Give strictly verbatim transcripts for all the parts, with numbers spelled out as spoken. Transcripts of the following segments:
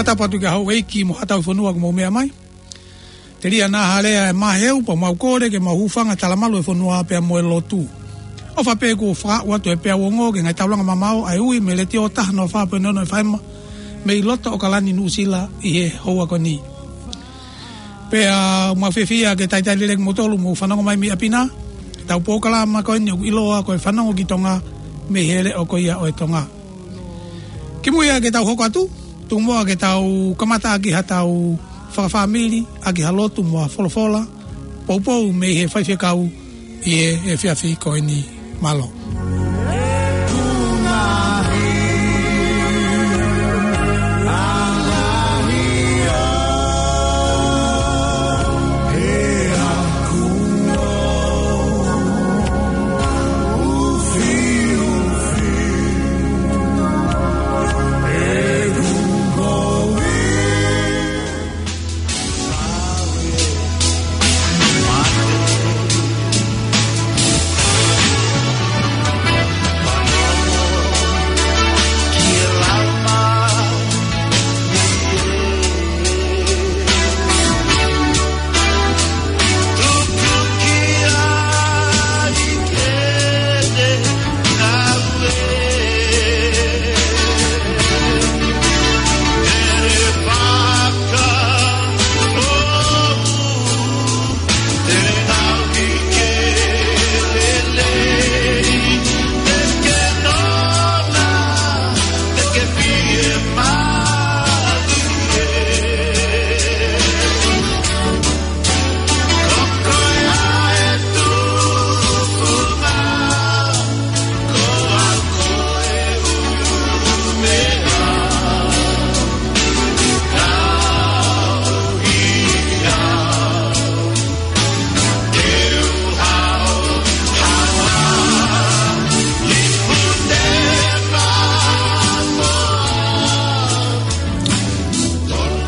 Tapu atu ki he houʻeiki mo e haʻa tauhi fonua kuo mou meʻa mai. Telia naʻa hālea e maheu pea mau kole ke mau hūfanga he talamalu e fonua pea mo e lotu. ʻOfa pē kuo fakaaʻu atu e peau ongo ki he ngaahi taulanga mamao ʻa e ui mei he Letiō taha noa fā poini ono F M mei loto ʻAokalani Nuʻusila ʻi he houa ko eni. Pea mau fiefia ke talitali lelei kimoutolu mou fanongo mai mei ʻapi na he tau polokalama ko eni ʻoku ʻiloa ko e Fanongo ki Tonga mei he leʻo ko ia ʻo e Tonga. Kimuʻa ke tau hoko atu, tuku muʻa ke tau kamata ʻaki ha tau fakafāmili, ʻaki ha lotu mo ha folofola poupou mei he faifekau ʻi he efiafi ko eni. Mālō.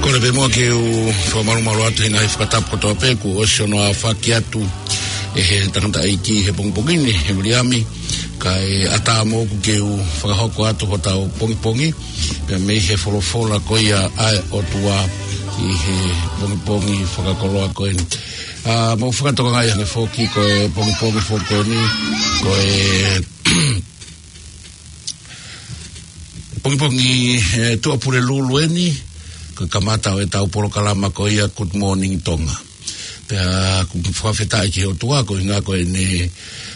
Kole pē muʻa ke u fakamalumalu atu he ngaahi fakatapu kotoa pē kuo ʻosi hono aofaki atu ʻe he tangataʻeiki he pongipongi ni, ʻe Viliami, kae ʻatā moʻoku ke u fakahoko atu hotau pongipongi pea mei he folofola ko ia ʻa e ʻOtua ʻi he pongipongi fakakoloa ko eni. ʻA, mou fakatokangaʻi ange foki ko e pongipongi foki ko eni, ko e pongipongi, ʻe, Tuʻapulelulu eni, ko e kamata ʻo e tau polokalama ko ia Good Morning Tonga. Pea ʻoku fakafetaʻi ki he ʻOtua, ko e ʻuhinga ko ʻene,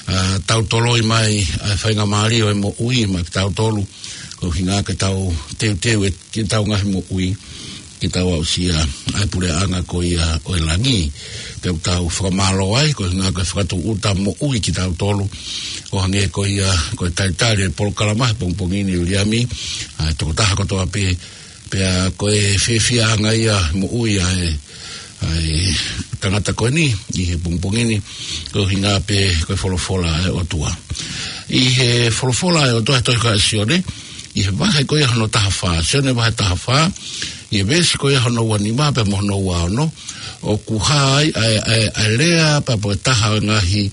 ʻa, tau toloi mai ʻa e faingamālie ʻo e moʻui maʻa kitautolu, ko e ʻuhinga ke tau teuteu e, ke tau ngaahi moʻui, ke tau aʻusia ʻa e puleʻanga ko ia ʻo e langi. Pea ʻoku tau fakamālō ai, ko e ʻuhinga ko e fakatūʻuta moʻui kitautolu, ʻo hangē ko ia, ko e talitali e polokalama he pongipongi ni ʻe Viliami, ʻa e tokotaha kotoa pē, pea ko e fiefiaʻanga ia moʻui ʻa e, ʻa e tangata ko eni ʻi he pongipongi ni, ko e ʻuhinga pē ko e folofola ʻa e ʻOtua. ʻI he folofola ʻa e ʻOtua he tohi ko ia ʻa Sione, ʻi he vahe ko ia hono taha fā, Sione vahe taha fā, ʻi he veesi ko ia hono ua nima pea mo hono ua ono, ʻoku hā ai ʻa e, ʻa e, ʻa e lea pea mo e taha ʻo e ngaahi,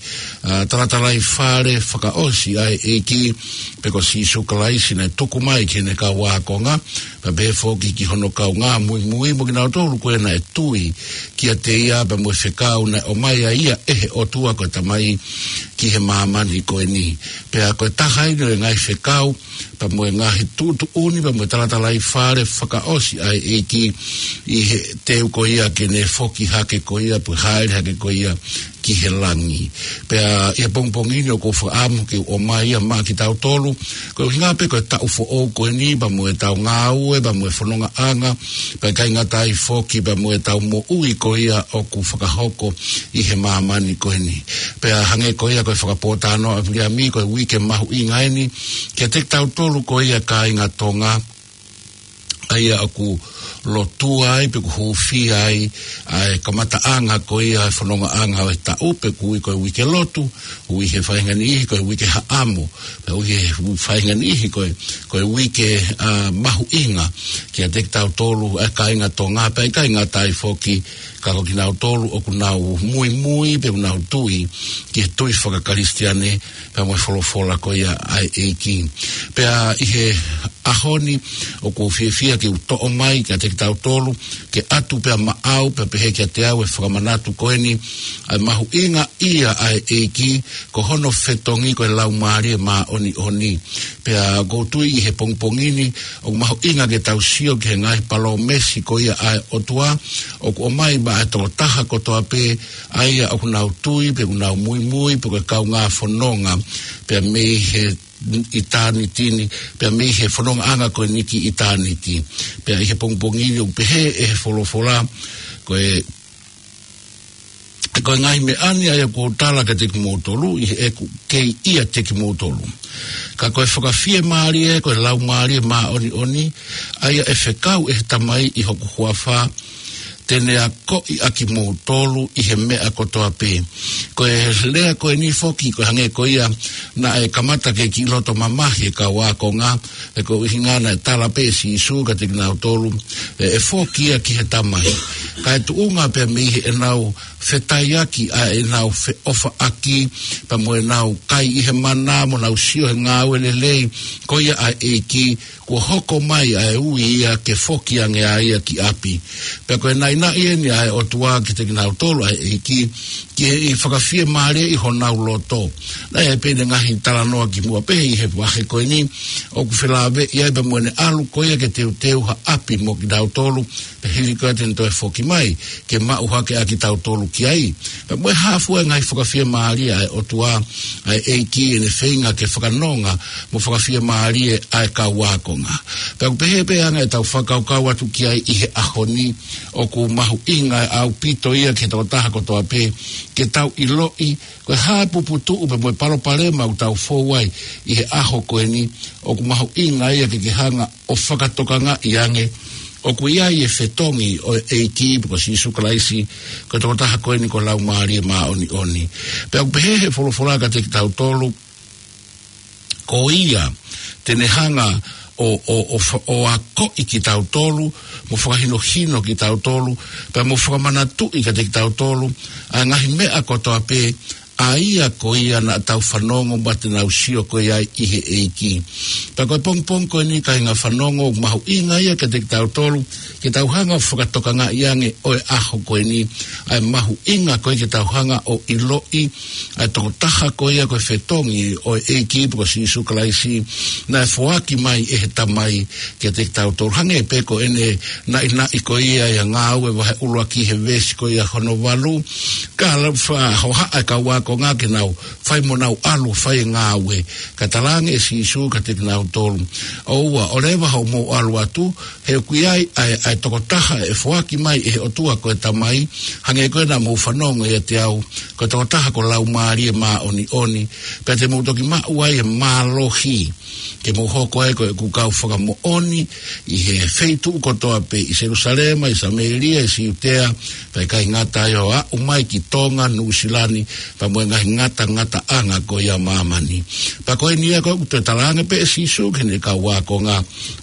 ʻa, talatalaifale fakaʻosi ʻa e ʻEiki, pe ko Sīsū Kalaisi naʻe tuku mai ki heʻene kau ākonga, pea pehē foki ki hono kaungā muimui mo kinautolu ko ē naʻe tui kiate ia pea mo e fekau naʻe ʻomai ʻe ia ʻe he ʻOtua ko e Tamai ki he māmani ko eni. Pea ko e taha eni ʻo e ngaahi fekau, pea mo e ngaahi tuʻutuʻuni, pea mo e talatalaifale fakaʻosi ʻa e ʻEiki ʻi he teu ko ia ke ne foki hake ko ia, pe hāʻele hake ko ia ki he langi. Pea ʻi he pongipongi ni ʻoku ou fakaʻamu ke u ʻomai ia maʻa kitautolu, ko e ʻuhinga pē ko e taʻu foʻou ko eni, pea mo e tau ngāue, pea mo e fonongaʻanga, pea ʻikai ngata ai foki, pea mo e tau moʻui ko ia ʻoku fakahoko ʻi he māmani ko eni. Pea hangē ko ia ko e fakapōtalanoa ʻa Viliami, ko e uike mahuʻinga eni kiate kitautolu ko ia kāinga Tonga, ʻa ia ʻoku lotua ai pe ʻoku hūfia ai ʻa e kamataʻanga ko ia e fonongaʻanga ʻo e taʻu, pe ʻoku ui ko e uike lotu, ui he faʻahinga niʻihi ko e uike haʻamo, pea ui he faʻahinga niʻihi ko e, ko e uike, ʻa, mahuʻinga kiate kitautolu ʻa e kāinga Tonga, pea ʻikai ngata ai foki Ka ko kinautolu ʻoku nau muimui, pe ʻoku nau tui, ki he tui fakakalisitiane, pea mo e folofola ko ia ʻa e ʻEiki. Pea ʻi he ʻaho ni, ʻoku ou fiefia ke u toʻo mai kiate kitautolu, ke ʻatu pea maʻau, pea pehē kiate au e fakamanatu ko eni, ʻa e mahuʻinga ia ʻa e ʻEiki, ko hono fetongi ko e Laumālie Māʻoniʻoni. Pea ʻoku ou tui ʻi he pongipongi ni, ʻoku mahuʻinga ke tau sio ki he ngaahi palōmesi ko ia ʻa e ʻOtua, ʻoku ʻomai maʻa e tokotaha kotoa pē, ʻa ia ʻoku nau tui, pe ʻoku nau muimui, pe ko e kaungā fononga, pea mei he ʻitāniti ni, pea mei he fonongaʻanga ko eni ki ʻitāniti. Pea ʻi he pongipongi ni ʻoku pehē ʻe he folofola, ko e, ko e ngaahi meʻa ni ʻa ia ʻoku ou tala kiate kimoutolu, ʻi heʻeku kei ʻiate kimoutolu. Ka ko e fakafiemālie, ko e Laumālie Māʻoniʻoni, ʻa ia ʻe fekau ʻe he Tamai ʻi hoku huafa, te ne akoʻi ʻa kimoutolu ʻi he meʻa kotoa pē. Ko e lea ko eni foki, ko e hangē ko ia naʻe kamata ke kiʻi loto mamahi e kau ākonga, he ko e ʻuhinga naʻe tala pē ʻe Sīsū kiate kinautolu, ʻe, ʻe foki ia ki he Tamai. Kae tuʻunga pea mei heʻenau fetaiaki ʻa ʻenau feʻofaʻaki, pea mo ʻenau kai ʻi he mana, mo ʻenau sio he ngāue lelei, ko ia ʻa e ʻEiki, kuo hoko mai ʻa e ui ia ke foki ange ʻa ia ki ʻapi. Pea ko e naʻinaʻi eni ʻa e ʻOtua kiate kinautolu ʻa e ʻEiki, ki he ʻi fakafiemālie ʻi honau loto. Naʻe ʻi ai pē ʻene ngaahi talanoa kimuʻa pē ʻi he vahe ko eni, ʻoku felāveʻi ai pea mo ʻene ʻalu ko ia ke teuteu ha ʻapi mo kitautolu, pea hili ko ia te ne toe foki mai, ke maʻu hake ʻa kitautolu ki ai. Pea mo e hā fua e ngaahi fakafiemālie ʻa e ʻOtua, ʻa e ʻEiki ʻene feinga ke fakanonga mo fakafiemālie ʻa e kau ākonga. Pea ʻoku pehē pē ʻa e anga ʻetau fakakaukau atu ki ai ʻi he ʻaho ni, ʻoku mahuʻinga ʻaupito ia ki he tokotaha kotoa pē, ke tau ʻiloʻi, ko e hā e puputuʻu pea mo e palopalema ʻoku tau fou ai ʻi he ʻaho ko eni, ʻoku mahuʻinga ia ke ke hanga ʻo fakatokangaʻi ange, ʻoku ʻi ai e fetongi ʻo e ʻEiki pe ko Sīsū Kalaisi, ko e tokotaha ko eni ko e Laumālie Māʻoniʻoni. Pea ʻoku pehē ʻe he folofola kiate kitautolu, ko ia te ne hanga ʻo, ʻo, ʻo fa-, ʻo akoʻi kitautolu, mo fakahinohino kitautolu, pea mo fakamanatuʻi kiate kitautolu ʻa e ngaahi meʻa kotoa pē, ʻa ia ko ia naʻa tau fanongo mo te nau sio ko ia ʻi he ʻEiki. Pea ko e pongipongi ko eni kāinga fanongo, ʻoku mahuʻinga ia kiate kitautolu, ke tau hanga ʻo fakatokangaʻi ange ʻo e ʻaho ko eni, ʻa e mahuʻinga ko ia ke tau hanga ʻo ʻiloʻi ʻa e tokotaha ko ia ko e fetongi ʻo e ʻEiki pe ko Sīsū Kalaisi, naʻe foaki mai ʻe he Tamai kiate kitautolu. Hangē pē ko ʻene naʻinaʻi ko ia ʻi he Ngāue vahe ʻuluaki he veesi ko ia hono valu, ka lau fa-, hohaʻa e kau ākonga ke nau fai mo nau ʻalu fai e ngāue. Ka talaange ʻe Sīsū kiate kinautolu, ʻoua, ʻoleva hoʻomou ʻalu atu, he ʻoku ʻi ai ʻa e, ʻa e tokotaha ʻe foaki mai ʻe he ʻOtua ko e Tamai, hangē ko ia naʻa mou fanongo ʻiate au, ko e tokotaha ko e Laumālie Māʻoniʻoni, pea te mou toki maʻu ai e mālohi, ke mou hoko ai ko ʻeku kau fakamoʻoni ʻi he feituʻu kotoa pē, ʻi Selūsalema, ʻi Samēlia, ʻi Siutea, pea ʻikai ngata ai ʻo aʻu mai ki Tonga, Nuʻusila ni, pea mo e ngaahi ngatangataʻanga ko ia ʻo māmani. Pea ko eni ia ko ē ʻoku toe talaange pē ʻe Sīsū ki heʻene kau ākonga,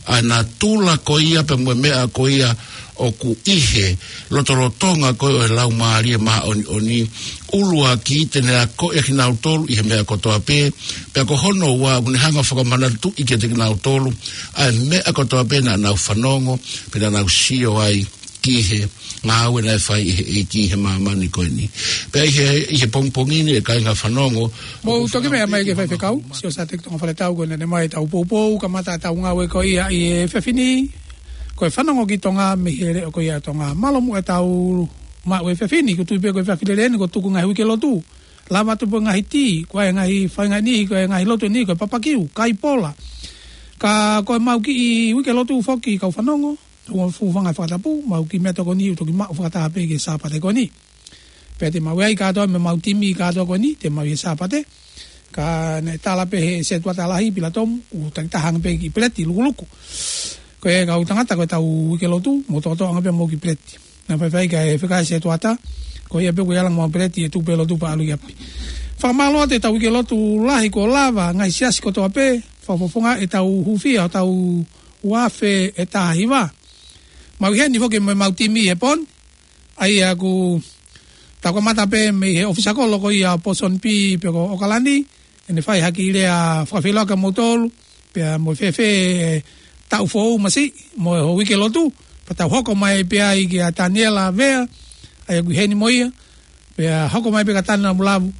ʻa e natula ko ia pea mo e meʻa ko ia ʻoku ʻi he lotolotonga ko ē ʻo e Laumālie Māʻoniʻoni, ʻuluaki te ne akoʻi ʻa kinautolu ʻi he meʻa kotoa pē, pea ko hono ua ʻoku ne hanga ʻo fakamanatuʻi kiate kinautolu ʻa e meʻa kotoa pē naʻa nau fanongo, pe naʻa nau sio ai ki he ngāue naʻe fai ʻe he ʻEiki ʻi he māmani ko eni. Pea ʻi he, ʻi he pongipongi ni ʻe kāinga fanongo, mou toki meʻa mai ki he faifekau, Siosiua Teki Tonga Faletau, ko ʻene ʻomai ʻetau poupou, kamata ʻetau ngāue ko ia ʻi he efiafi ni, ko e fanongo ki Tonga mei he leʻo ko ia ʻo Tonga. Mālō muʻa ʻetau maʻu e efiafi ni, ʻoku ou tui pē ko e efiafi lelei eni, kuo tuku e ngaahi uike lotu. Lava atu pē ngaahi tī, ko e ngaahi faingamālie, ko e ngaahi lotu ni, ko e papakiu, kai pola. Ka ko ʻemau kiʻi uike lotu foki kau fanongo, ʻoku fuʻu fanga fakatapu, mau kiʻi meʻatokoni ʻoku toki maʻu fakataha pē ki he Sāpate ko eni. Pea te mau ʻi ai kātoa mo ʻemau timi kātoa ko eni, te mau ʻi he Sāpate. Ka naʻe tala pē ʻe he setuata lahi, Pilatomu, ʻoku takitaha ange pē kiʻi peleti lukuluku. Ko e kau tangata ko ʻetau uike lotu, mou toʻotoʻo ange pē homou kiʻi peleti. Naʻe faifai kae fekau ʻe he setuata, ko ia pē ʻoku ʻi ai ʻemau peleti ʻe tuku pē lotu pea ʻalu ki ʻapi. Fakamālō atu ʻetau uike lotu lahi kuo lava, ngaahi siasi kotoa pē, fakafofonga ʻetau hūfia, ʻetau ua afe ʻe taha hiva. Mau ʻi heni foki mo ʻemau timi he pō ni, ʻA ia ʻoku tau kamata pē mei he ʻōfisa kolo ko ia ʻo Pōsoni B pe ko ʻOkalani, ʻene fai ha kiʻi lea fakafeʻiloaki kiate kimoutolu, pea mo e fēfē e taʻu foʻou masiʻi, mo e uike lotu, pea tau hoko mai pē ai kia Taniela Vea, ʻa ia ʻoku ʻi heni mo ia, pea hoko mai pē kia Tana Mulavu,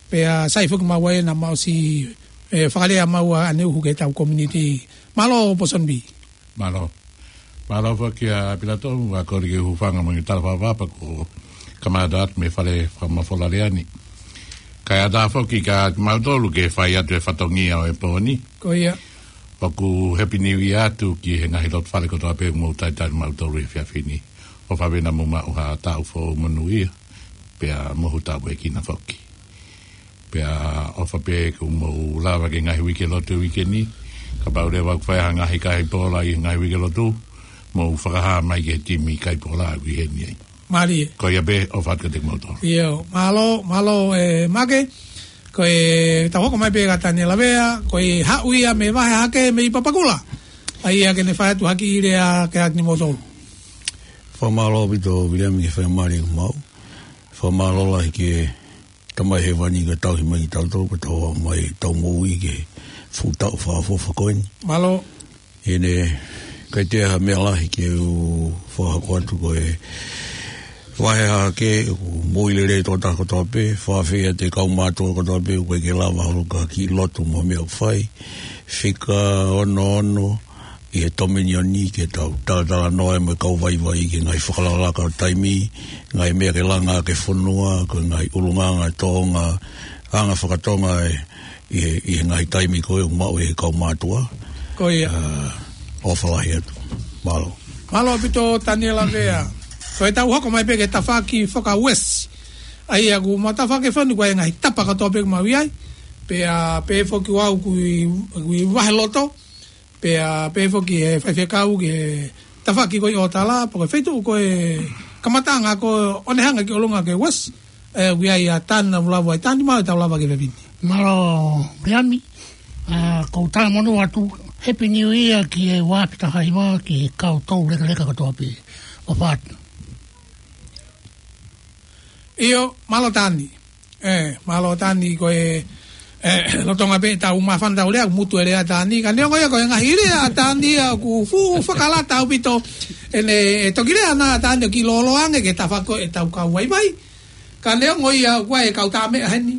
pea sai foki maua ʻena maʻu siʻi, ē, fakalea maua ʻaneuhu ki heʻetau community. Mālō Pōsoni B. Mālō. Mālō foki ʻa Pilato, ʻa kole ke u hūfanga mo e tala fakatapu ko e kamata atu mei he fale fakamafola lea ni. Kae ʻatā foki kiate kimautolu ke fai atu e fatongia ʻo e pō ni. Ko ia. ʻOku Happy New Year atu ki he ngaahi loto fale kotoa pē ʻoku mou talitali mautolu he efiafi ni. ʻOfa pē naʻa mou maʻu ha taʻu foʻou monūʻia, pea mohu taʻu ʻe kina foki. Pea ʻofa pē ke mou lava ki he ngaahi uike lotu e uike ni. Kapau leva ʻoku fai ha ngaahi kai pōla ʻi he ngaahi uike lotu, mou fakahā mai ki he timi kai pōla ʻoku ʻi heni ai. Mālie. Ko ia pē, ʻofa atu kiate kimoutolu. ʻIo, mālō, mālō, ē, Make. Ko e tau hoko mai pē kia Taniela Vea, ko e haʻu ia mei he vahe hahake mei Papakura. ʻA ia ke ne fai atu ha kiʻi lea kiate kimoutolu. Fakamālō ʻaupito Viliami ki he faingamālie kuo maʻu. Fakamālō lahi ki he Tamai Hēvani kuo tauhi mai kitautolu, kuo tau aʻu mai ʻetau moʻui ki he fuʻu taʻu fakaʻofoʻofa ko eni. Mālō. ʻIo, ʻikai toe ʻi ai ha meʻa lahi ke u fakahoko atu, ko e vahe hahake, ʻoku moʻui lelei e tokotaha kotoa pē, fakaafeʻi atu e kau mātuʻa kotoa pē, ʻoku ʻikai ke lava holo ki ha kiʻi lotu mo e meʻa ʻoku fai. Fika ono ono, ʻi he Tōminioni ke tau talatalanoa mo e kau vaivai ki he ngaahi fakalakalaka ʻo e taimi, ngaahi meʻa ke langa ki he fonua, ko e ngaahi ʻulungaanga tōʻonga, anga fakatonga ē, ʻi he, ʻi he ngaahi taimi ko ē ʻoku maʻu ʻe he kau mātuʻa. Ko ia. ʻA, ʻofa lahi atu. Mālō. Mālō ʻaupito Taniela Vea. Ko e tau hoko mai pē ki he tafaʻaki faka-Uēsiti. ʻA ia ʻoku mau tafaʻaki fonu ko e ngaahi tapa kotoa pē ʻoku mau ʻi ai. Pea, pea foki ʻoku ʻi, ʻi vahe loto. Pea, pea foki e faifekau ki he tafaʻaki ko ē ʻo Tala, pe ko e feituʻu ko e kamataʻanga ko ē ʻo ne hanga ki ʻolunga ki he Uēsiti, ē, ʻoku ʻi ai ʻa Tana Mulavu ʻi Tani, mo e tau lava ki he efiafi ni. Mālō, Viliami, ʻa, ʻoku ou talamonū atu, Happy New Year ki he ua afe taha hiva ki he kau toulekeleka kotoa pē. ʻOfa atu. ʻIo, mālō Tani. Ē, mālō Tani ko e, ē, lolotonga pē ʻetau māfana ʻetau lea, mutu e lea ʻa Tani. Ka neongo ia ko e ngaahi lea ʻa Tani ia ʻoku fuʻu fakalata ʻaupito. ʻEne, ʻe toki lea ʻana ʻa Tani ʻo kiʻi lōloa ange ki he tafaʻaki ʻetau kau vaivai. Ka neongo ia ʻoku ʻi ai e kau tāmeʻa heni.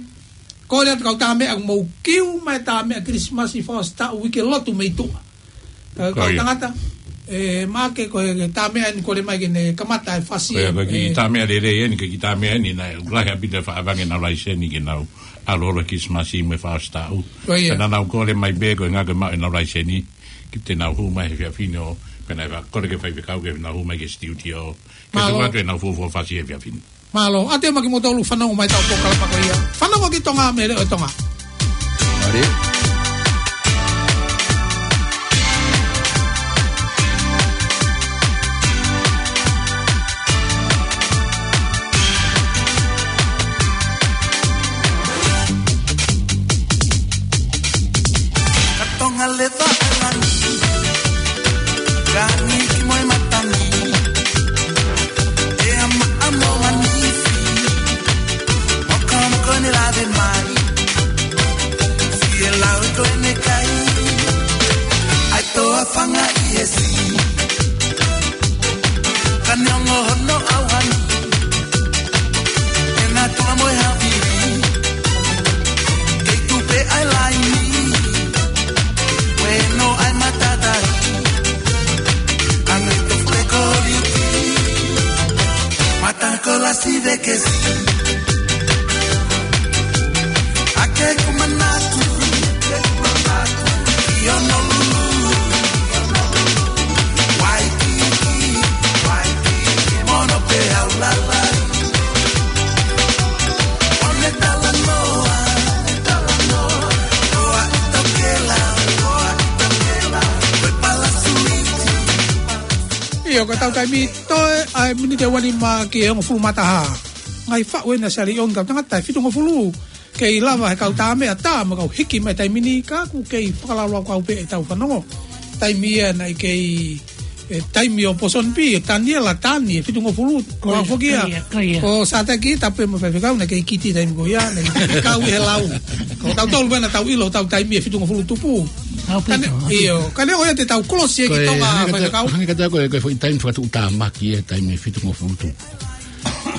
Kole atu kau tāmeʻa ʻoku mou kiu mai tāmeʻa Kilisimasi, fakaʻosi taʻu, uike lotu mei tuʻa. Ē, kau tangata, ē, Make, ko e tāmeʻa eni kole mai ke ne kamata e fasi. Ko ia, ko e kiʻi tāmeʻa lelei eni, ko e kiʻi tāmeʻa eni, naʻe ʻuluaki ʻaupito e faʻa vangē ʻenau laiseni ke nau ʻalu holo Kilisimasi mo e fakaʻosi taʻu. Ko ia. Pea naʻa nau kole mai pē, ko e ʻuhinga ke maʻu ʻenau laiseni, ke te nau hū mai he efiafi ni ʻo, pea naʻe faʻa kole ki he faifekau ke nau hū mai ki he studio. Ke tuku atu ʻenau fuofua fasi he efiafi ni. Mālō, ʻa te maki mo tolu fanongo mai ʻetau polokalama ko ia. Fanongo ki Tonga mei he Leʻo ʻo Tonga. Mālō. Ka Tonga leva ʻa langi, ka ni ki mo e matangi. ʻE ama amo manifi, mokomoko ne lave mai. Fie lau ko ʻene kai, ʻai toa fanga ʻi he si. Ka neongo hono ʻauhani, ʻe na tula mo e havi. Kei tupe ʻa e laini, ue no ʻa e matatai. Ange to fue koriuki, mata ko la si ve ke si. Ake kumanatu, ʻi Honolulu. Waikiki, Waikiki, mono pe au lala. One talanoa, talanoa, toa ʻi Tokela, toa ʻi Tokela, ko e palasuiti. ʻIo, ko ʻetau taimi toe ʻa e miniti ʻe uanima ki he hongofulu mā taha. Ngaahi faʻu ena sali ʻo e kau tangata ʻe fitungofulu. Kei lava he kau tāmeʻa tā mo e kau hiki mai taimi ni ka ʻoku kei fakalaulauloto pē ʻetau fanongo. Taimi ia naʻe kei e taimi ʻo Pōsoni Pī, ʻe Taniela, Tani, ʻe fitungofulu. Ko ia, foki ia, ko ia, ko ia. Ko Sātaki, tapu mo faifekau, naʻe kei kiti taimi ko ia, naʻe kei kau ʻi he lau. Ko tautolu pē naʻa tau ʻilo, tau taimi ʻe fitungofulu tupu. Au pē. Ka ne, ʻio, ka neongo ia te tau kolosi ʻe ki Tonga, faifekau. Hangē ka tau ko e, ko e foʻi taimi fakatuʻutāmaki e taimi ʻe fitungofulu tupu.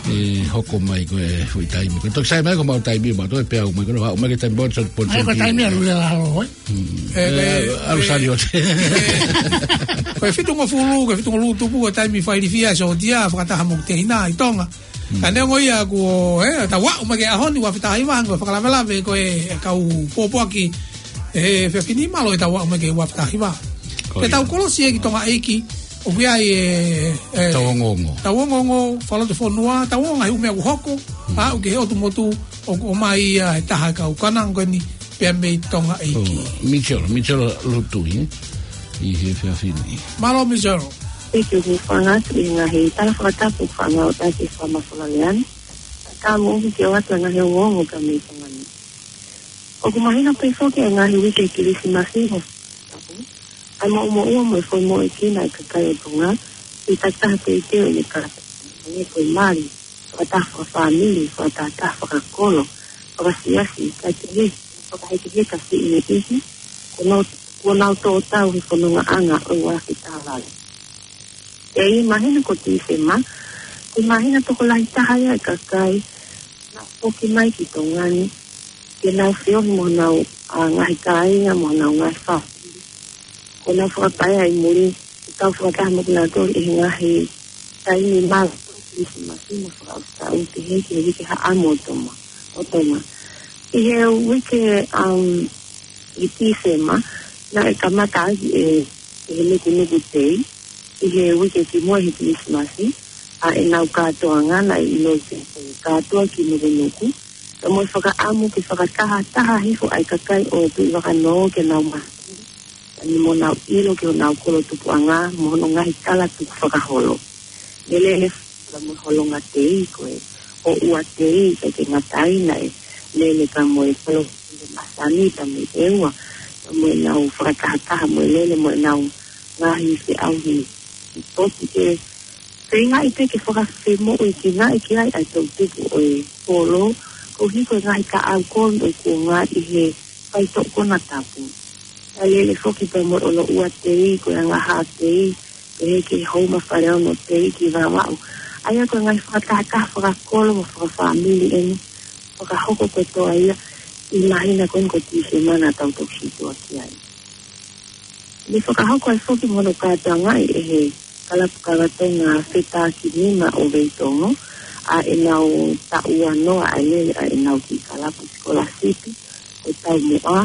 ʻE hoko mai ko e foʻi taimi. Ko e toki sai mai ko mau taimi, mau toe pea au mai, ko e au mai ke taimi bot, bot, ai, ko e taimi ʻalu leva ʻalu, ē? Mm. ʻE, ʻe, ʻalu e, sali ʻo te. Ko e fitungofulu, ko e fitungofulu tupu, ko e taimi failifia, so tia, fakataha mo te ina, ʻi Tonga. Mm. Ka neongo ia ko, ē, tau aʻu mai ki he ʻaho ni, ua fetaha hiva, ko e fakalavelave, ko e kau pōpoaki, ʻe he efiafi ni mālō ʻetau aʻu mai ki he ua fetaha hiva. Ko ia. Te tau kolosi ʻe ki Tonga ʻEiki, ʻoku ʻi ai e, e, tau ongoongo. Tau ongoongo, falote fonua, tau ongoongo he ʻū meʻa ʻoku hoko, mm, aʻu ki he ʻotu motu, ʻoku ʻomai ia he taha e kau kananga ko eni, pea mei Tonga ʻEiki. ʻO, Mitchell, Mitchell Lutui, ē? ʻI he efiafi ni. Mālō Mitchell. Thank you, hūfanga atu ʻi he ngaahi tala fakatapu fanga o taki fama fola leani. Ka mo uki ke o atu ngaahi ongoongo ka mei Tonga ni. ʻOku mahino pē foki e ngaahi uike Kilisimasi mo Tapu. ʻA e moʻumoʻua mo e foʻi moʻuekina e kakai ʻo Tonga, ʻi he takitaha teuteu ʻene kātoanga, hangē ko e mali, fakataha fakafāmili, fakataha fakakolo, fakasiasi, kae kehe, fakahekeheka siʻi mo e ʻihi, ko nau, ko nau tō tau he fonongaʻanga ʻo e ua afe taha valu. ʻE mahino ko Tīsema, ko e māhina tokolahi taha ia e kakai, naʻa foki mai ki Tonga ni, ke nau feohi mo honau, ʻa, ngaahi kāinga mo honau ngaahi fāmili. Ko nau fakapaea ʻi muli, ke tau fakataha mo kinautolu ʻi he ngaahi taimi mālō, Kilisimasi mo fakaʻosi taʻu ke he, ke he uike haʻamo ʻo Tonga, ʻo Tonga. ʻI he uike, um, ʻi Tīsema, naʻe kamata ai e, e he nukunuku tei, ʻi he uike kimuʻa he Kilisimasi, ʻa ʻenau kātoanga naʻe ʻiloa ko e kātoa ki Nukunuku, ka mo e fakaʻamu ke fakatahataha hifo ʻa e kakai ʻo Tuʻivakanō ke nau mahaki, ʻa eni mo nau ʻilo ki honau kolo tupuʻanga, mo hono ngaahi kala tukufakaholo. Lele le ka mo e holonga tei ko e ʻoua tei, ka ke ngatai naʻe lele ka mo e kolo masani ka mo e ʻeua, ka mo ʻenau fakatahataha mo e lele mo ʻenau ngaahi feʻauhi ʻi poti ke feingaʻi pē ke fakafemoʻuekinaʻi ki ai ʻa e toʻutupu ʻo e kolo, koeʻuhi ko e ngaahi kaʻau kolo ʻo e kuonga ʻi he faitoʻo konatapu. Ka lele foki pea mo e ʻoloʻua tei, ko e angahā tei, pehē ki he houma faleono tei ki Vavaʻu. ʻA ia ko e ngaahi fakatahataha fakakolo mo fakafāmili eni, fakahoko kotoa ia, ʻi he māhina ko eni ko Tīsema naʻa tau toki sītuʻa ki ai. Ne fakahoko ai foki mo hono kātoangaʻi ʻe he kalapu kakatonga Fetakinima ʻo Veitongo, ʻa ʻenau taʻu uanoa ʻa e lele ʻa ʻenau kiʻi kalapu sikolasipi, ko e taumuʻa,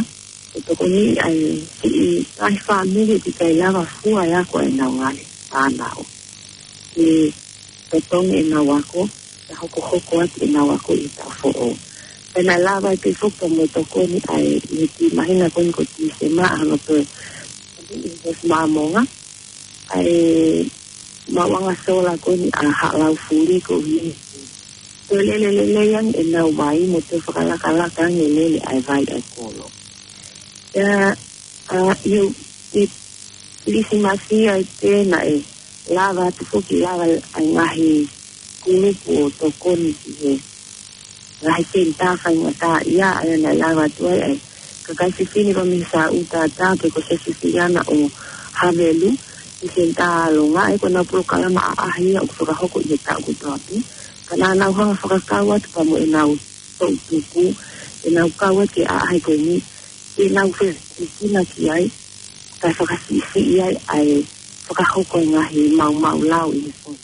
ʻo tokoni ai ki he ngaahi fāmili ʻoku ʻikai lava fua e ako ʻa ʻenau ngaahi fānau. Ke totongi ʻenau ako, ka hokohoko atu ʻenau ako ʻi he taʻu foʻou. Pea naʻe lava ai pē foki mo e tokoni ʻa e, ʻi he kiʻi māhina ko eni ko Tīsema ʻa hono toe, ʻi he Māmonga, ʻa e maʻuʻanga sola ko eni ʻa Haʻalaufuli koeʻuhi ko e lele lelei ange ʻenau vai mo toe fakalakalaka ange lele ʻa e vai ʻa e kolo. Pea, ʻa, ʻi he, ʻi he Kilisimasi ai pē naʻe lava atu foki lava ʻa e ngaahi kulupu ʻo tokoni ki he ngaahi senitā faingataʻaʻia, ʻa ia naʻe lava atu ai ʻa e kakai fefine ko Misa Utata pe ko Sesifiliana ʻo Havelu, ʻi he senitā ʻAlonga, ʻa ia ko ʻenau polokalama ʻaʻahi ia ʻoku fakahoko ʻi he taʻu kotoa pē. Ka naʻa nau hanga fakakau atu pea mo ʻenau toʻutupu, ʻenau kau atu ki he ʻaʻahi ko eni, ʻenau fefekina ki ai, kae fakasiʻisiʻi ai ʻa e fakahoko e ngaahi maumau lao ʻi he fonua.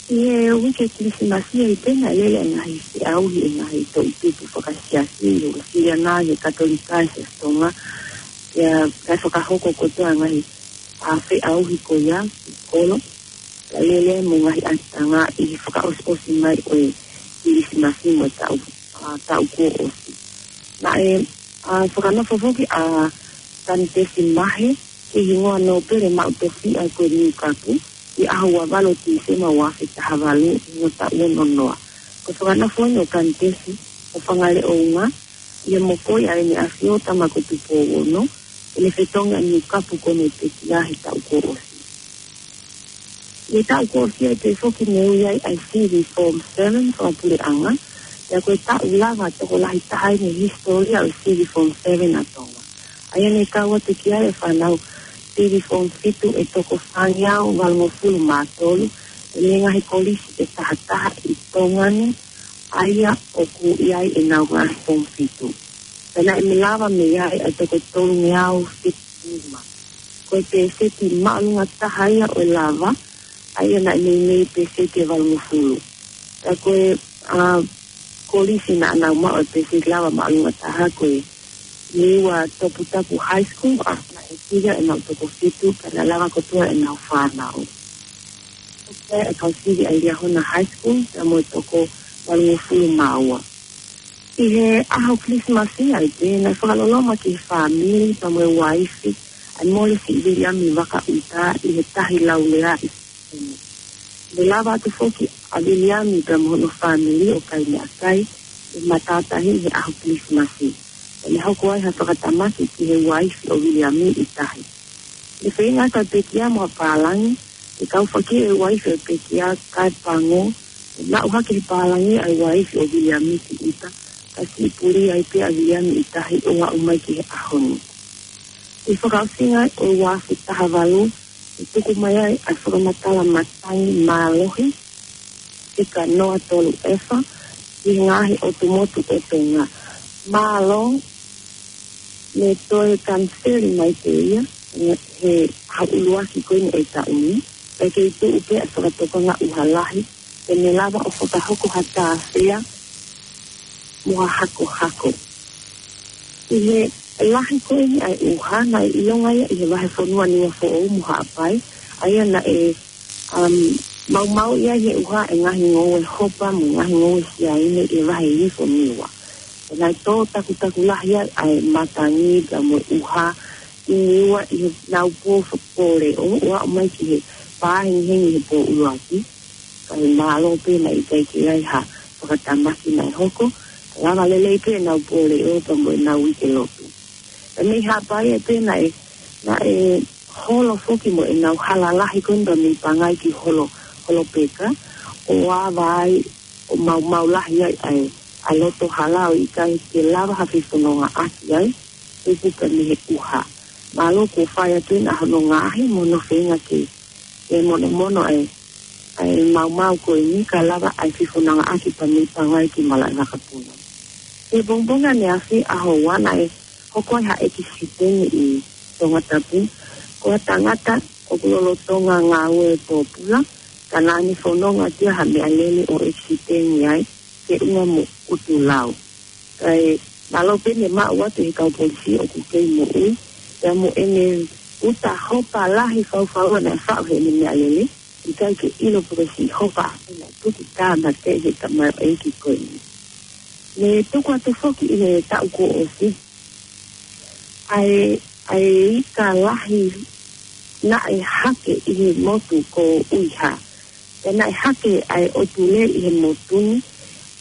ʻI he uike Kilisimasi ai pē naʻe lele e ngaahi feʻauhi e ngaahi toʻutupu fakasiasi, ʻi he Uēsiliana, ʻi he Katolika, ʻi he Siasi Tonga, ia kae fakahoko kotoa e ngaahi, ʻa, feʻauhi ko ia, ki kolo, ka lele mo e ngaahi ʻatanga ʻi he fakaʻosiʻosi mai ʻo e Kilisimasi mo e taʻu, ʻa, taʻu kuo ʻosi. Naʻe, ʻa, fakanofo foki ʻa Kanitesi Mahe, ki he hingoa nōpele maʻu tofiʻa ko e Niukapu, ʻi he ʻaho ua valu Tīsema ua afe taha valu, ʻi he taʻu ono noa. Ko e fakanofo eni ʻo Kanitesi, ʻo Fangaleʻounga, ʻi he mokoi ʻa ʻEne ʻAfio Tama ko Tupou Ono, ʻi heʻene fetongi ʻa Niukapu ko Nupetia he taʻu kuo ʻosi. He taʻu kuo ʻosi ai pē foki ne ui ai ʻa e sivi Form Seven fakapuleʻanga, pea ko e taʻu lava tokolahi taha ʻi he hisitōlia ʻo e sivi Form Seven ʻa Tonga. ʻA ia ne kau atu ki ai e fānau sivi Form Fitu ʻe toko fāngeau valungofulu mā tolu, ʻi he ngaahi kolisi ʻe taha taha ʻi Tonga ni, ʻa ia ʻoku ʻi ai ʻenau ngaahi Form Fitu. Pea naʻe mei lava mei ai ʻa e toko tolungeau fitu nima. Ko e pēseti māʻolunga taha ia ʻo e lava, ʻa ia naʻe meimei pēseti ʻe valungofulu. Pea ko e, ʻa, kolisi naʻa nau maʻu e pēseti lava māʻolunga taha ko e Niua Toputapu High School, ʻa, naʻe sio ʻenau toko fitu, pea naʻe lava kotoa ʻenau fānau. Ko e kau sivi ʻa e Liahona High School, pea mo e toko valungofulu mā ua. ʻI he ʻaho Kilisimasi ai pē, naʻe fakaloloma ki he fāmili pea mo e uaifi ʻa e mole siʻi Viliami Vakaʻuta ʻi he tahi laulea ʻi Sene. Ne lava atu foki ʻa Viliami pea mo hono fāmili ʻo kai meʻakai ʻi he matātahi ʻi he ʻaho Kilisimasi. Pea ne hoko ai ha fakatamaki ki he uaifi ʻo Viliami ʻi tahi. Ne feinga atu ʻa e pekia mo ha pālangi, ne kau fakie ʻe he uaifi ʻo e pekia kae pango, ne maʻu hake ʻe he pālangi ʻa e uaifi ʻo Viliami ki ʻuta, ka siʻi puli ai pē ʻa Viliami ʻi tahi ʻo aʻu mai ki he ʻaho ni. ʻI he fakaʻosinga ʻo e ua afe taha valu, ne tuku mai ai ʻa e fakamatala matangi mālohi, ika noa tolu efa, ʻi he ngaahi ʻotu motu ʻo Tonga. Mālō, ne toe kaniseli mai pē ia, he ʻaho ʻuluaki ko eni ʻo e taʻu ni, pea kei tuʻu pē ʻa e fakatokanga ʻuha lahi, ke ne lava ʻo fakahoko ha tāfea mo ha hakohako. ʻI he lahi ko eni ʻa e ʻuha, naʻe ʻilonga ia ʻi he vahefonua Niuafoʻou mo Haʻapai, ʻa ia naʻe, um, maumauʻi ai ʻe he ʻuha e ngaahi ngoue hopa mo e ngaahi ngoue siaine ʻi he vahe hifo Niua. Pea naʻe tō takutaku lahi ai ʻa e matangi pea mo e ʻuha ʻi Niua ʻi heʻenau pō fo-, pō leʻo, ʻo aʻu mai ki he pā hengihengi he pō ʻuluaki. Ka ʻi he mālō pē naʻe ʻikai ke ʻi ai ha fakatamaki naʻe hoko, ka lava lelei pē ʻenau pō leʻo pea mo ʻenau uike lotu. Pea mei Haʻapai ai pē naʻe, naʻe holo foki mo ʻenau hala lahi ko eni pea mei Pangai ki Holo, Holopeka, ʻo ava ai, ʻo maumau lahi ai ʻa e, ʻa e loto hala ʻo ʻikai ke lava ha fefonongaʻaki ai, tupu pē mei he ʻuha. Mālō kuo fai atu ʻena hono ngaohi mo hono feinga ke, ke monomono ʻa e, ʻa e maumau ko eni ka lava ʻa e fefonongaʻaki pea mei Pangai ki Malaʻevakapuna. ʻI he pongipongi ʻaneafi ʻaho ua naʻe hoko ai ha ʻekisiteni ʻi Tongatapu. Ko ha tangata ʻoku lolotonga ngāue pōpula, ka naʻa ne fononga atu ia ha meʻalele ʻo ʻekisiteni ai, feʻunga mo ʻutulau. Kae mālō pē ne maʻu atu ʻe he kau polisi ʻoku kei moʻui, pea mo ʻene uta hopa lahi faufaua naʻe faʻu heʻene meʻalele, ʻikai ke ʻilo pe ko e siʻi hopa ʻena tuku tāmateʻi he tamaioʻeiki ko eni. Ne tuku atu foki ʻi he taʻu kuo ʻosi ʻa e, ʻa e ika lahi naʻe hake ʻi he motu ko Uiha. Pea naʻe hake ʻa e ʻotu lē ʻi he motu ni,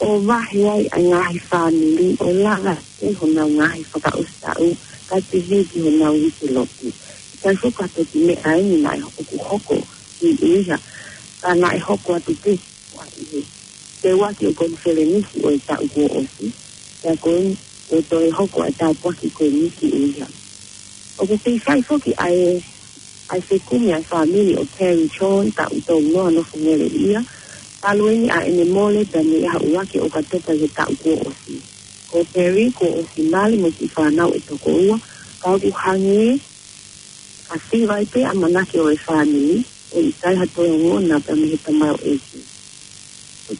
ʻo vahe ai ʻa e ngaahi fāmili, ʻo lava ʻe honau ngaahi fakaʻosi taʻu, kae pehē ki honau uike lotu. ʻIkai foki ha toki meʻa eni naʻe ʻoku hoko ʻi Uiha, ka naʻe hoko atu pē ʻi he peuaki ʻo e konifelenisi ʻo e taʻu kuo ʻosi, pea ko eni ʻoku toe hoko ʻa e tāpuaki ko eni ki Uiha. ʻOku kei fai foki ʻa e, ʻa e fekumi ʻa e fāmili ʻo Terry John, taʻu tolu noa, nofo Ngeleʻia, talu eni ʻa ʻene mole pea mei he ʻuluaki ʻo ʻOkatopa ʻi he taʻu kuo ʻosi. Ko Terry kuo ʻosi mali mo e kiʻi fānau ʻe toko ua, ka ʻoku hangē ʻa e fai pē ʻamanaki ʻo e fāmili, ʻo ʻikai ha toe ongona pea mei he tamaioʻeiki.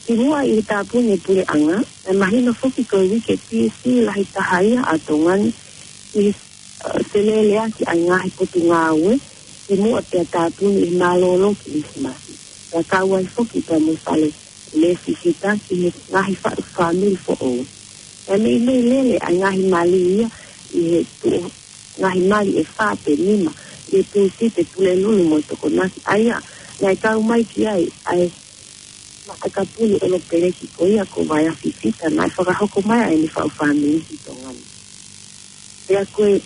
Kimuʻa ʻi he tāpuni ʻa e puleʻanga, naʻe mahino foki ko e uike P S C lahi taha ia ʻa Tonga ni, ʻi he, ʻa, feleleʻaki ʻa e ngaahi potungāue, kimuʻa pea tāpuni ʻi he mālōlō Kilisimasi. Pea kau ai foki pea mo e fale lēsisita ki he ngaahi fa-, fāmili foʻou. Pea meimei lele ʻa e ngaahi mali ia ʻi he tuʻu ngaahi mali ʻe fā pe nima, ʻi he Pūsite, Pulelulu mo Tokonaki, ʻa ia naʻe kau mai ki ai ʻa e matakapulu ʻolopeleki ko ia ko Vaeafifita, naʻe fakahoko mai ai ʻene faʻu fāmili ki Tonga ni. Pea ko e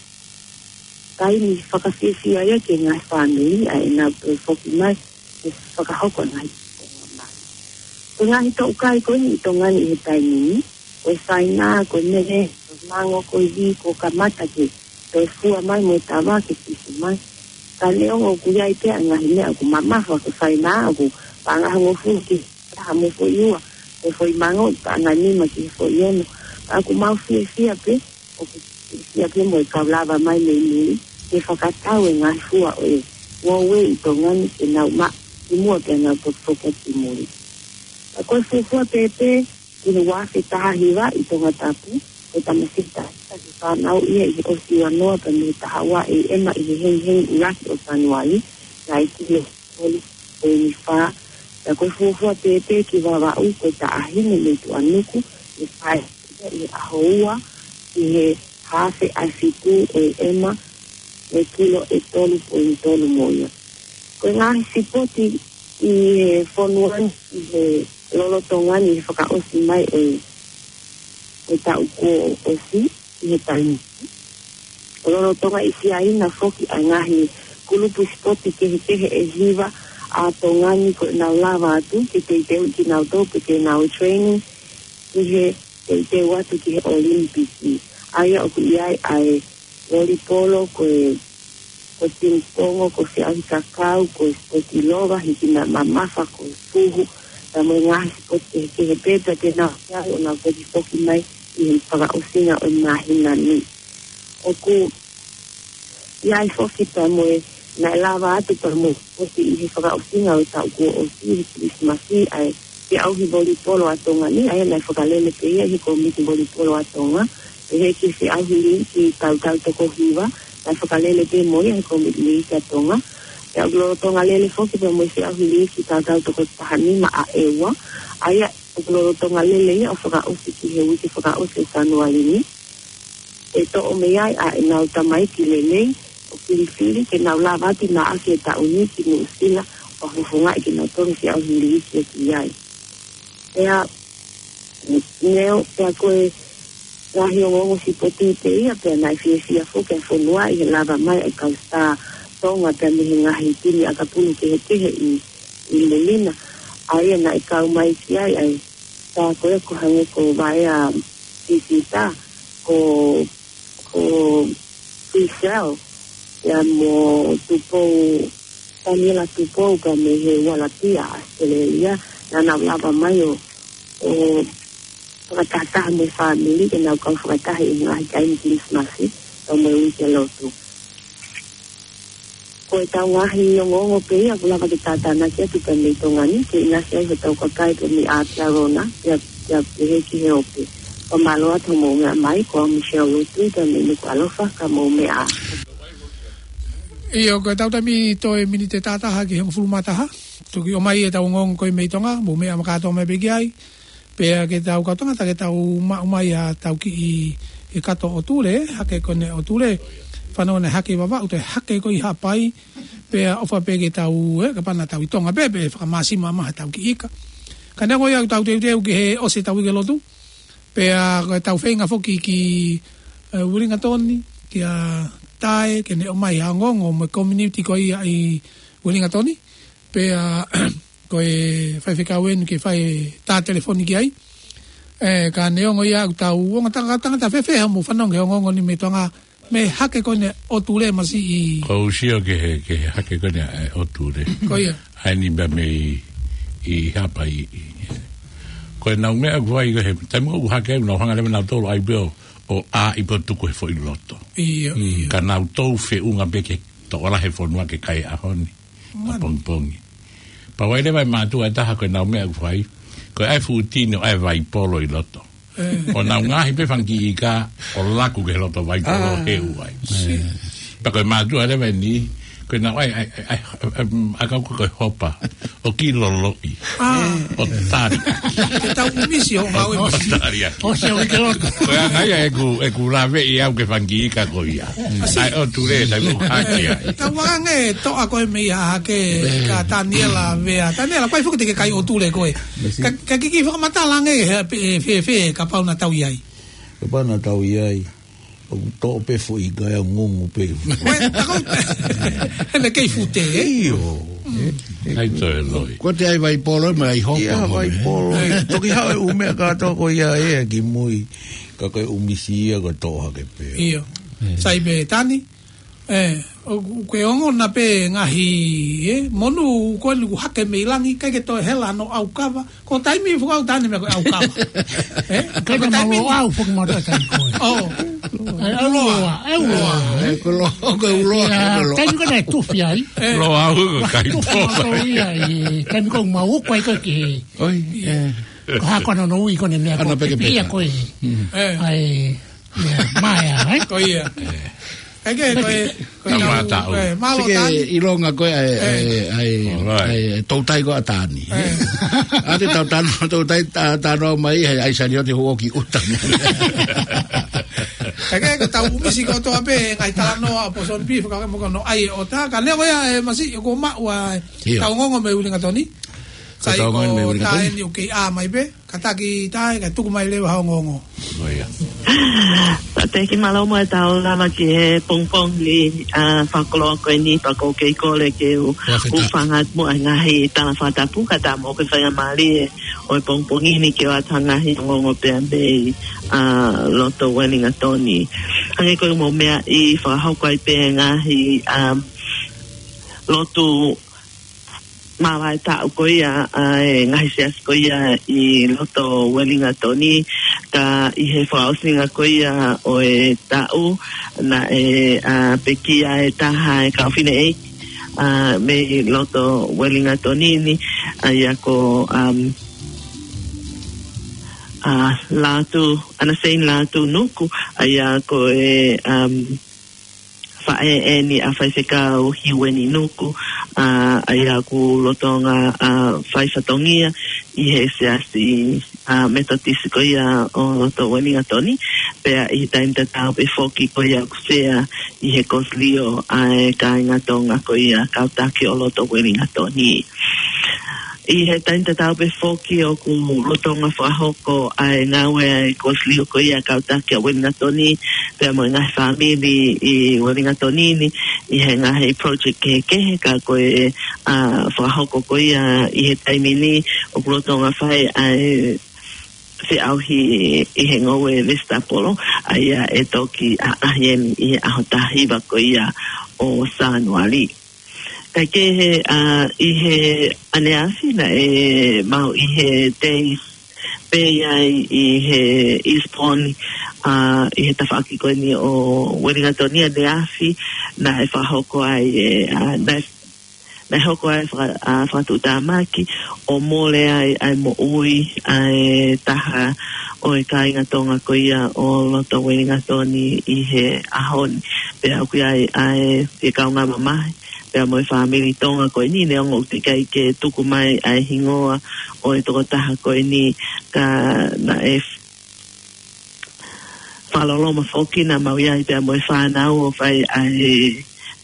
taimi fakafiefia ia ki he ngaahi fāmili ʻa ʻenau toe foki mai ʻe fakahoko e ngaahi konga mai. Ko e ngaahi toʻukai ko eni ʻi Tonga ni ʻi he taimi ni, ko e saina, ko e mele, ko e mango, ko e vī, kuo kamata ke toe fua mai mo e tava ke pisi mai. Ka neongo ʻoku ʻi ai pē ʻa e ngaahi meʻa ʻoku mamafa, ko e saina ʻoku paʻanga hongofulu ki he taha mo e foʻi ua, ko e foʻi mango ʻoku paʻanga nima ki he foʻi ono. Ka ʻoku mau fiefia pē, ʻoku fiefia pē mo e kau lava mai mei muli ke fakatau e ngaahi fua ʻo e ngoue ʻi Tonga ni ke nau maʻu kimuʻa pea nau toki foki ki muli. Ka ko e fuofua pēpē ki he ua afe taha hiva ʻi Tongatapu, ko e tamasiʻi taha ʻi he fānau ia ʻi he ʻosi ua noa pea mei he taha ua ʻe ema ʻi he hengihengi ʻuluaki ʻo Sānuali, naʻe kilo tolu poini fā. Pea ko e fuofua pēpē ki Vavaʻu, ko e taʻahine mei Tuʻanuku, ʻi he fai ʻi he ʻaho ua ʻi he hafe ʻa e fitu ʻe ema, ʻe kilo ʻe tolu poini tolu mo ia. Ko e ngaahi sipoti ʻi he fonua ni, ʻi he lolotonga ni, ʻi he fakaʻosi mai ʻo e, ʻo e taʻu kuo ʻosi, ʻi he taimi ni. Lolotonga ʻi Siaina foki ʻa e ngaahi kulupu sipoti kehekehe ʻe hiva ʻa Tonga ni kuo nau lava atu ke teuteuʻi kinautolu pe ke nau training ʻi he teuteu atu ki he ʻOlimipiki. ʻA ia ʻoku ʻi ai ʻa e volipolo, ko e, ko e pinipongo, ko e feʻauhi kakau, ko e sipoti lova, hiki meʻa mamafa, ko e fuhu, pea mo e ngaahi sipoti kehekehe pē, pea te nau ʻi ai ʻo nau toki foki mai ʻi he fakaʻosinga ʻo e māhina ni. ʻOku ʻi ai foki pea mo e, naʻe lava atu pea mo e sipoti ʻi he fakaʻosinga ʻo e taʻu kuo ʻosi, ʻi he Kilisimasi, ʻa e feʻauhi volipolo ʻa Tonga ni, ʻa ia naʻe fakalele pē ia ʻe he kōmiti volipolo ʻa Tonga, pehē ki he feʻauhi liiki tautau toko hiva, naʻe fakalele pē mo ia ʻe he kōmiti liiki ʻa Tonga. Pea ʻoku lolotonga lele foki pea mo e feʻauhi liiki tautau toko taha nima ʻa ʻEua, ʻa ia ʻoku lolotonga lele ia ʻo fakaʻosi ki he uike fakaʻosi ʻo Sānuali ni. ʻE toʻo mei ai ʻa ʻenau tamaiki lelei ʻo filifili ke nau lava atu ʻo maʻu ʻaki e taʻu ni ki Nuʻusila, ʻo fufungaʻi kinautolu ki he feʻauhi liiki ʻoku ʻi ai. Pea, neo, pea ko e ngaahi ongoongo sipoti pē ia, pea naʻe fiefia foki ʻa e fonua ʻi he lava mai ʻa e kau Star Tonga pea mei he ngaahi timi ʻakapulu kehekehe ʻi, ʻi Lelina. ʻA ia naʻe kau mai ki ai ʻa e Star ko ē ko hangē ko Vaea Sisita, ko, ko Fisel, pea mo Tupou, Taniela Tupou pea mei he Ualapia, ʻAositelēlia, naʻa nau lava mai ʻo, ʻo fakatahataha mo e fāmili, ke nau kau fakataha ʻi he ngaahi taimi Kilisimasi, pea mo e uike lotu. Ko e tau ngaahi ongoongo pē ia ʻoku lava ke tātānaki atu pē mei Tonga ni, ke ʻinasi ai hotau kakai pē mei ʻAotearoa na, pea, pea pehē ki he ope. Fakamālō atu hoʻomou meʻa mai, ko au Michelle Lutui pē mei Nukuʻalofa, ka mou meʻa ā. ʻIo, ko e tau taimi toe miniti ʻe taha taha ki he hongofulu mā taha. Toki ʻomai e tau ongoongo ko ē mei Tonga, mou meʻa makātoa mai pē ki ai. Pea ke tau kau tangata ke tau maʻu mai ʻa tau kiʻi e kato ʻo Tule, hake ko eni ʻo Tule, fanongo ne hake Vavaʻu, toe hake ko ē ʻi Haʻapai, pea ʻofa pē ke tau, ē, kapau naʻa tau ʻi Tonga pē, pea fakamāsima mai ha tau kiʻi ika. Ka neongo ia ʻoku tau teuteu ki he ʻosi e tau uike lotu, pea ko e tau feinga foki ki, ē, Uelingatoni, kia Tae, ke ne ʻomai ha ongoongo mo e community ko ia ʻi Uelingatoni, pea ko e faifekau eni ke fai tā telefoni ki ai. Ē, ka neongo ia ʻoku tau ongo tangata, tangata fēfē haʻamou fanongo ki he ongoongo ni mei Tonga, mei he hake ko eni ʻo Tule masiʻi. Ko u sio ki he, ki he hake ko eni ʻo Tule. Ko ia. ʻA eni pē mei ʻi Haʻapai. Ko ʻenau meʻa ʻoku fai ko ē, taimi ʻoku hake ai, nau hanga leva nautolu ʻai pē ʻo, ʻo ʻā ʻi pē ʻo tuku he foʻi loto. ʻIo, ʻio. Ka nau tou feʻunga pē ke toʻo lahi e fonua ke kai ʻaho ni. ʻApongipongi. Pea ʻoku ʻi ai leva e mātuʻa ʻe taha ko ʻenau meʻa ʻoku fai, ko e ʻai e fuʻu tini ʻo ʻai e vaipolo ʻi loto. Ē. ʻO nau ngaohi pē fanga kiʻi ika ʻo laku ki he loto vaipolo ʻo heu ai. Pea ko e mātuʻa leva eni, ko ʻenau ʻai, ʻai, ʻai, ʻai, ʻai, ʻakau ko e hopa, ʻo kiʻi loloʻi. ʻO tali. Ke tau ʻumisi ʻo ngāue ʻo misi. Tali ʻaki. ʻO se uike lotu. Ko ia ai ʻeku, ʻeku laveʻi au ki he fanga kiʻi ika ko ia. ʻAi ʻo Tule, taimi ʻoku hake ai. Tau ange toʻa ko ē mei Hahake, ka Taniela Vea. Taniela, ko ai foki te ke kai ʻo Tule ko ē. Ka, ka kiʻi fakamatala ange, he, he, he, he, kapau naʻa tau ʻi ai. Kapau naʻa tau ʻi ai. ʻOku toʻo pē foʻi ika ʻo ngungu pē. Ko e, tako, he naʻe kei fute, ē? ʻIo. Ai toe loi. Ko te ai vai polo, ma ai hoko. Ia, vai polo. Toki haʻu e ʻū meʻa kātoa ko ia ē ki mui. Ka ko e ʻumisi ia ko e toʻo hake pē. Ia. Sai pē Tani. ʻE, ʻoku ke ongona pē ngaahi, ʻe, monū ko eni ʻoku hake mei langi, ʻikai ke toe hela hano ʻaukava. Ko e taimi fukau Tani meʻa ko e ʻaukava. ʻE, ʻikai ke taimi mau au foki mau taimi ko ē. ʻO. ʻE, ʻe uloa. ʻE uloa. ʻE, ko lo, ko e uloa. Ia, taimi ko ē naʻe tufi ai. Lo au ko kai tufi po. Mau ia, ʻe, taimi ko ē mau uku ai ko ē ki he. ʻOi, ʻe. Ko hako ano no ui ko ʻene meʻa ko ē peke peke. Ia ko ē. ʻE. ʻAi, ia, maea, ʻe? Ko ia. ʻE. Kae kehe, ko e, ko e Ka tau, mataʻu. ʻE, mālō Tani. Sike ilonga ko e, ʻai, ʻe. ʻAi, ʻai, Alright. ʻAi, toutai ko ʻa Tani. ʻE. ʻA te tau tano, toutai ta-, tano mai, ʻai, ʻai sani o te huo ki uta. Kae kehe, ko tau ʻumisi kotoa pē, ngaahi talanoa, ʻo Poson Beef, ka ke moko no ʻai ʻo tā, ka leo ia, ʻe, masi, ko maʻu ʻa, ʻIo. Tau ongoongo mei Uelingatoni. Ko Sai tau ongoongo mei ko Uelingatoni. Taeni ʻoku kei ʻā mai pē. Kātaki tai, ka tuku mai leva ha ongoongo. ʻO ia. Pea te ki mālō mo e tau lava ki he pongipongi, ʻa, fakakoloa ko eni, pea ʻoku ou kei kole ke u, Ua feta. u fanga atu mo e ngaahi tala fakatapu, ka tā mo ke faingamālie ʻo e pongipongi ni ke ʻoatu ha ngaahi ongoongo pea mei, ʻa, loto Uelingatoni. Hangē ko e mo meʻa ʻi fakahoko ai pē ngaahi, ʻa, lotu māvae taʻu ko ia, ʻa e ngaahi siasi ko ia ʻi loto Uelingatoni, ka ʻi he fakaʻosinga ko ia ʻo e taʻu, naʻe, ʻa, pekia e taha e kau fineʻeiki, ʻa, mei loto Uelingatoni ni, ʻa ia ko, um, ʻa, Lātū, ʻAna Sein Lātū Nuku, ʻa ia ko e, um, faʻē eni ʻa Faifekau Hiueni Nuku, ʻa, ʻa ia ʻoku lolotonga, ʻa, fai fatongia ʻi he siasi, ʻa, Metotisi ko ia ʻo loto Uelingatoni, pea ʻi he taimi tatau pē foki ko ia ʻoku sea ʻi he kosilio ʻa e kāinga Tonga ko ia kau taki ʻo loto Uelingatoni. ʻI he taimi tatau pē foki ʻoku lolotonga fakahoko ʻa e ngāue ʻa e kosilio ko ia kau taki ʻa Uelingatoni, pea mo e ngaahi fāmili ʻi Uelingatoni ni, ʻi he ngaahi project kehekehe ka ko e, ʻa, fakahoko ko ia ʻi he taimi ni ʻoku lolotonga fai ʻa e feʻauhi ʻi he ngoue vesitapolo, ʻa ia ʻe toki ʻaʻahi eni ʻi he ʻaho taha hiva ko ia ʻo Sānuali. Kae kehe, ʻa, ʻi he ʻaneafi naʻe maʻu ʻi he tei pē ai ʻi he Eastbourne, ʻa, ʻi he tafaʻaki ko eni ʻo Uelingatoni ʻaneafi naʻe fakahoko ai, ʻe, ʻa, naʻe, naʻe hoko ai faka-, ʻa, fakatuʻutāmaki ʻo mole ai ʻa e moʻui ʻa e taha ʻo e kāinga Tonga ko ia ʻo loto Uelingatoni ʻi he ʻaho ni. Pea ʻoku ʻi ai ʻa e fie kaungā mamahi pea mo e fāmili Tonga ko eni, neongo ʻoku teʻeki ai ke tuku mai ʻa e hingoa ʻo e tokotaha ko eni, ka naʻe f-, fakaloloma foki naʻa mau ʻi ai pea mo e fānau ʻo fai ʻa e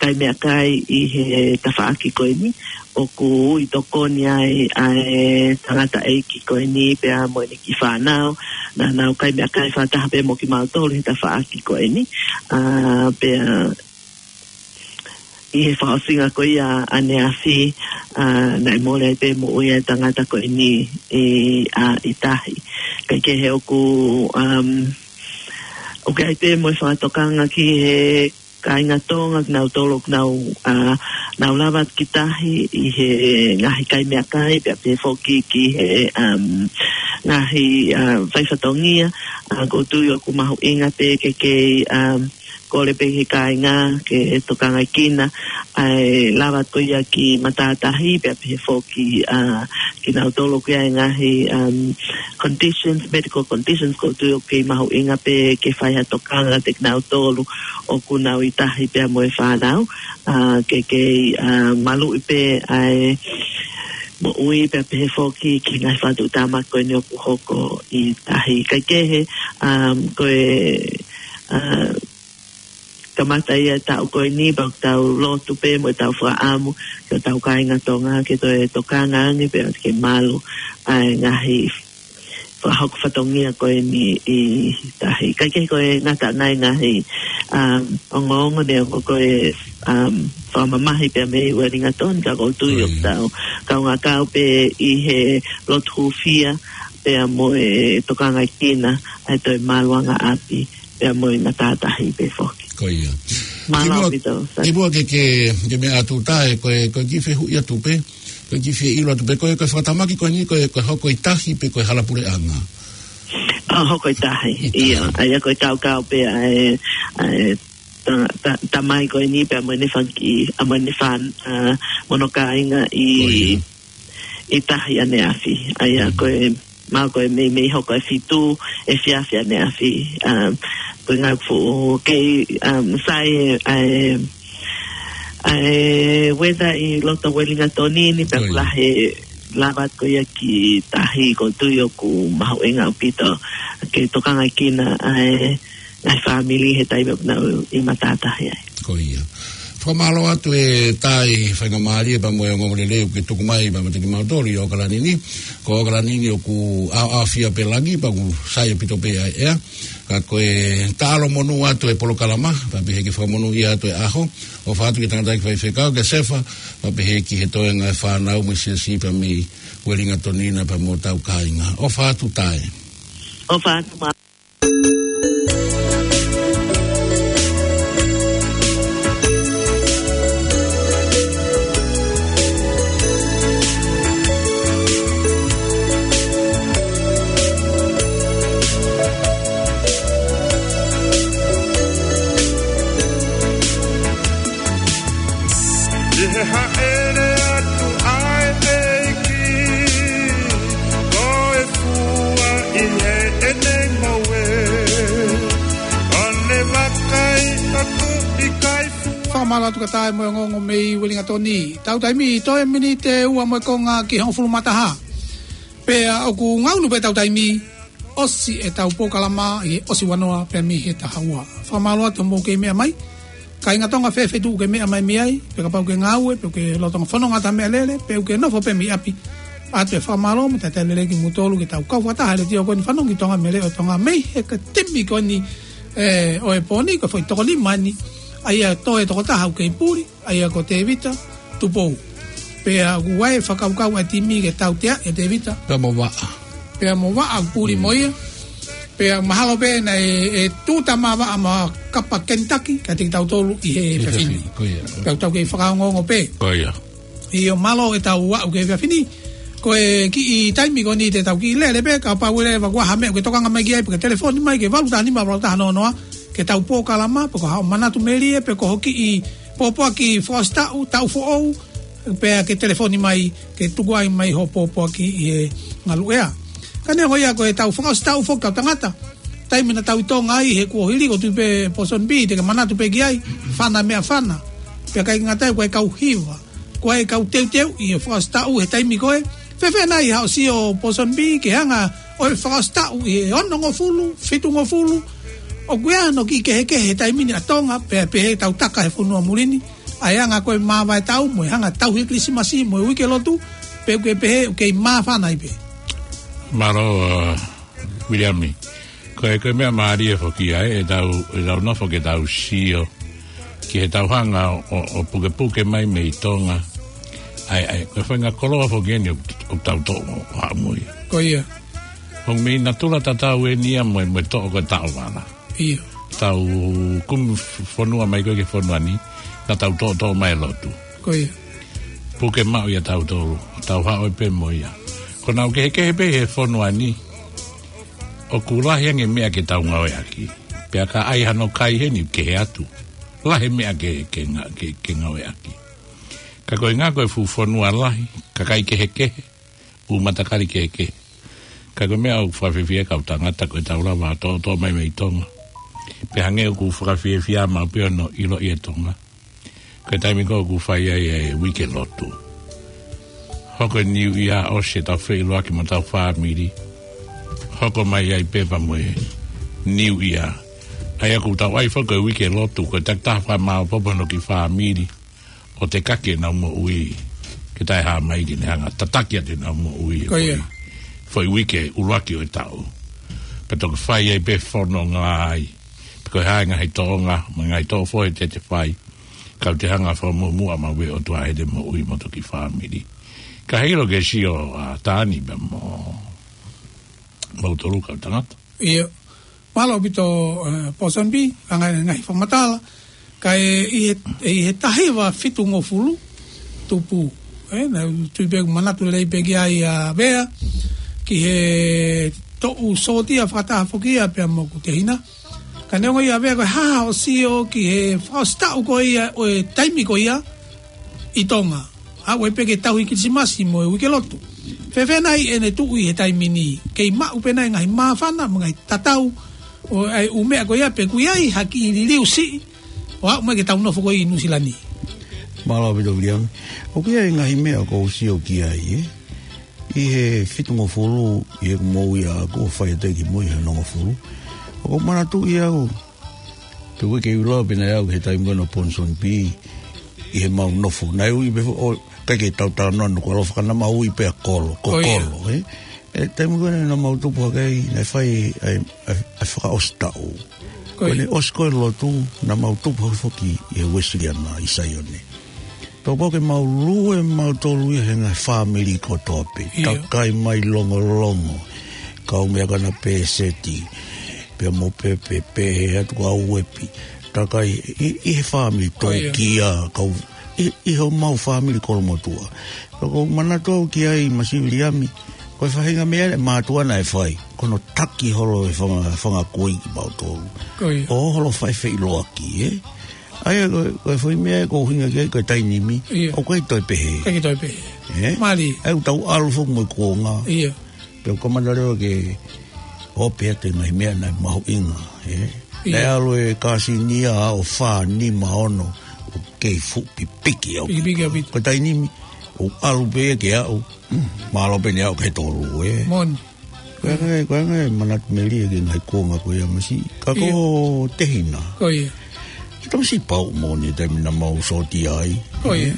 kai meʻakai ʻi he tafaʻaki ko eni, ʻoku ui tokoni ai ʻa e tangataʻeiki ko eni pea mo ʻene kiʻi fānau, naʻa nau kai meʻakai fakataha pē mo kimautolu he tafaʻaki ko eni, ʻa, pea ʻi he fakaʻosinga ko ia ʻaneafi, ʻa, naʻe mole ai pē moʻui ʻa e tangata ko eni ʻi, ʻa, ʻi tahi. Kae kehe ʻoku, um, ʻoku ʻi ai pē mo e fakatokanga ki he kāinga Tonga, kinautolu ʻoku nau, ʻa, nau lava ki tahi ʻi he ngaahi kai meʻakai, pea pehē foki ki he, um, ngaahi, ʻa, fai fatongia, ʻa, ʻoku ou tui ʻoku mahuʻinga pē ke kei, um, kole pē ki he kāinga ke tokangaʻi kinaua ʻa e lava ko ia ki matātahi, pea pehē foki, ʻa, kinautolu ʻoku ʻi ai e ngaahi, um, conditions, medical conditions, ʻoku ou tui ʻoku kei mahuʻinga pē ke fai ha tokanga kiate kinautolu ʻoku nau ʻi tahi pea mo e fānau, ʻa, ke kei, ʻa, maluʻi pē ʻa e moʻui pea pehē foki ki he ngaahi fakatuʻutāmaki ko eni ʻoku hoko ʻi tahi. Kae kehe, um, ko e, ʻa, kamata ia e taʻu ko eni, pea ʻoku tau lotu pē mo ʻetau fakaʻamu ki hotau kāinga Tonga ke toe tokanga ange pea ke malu ʻa e ngaahi fakahoko fatongia ko eni ʻi tahi. Kae kehe ko e ngata ʻa e ngaahi, um, ongoongo neongo ko e, um, fakamamahi pea mei Uelingatoni, ka ʻoku ou tui ʻoku tau kaungā kau pē ʻi he lotu hūfia, pea mo e tokangaʻi kina ʻa e toe maluʻanga ʻapi, pea mo e matātahi pē foki. Ko ia. Mālō ʻaupito, Sai. Kimuʻa ke, ke, ke meʻa atu Tae, ko e, ko e kiʻi fehuʻi atu pē, ko e kiʻi fie ʻilo atu pē, ko e, ko e fakatamaki ko eni, ko e, ko e hoko ʻi tahi pe ko e hala puleʻanga? ʻA, hoko ʻi tahi, ʻI tahi. ʻIo. ʻA ia ko e kaukau pē ʻa e, ʻa e, ta-, ta-, tamai ko eni pea mo ʻene fanga kiʻi, ʻa mo ʻene fan-, ʻa, mo hono kāinga ʻi, ʻi tahi ʻaneafi. ʻA ia ko e, mahalo ko e meimei hoko e fitu, efiafi ʻaneafi. ʻA, ko e ngaahi fuʻu kei, ʻa, Sai, ʻa e, ʻa e weather ʻi loto Uelingatoni ni, pea ʻoku lahi e lava ko ia ki tahi, ʻoku ou tui ʻoku mahuʻinga ʻaupito ke tokangaʻi kina ʻa e, ʻa e fāmili he taimi ʻoku nau ʻi matātahi ai. Ko ia. Fakamālō atu e Tae, faingamālie pea mo e ongoongolelei ʻoku ke tuku mai pea meiate kimautolu ʻi ʻOkalani ni. Ko ʻOkalani ni ʻoku ʻaoʻaofia pē langi pea ʻoku sai ʻaupito pē ʻa e ʻea. Ka ko e taʻalo monū atu e polokalama, pea pehē ke fakamonūʻia atu e ʻaho. ʻOfa atu ki he tangataʻeiki faifekau, kia Sefa, pea pehē ki he toenga e fānau mo e siasi pea mei Uelingatoni na pea mo hotau kāinga. ʻOfa atu Tae. ʻOfa atu mā. ʻI he hāʻele atu ʻa e ʻEiki, ko e fua ʻi heʻene ngoue, ʻo ne vakai atu ʻikai fua. Fakamālō atu kia Tae mo e ongoongo mei Uelingatoni. Tau taimi toe miniti ʻe ua mo e konga ki he hongofulu mā taha. Pea ʻoku ngaunu pē tau taimi, ʻosi ʻetau polokalama ʻi he ʻosi ua noa pē mei he taha ua. Fakamālō atu hoʻomou kei meʻa mai. Kāinga Tonga, fēfē tuʻu ʻoku ke meʻa mai mei ai, pe kapau ʻoku ke ngāue, pe ʻoku ke lolotonga fononga ʻeta meʻalele, pe ʻoku ke nofo pē mei ʻapi. ʻOatu e fakamālō mo e talitali lelei kimoutolu ke tau kau fakataha he letiō ko eni Fanongo ki Tonga mei he Leʻo ʻo Tonga, mei he kiʻi timi ko eni, ē, ʻo e pō ni, ko e foʻi toko nima ni, ʻa ia toe toko taha ʻoku kei puli, ʻa ia ko Tēvita Tupou. Pea ʻoku ʻi ai e fakakaukau ʻa e timi ke tautea ʻe Tēvita. Pea mo Vaʻa. Pea mo Vaʻa ʻoku puli mo ia. Pea mahalo pē naʻe, ʻe tuta mā Vaʻa mo Kapa Kenitaki, kiate kitautolu ʻi he efiafi ni. Ko ia. Pea ʻoku tau kei fakaongoongo pē. Ko ia. ʻIo, mālō ʻetau aʻu ki he efiafi ni. Ko e kiʻi taimi ko eni te tau kiʻi lele pē, kapau ʻe lava ʻoku ʻi ai ha meʻa ʻoku ke tokanga mai ki ai, pe ke telefoni mai ki he valu taha nima valu taha noa noa, ke tau polokalama, pe ko haʻo manatu melie, pe ko ho kiʻi pōpoaki fakaʻosi taʻu, taʻu foʻou, pea ke telefoni mai, ke tuku ai mai hoʻo pōpoaki ʻi he ngaluʻea. Ka neongo ia ko ʻetau fakaʻosi taʻu foki kau tangata. Taimi naʻa tau ʻi Tonga ai he kuohili, ʻoku ou tui pē Pōsoni B, te ke manatu pē ki ai, Fana Meʻafana. Pea ʻikai ngata ai, ko e kau hiva. Ko e kau teuteu ʻi he fakaʻosi taʻu he taimi ko ē. Fēfē nai haʻo sio Pōsoni B ki he anga ʻo e fakaʻosi taʻu ʻi he onongofulu, fitungofulu. ʻOku ʻi ai hano kiʻi kehekehe he taimi ni ʻa Tonga, pea pehē ʻetau taka he fonua muli ni. ʻA e anga ko e māvae taʻu mo e anga tauhi Kilisimasi mo e uike lotu, pe ʻoku ke pehē ʻoku kei māfana ai pē. Mālō, ʻa, Viliami. Ko e, ko e meʻamālie foki ia, ʻetau, ʻetau nofo ke tau sio ki heʻetau hanga ʻo, ʻo, ʻo pukepuke mai mei Tonga. ʻAi, ʻai, ko e faʻahinga koloa foki eni ʻoku, ʻoku tau toʻo ʻo haʻu mo ia. Ko ia. Ko e meʻa natula tatau eni ia mo e, mo e toʻo ko e taʻovala. Ia. Tau kumi f-, fonua mai ko ē ki he fonua ni, naʻa tau toʻotoʻo mai e lotu. Ko ia. Puke maʻu ia tautolu, tau haʻu pē mo ia. Ko ʻenau kehekehe pē he fonua ni, ʻoku lahi ange meʻa ke tau ngāueʻaki. Pea ka ʻai hano kai heni kehe atu. Lahi meʻa ke, ke nga-, ke, ke ngāueʻaki. Ka ko e ʻuhinga ko e fuʻu fonua lahi, kakai kehekehe, ʻū matakali kehekehe. Ka ko e meʻa ʻoku fakafiefia kau tangata ko ʻetau lava toʻotoʻo mai mei Tonga. Pea hangē ʻoku fakafiefia maʻu pē hono ʻiloʻi e Tonga. Ko e taimi ko ē ʻoku fai ai e uike lotu. Hoko e New Year ʻosi ʻetau feʻiloaki mo hotau fāmili. Hoko mai ai pē pea mo e New Year. ʻA ia ʻoku tau ʻai foki ko e uike lotu, ko e takitaha fakamāopoopo hono kiʻi fāmili. ʻO tekaki ʻenau moʻui. Ke taʻehāmai ke ne hanga tataki atu ʻenau moʻui. Ko ia. Foʻi, foʻi uike ʻuluaki ʻo e taʻu. Pea toki fai ai pē fononga ai. Pe ko e hā e ngaahi toʻonga, mo e ngaahi toʻo foʻi te te fai. Kau te hanga fakamuʻomuʻa maʻu ʻe he ʻOtua ʻete moʻui mo e toki fāmili. Ka hilo ke sio ʻa Tani pea mo mautolu kau tangata. ʻIo. Mālō ʻaupito, eh, Pōsoni Pī, ʻa e ngaahi, ngaahi fakamatala. Ka ʻi he, ʻi he taha hiva fitungofulu tupu. Eh, naʻá ku tui pē ʻoku manatu lelei pē ki ai ʻa Vea. Ki he toʻu sōtia fakataha foki ia pea mo hoku tehina. Ka neongo ia Vea ko e hā hoʻo sio ki he fakaʻosi taʻu ko ia ʻo e taimi ko ia ʻi Tonga. ʻA ia ʻoku ʻi ai pē ke tauhi Kilisimasi mo e uike lotu. Fēfē nai ʻene tuʻu ʻi he taimi ni? Kei maʻu pē nai ngaahi māfana mo e ngaahi tatau ʻo e ʻū meʻa ko ia pe ʻoku ʻi ai ha kiʻi liliu siʻi ʻo aʻu mai ke tau nofo ko ē ʻi Nuʻusila ni? Mālō ʻaupito Viliami. ʻOku ʻi ai e ngaahi meʻa ʻoku ou sio ki ai, ē. ʻI he fitungofulu, ʻi heʻeku moʻui ʻaʻaku ʻo fai atu ki mui he onongofulu. ʻOku ou manatuʻi au. Pe ʻoku ʻikai ke u lau pē naʻe ʻi ai au he taimi ko ena ʻo Pōsoni Pī, ʻi heʻemau nofo. Naʻe ui pē foʻi, ʻikai ke tau talanoa ʻanenai, ko e ʻaloʻofa ka naʻa mau ui pē ʻa Kolo, ko ʻIo. Kolo, ē? ʻI he taimi ko ena naʻa mau tupu hake ai, naʻe fai ʻa e, ʻa e, ʻa e fakaʻosi taʻu. Ko Ko ia. ʻene ʻosi ko ē lotu, naʻa mau tupu hake foki ʻi he Uēsiliana ʻi Saione. Pea kuo pau ke mau lue mautolu ia he ngaahi fāmili kotoa pē. ʻIo. Takai mai Longolongo, kau meʻa ko ena Pēseti, pea mo Pepe, pehē atu kia Uepi. Takai ʻi, ʻi he fāmili ʻIo. Tōkia, kau ʻi, ʻi homau fāmili kolomotuʻa. Pea ʻoku ou manatu au ki ai Masiʻi Viliami, ko e faʻahinga meʻa ʻa e mātuʻa naʻe fai. Ko hono taki holo e fanga, fanga kui kimautolu. ʻIo. ʻO holo fai feʻiloaki, ē? ʻA ia ko, ko e foʻi meʻa ʻoku ou ʻuhinga ki ai, ko e tainimi. ʻIo. ʻOku ʻikai toe pehē. ʻIkai toe pehē. Ē? Mālie. ʻA ia ʻoku tau ʻalu foki mo e kuonga. ʻIo. Pea ʻoku kamata leva ke ope atu e ngaahi meʻa naʻe mahuʻinga, ē? ʻIo. Naʻe ʻalu e kāsini ia ʻo fā, nima, ono, ʻoku kei fuʻu pipiki au. Pipiki au pito. Ko e tainimi, ʻoku ʻalu pē ia ke aʻu, mm, mālō pē ʻene aʻu ki he tolu, ē? Moʻoni. Ko e ʻuhinga, ko e ʻuhinga e manatu melie ki he ngaahi kuonga ko ia Masiʻi. Ka ko ʻIo. Tehina. Ko ia. Ko e tamasiʻi pauʻu moʻoni taimi naʻa mau sōtia ai. Ko ia.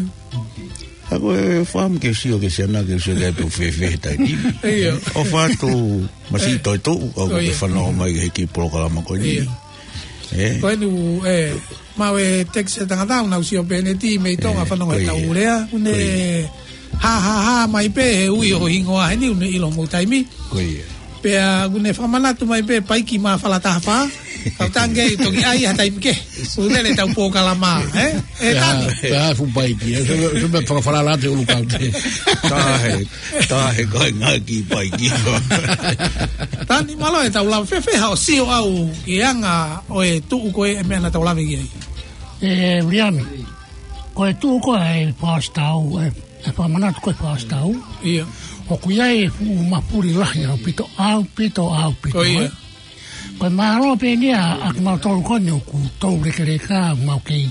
Ka ko e fāmili ke sio ki he siana ke sio ki ai pe ʻoku fēfē he taimi ni. ʻIo. ʻOfa atu Masiʻi Ē. Toetuʻu, ʻoku Ko ke ia. Fanongo mai ki he kiʻi polokalama ko eni. ʻIo. Ē. Ko eni, ē, maʻu e text ʻa e tangata, ʻoku nau sio pē ʻene timi mei Tonga Ē, fanongo ko ia. Tau lea, ʻoku ne Ko ia. Hā, hā, hā mai pē, he ui hoʻo hingoa heni, ʻoku ne ʻilo mo taimi. Ko ia. Pea ʻoku ne fakamanatu mai pē, paiki mā fala taha fā. Kau tange, toki ʻai ha taimi kehe. ʻOku lele ʻetau polokalama, ē? Ē, Pea, Tani. Pea fuʻu paiki, ē? So, so me fakafalala te ulu kau te. Tahe, tahe ko e ngaahi paiki. Tani, mālō ʻetau lava, fēfē haʻo sio ʻau ki he anga ʻo e tuʻu ko ē e meʻa naʻa tau lave ki ai? Ē, Viliami, ko e tuʻu ko ē e fakaʻosi taʻu, ē, ʻe fakamanatu ko e fakaʻosi taʻu. ʻIo. ʻOku ʻi ai e fuʻu mafuli lahi ʻaupito, ʻaupito, ʻaupito, Ko ia. ē? Ko e mālō pē eni ia ʻa kimautolu ko eni ʻoku tau lekeleka, mau kei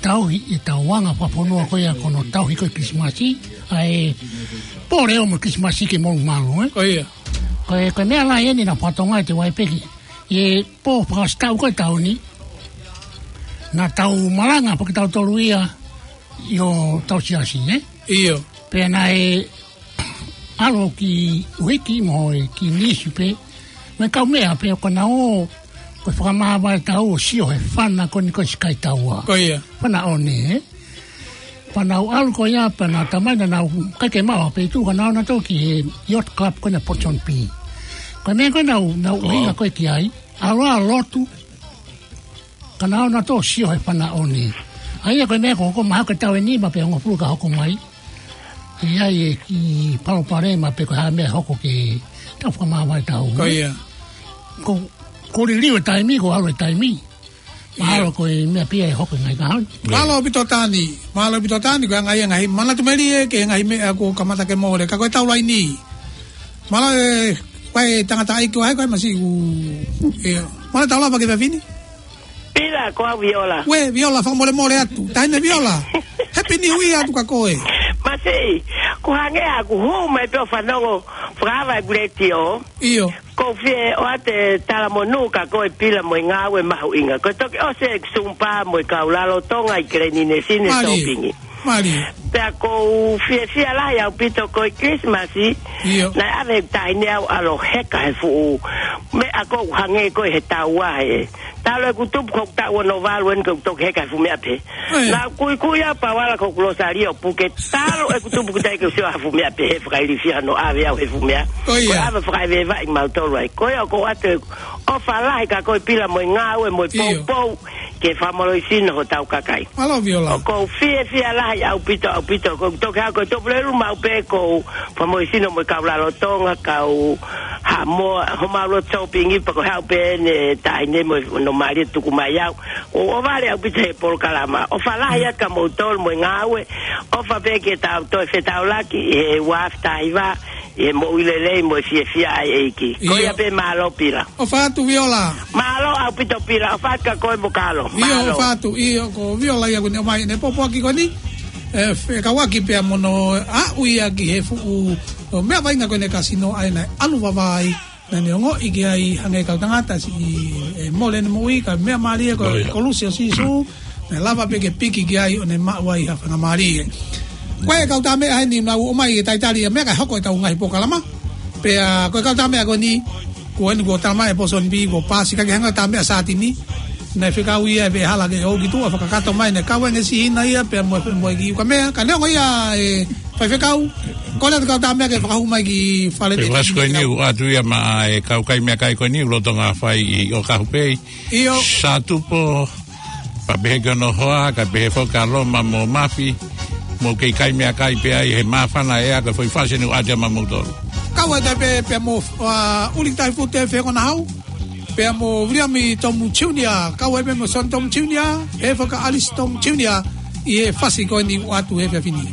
tauhi ʻetau anga fakafonua ko ia ko hono tauhi ko ē Kilisimasi, ʻa e pō leʻo mo Kilisimasi ke mou mālō, ē? Ko ia. Ko e, ko e meʻa lahi eni naʻa fatongia ʻi he ʻi he pō fakaʻosi taʻu ko ē taʻu ni, naʻa tau malanga pē kitautolu ia ʻi hotau siasi, ē? ʻIo. Pea naʻe ʻalu ki he uike mo e kiʻi nisi pē, mo e kau meʻa pē ʻoku nau ō, ko e fakamāvae taʻu ʻo sio he fana ko eni ko e Sky Tower. Ko ia. Fana ʻo ne, ē? Pea nau ʻalu ko ia, pea nau tamai naʻa nau ʻikai ke maʻu ha feituʻu ka nau ō nautolu ki he Yacht Club ko ena Port John P. Ko e meʻa ko ē naʻa nau, nau ʻuhinga ko ē ki ai, ʻalu ʻo lotu, ka nau ō nautolu ʻo sio he fana ʻo ne. ʻA ia ko e meʻa ko, ko e mahalo ko e taʻu ʻe nima pe hongofulu ka hoko mai, ʻe ʻi ai e kiʻi palopalema pe ko e hā e meʻa hoko ki heʻetau fakamāvae taʻu. Ko ia. Ko, kuo liliu e taimi, kuo ʻalu e taimi. Mahalo ko e meʻa pē ia ʻe hoko he ngaahi kahaʻu ni. Mālō ʻaupito Tani, mālō ʻaupito Tani, ko e anga ia e ngaahi manatu melie ki he ngaahi meʻa kuo kamata ke mole, ka ko e tau laini. Mālō e, ko e tangataʻeiki ko hai, ko e Masiʻi ʻoku, ē, mālō e tau lava ki he efiafi ni. Pila, ko au Viola. Uē, Viola, fakamolemole atu. Taʻahine Viola. Happy New Year atu kia koe. Masiʻi, ʻoku hangē ʻoku hū mai pē ʻo fanongo fakaava e kuletio. ʻIo. ʻOku ou fie ʻoatu e talamonū kia koe Pila mo e ngāue mahuʻinga. Ko e toki ʻosi e Zumba mo e kau lalo Tonga ʻi Keleninesi ne Mālie. Sōpingi. Mālie. Pea ʻoku ou fiefia lahi ʻaupito ko e Christmas, ʻio, naʻe ʻave ʻeku taʻahine au ʻo ʻalu ʻo heka he fuʻu meʻa ʻoku hangē ko ē he taua ē. Talu ʻeku tupu ko ʻeku taʻu ono valu eni ʻoku ou toki heka he fuʻu meʻa pehē. ʻIo. Naʻá ku kuikui au pea u ala ko ʻeku lōsālio ʻo puke, talu ʻeku tupu ʻoku ʻikai ke u sio ha fuʻu meʻa pehē, fakailifia hono ʻave au he fuʻu meʻa. ʻIo. Ko e ʻave fakaʻeveʻeva ʻi mautolu ai. Ko ia ʻoku ou ʻoatu ʻeku ʻofa lahi ka ko e pila mo e ngāue mo e, ʻio, poupou ke fakamālohisino hotau kakai. Mālō Viola. ʻOku ou fiefia lahi ʻaupito, ʻaupito. ʻOku ou toki hā ko e Tuʻapulelulu maʻu pē ʻoku ou fakamālohisino mo e kau lalotonga, kau Haʻamoa, homau loto shopping pea ko e haʻu pē ʻene taʻahine mo hono mālie tuku mai au. ʻOku ou ʻofa lahi ʻaupito he polokalama. ʻOfa lahi atu kia moutolu mo e ngāue. ʻOfa pē ke tau toe fetaulaki he ua afe taha hiva, ʻi he moʻui lelei mo e fiefia ʻa e ʻEiki. Ko ia pē, mālō Pila. ʻOfa atu Viola. Mālō ʻaupito Pila, ʻofa atu kia koe mo Kalo. ʻIo, mālō. ʻOfa atu, ʻio, ko Viola ia ʻoku ne ʻomai ʻene pōpoaki ko eni. ʻE, fekauʻaki pea mo hono aʻu ia ki he fuʻu, ʻo, meʻa vaʻinga ko eni kasino ʻa ē naʻe ʻalu vavā ai. Naʻá ne ongoʻi ki ai hangē kau tangata siʻi, ʻe, mole ʻene moʻui, ka meʻa mālie ko e, ʻio, kolosi ʻo Sīsū, naʻe lava pē ke piki ki ai ʻo ne maʻu ai ha faingamālie. Ko e kau tā meʻa heni naʻa nau ō mai e talitali ia meʻa kae hoko ʻetau ngaahi polokalama. Pea ko e kau tā meʻa ko eni, ko eni ko Tama e Pōsoni Pī, ko Pasi ka ke hanga tā meʻa Sātini. Naʻe fekau ia ʻe Veʻehala ke ō ki tuʻa fakakakato mai, naʻe kau ange siʻi hina ia, pea mo e, mo e kiʻi ukamea. Ka neongo ia ʻe Faifekau, ko e lea ʻa e kau tā meʻa ke fakahū mai ki fale. Pea te vasi ko eni ʻoku ʻoatu ia maʻa e kau kai meʻakai ko eni ʻoku lolotonga fai ʻi ʻOkahu pē. ʻIo. Sātupo, pea pehē ki hono hoa, kae pehē foki kia Loma mo Mafi, mou kei kai meʻakai pē ai he māfana ʻea ko e foʻi fasi eni ʻoku ʻoatu ia maʻamoutolu. Kau ai tā pē, pea mo, ʻa, ʻUli Taifute Fekonahau. Pea mo Viliami Tomu Junior, kau ai pē mo Son Tomu Junior, ʻe fakaaʻalisi Tomu Junior, ʻi he fasi ko eni ʻoku ʻoatu he efiafi ni.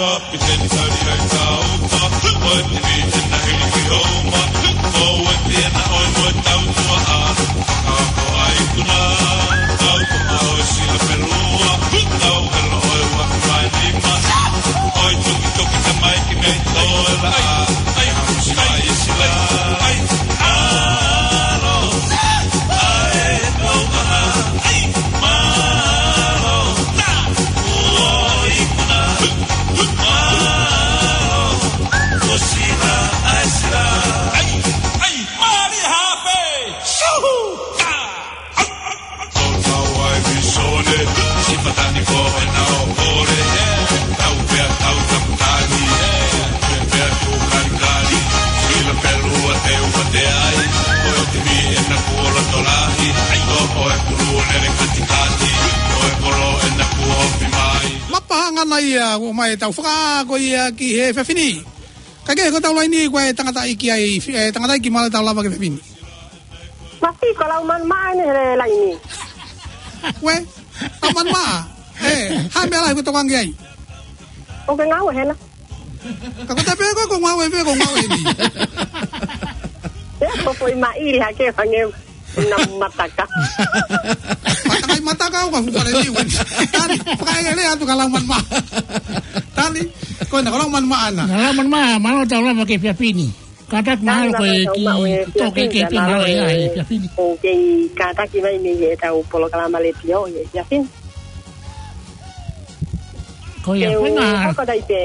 Kapiteni Tali ai tauta, ʻo e timi ena hili ki homa, ʻo e timi ena ʻo e mo e tautua ʻa, ʻa ko ai kuna, tautua ʻo e sila pelua, tau helo ʻo e ua mai nima, ʻo e tuki tuki te mai ki mei toe la, ai hamusi mai e sila, ai, alo, ai, tau maha, ai, malo, ta, ua ikuna. Mapa hangana ia, ʻomai ʻetau fakaako ia ki he efiafi ni. Ka ke ko ʻetau laini ko e tangataʻeiki ai, e tangataʻeiki mālō ʻetau lava ki he efiafi ni. Masi ko Laumanu Maʻa eni he laini. Ko e, Laumanu Maʻa. ʻE, hā e meʻa lahi ʻoku ke tokanga ki ai? ʻOku ke ngāue hena. Ka ko e tape ko e ko ngāue pē, ko ngāue ni. ʻE, ko foʻi maʻili hake fangeu. Na mataka. Mataka ʻi mataka au ka fukare ni wen. Tali, fakaʻelele atu kia Laumanu Maʻa. Tali, ko ena ko Laumanu Maʻa na. Na Laumanu Maʻa, mālō ʻetau lava ki he efiafi ni. Kātaki mahalo ko e kiʻi toke ke pē mālō e efiafi ni. ʻOku kei kātaki mai mei heʻetau polokalama letiō he efiafi ni. Ko ia, ke u fenga. Hoko atu ai pē.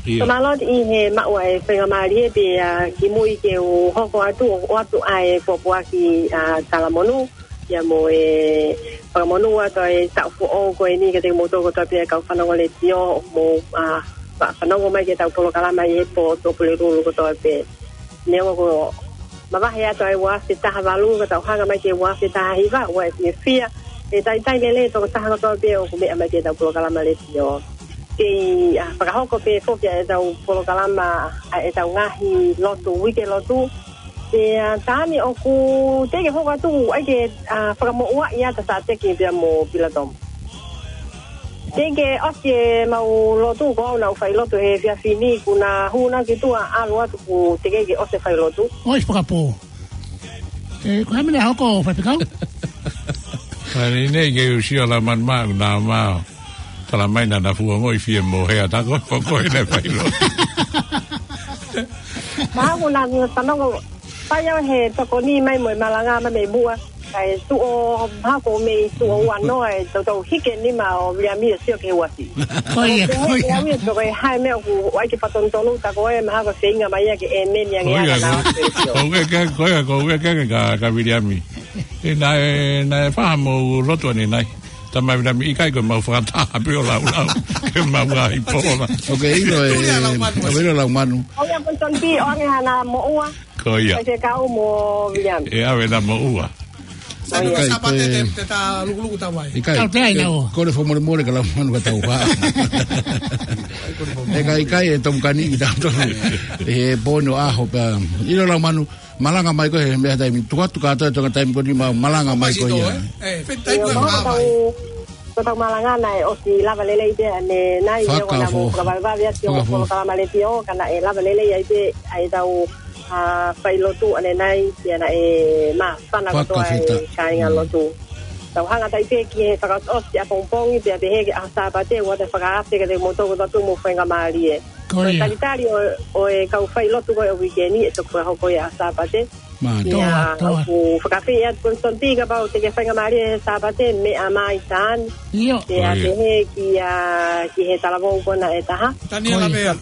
ʻIo. Ka mālō ʻi he maʻu ʻa e faingamālie pē ia ki mui ke u hoko atu ʻo ʻoatu ʻa e pōpoaki ʻa Talamonū. Ia mo e fakamonū atu ʻa e taʻu foʻou ko eni kiate kimoutolu kotoa pē kau fanongo letiō mo, ʻa, fa-, fanongo mai ki heʻetau polokalama ʻi he pō Tuʻapulelulu kotoa pē. Neongo ko e mavahe atu ʻa e ua afe taha valu ka tau hanga mai ki he ua afe taha hiva, ʻoku ou fiefia ʻE talitali lelei e tokotaha kotoa pē ʻoku meʻa mai ki heʻetau polokalama letiō. Kei, ʻa, fakahoko pē foki ʻetau polokalama, ʻa, ʻetau ngaahi lotu, uike lotu. Pea, ʻa, Tani ʻoku teʻeki ke hoko atu, ʻai ke, ʻa, fakamoʻua ia ta sa teke pea mo Pilatomu. Teʻeki ke ʻosi ʻemau lotu ko au naʻa ku fai lotu he efiafi ni kuo na hū na ki tuʻa ʻalu atu kuo teʻeki ke ʻosi e fai lotu. ʻOi, fakapō. ʻE, ko e hā e meʻa naʻe hoko, Faifekau? Ka ni nei ke u sio la man ma, na ma. Tala mai naʻa na fuongoʻi fie mo he ata ko, ko, ko e ne fai lo. Mahalo naʻa na fanongo, fai au he tokoni mai mo e malanga mai mei muʻa. Kae tuʻo, mahalo ko e mei tuʻo ua noa e tau tau hike nima ʻo Viliami ʻo sio ki he uasi. Ko ia, ko ia. Ko ia, ko e hā e meʻa ʻoku ʻai ke fatonutonu ta ko e mahalo ko e feinga mai ia ke ʻēmeni ange. Ko ia, ana ko, ko ia ke, ko ia, ko ia ke, ka, ka Viliami. ʻE, naʻe, naʻe faʻa mo lotu ʻanenai. Tama Viliami ʻikai ko e mau fakataha pē ʻo laulau. Ke mau ai pō la. ʻOku ke ʻilo e, ʻoku ke ʻilo Laumanu. Ko ia ko Tonti, ʻoange hana moʻua. Ko ia. Faifekau mo Viliami. ʻE ʻave na moʻua. Sai, ʻikai, Sapate ko e te, te ta lukuluku tau ai. ʻIkai, Tau te ai ke, nau. Ko e fakamolemole ka Laumanu ka tau fā. ʻE ka ʻikai e tomukani ki tau tonu. ʻE he pono ʻaho pea. ʻIlo Laumanu, malanga mai ko e he meʻa taimi. Tuku atu kātoa e tonga taimi ko ni ma-, malanga mai ko ia. Pasito, eh? Eh, feti taimi ko e Io, mahalo ka tau, ka tau malanga naʻe ʻosi lava lelei pē ʻanenai, ʻio, ka naʻa mo Fakafo. Fakavavevave atu ʻo Fakafo. Polokalama letiō, ka naʻe lava lelei ai pē, ʻa ʻetau ʻa, fai lotu ʻanenai, pea naʻe māfana kotoa e Fakafetaʻi. Kāinga Mm. lotu. Tau hanga atu ai pē ki he fakaʻosi ʻapongipongi, pea pehē ki he ʻaho Sāpate, ʻoua te fakaafe kiate kimoutolu kotoa pē mo faingamālie. Ko ia. Talitali ʻo, ʻo e kau fai lotu ko e uike ni, ʻe toki fakahoko ia ʻaho Sāpate. Mālie. Ia, Toa, toa. ʻOku fakaafeʻi atu Konstanti kapau te ke faingamālie he Sāpate, meʻa mai Tani. ʻIo. Pea Ko ia. pehē ki, ʻa, ki he talavou ko ena ʻe taha. Taniela Ko ia. Vea.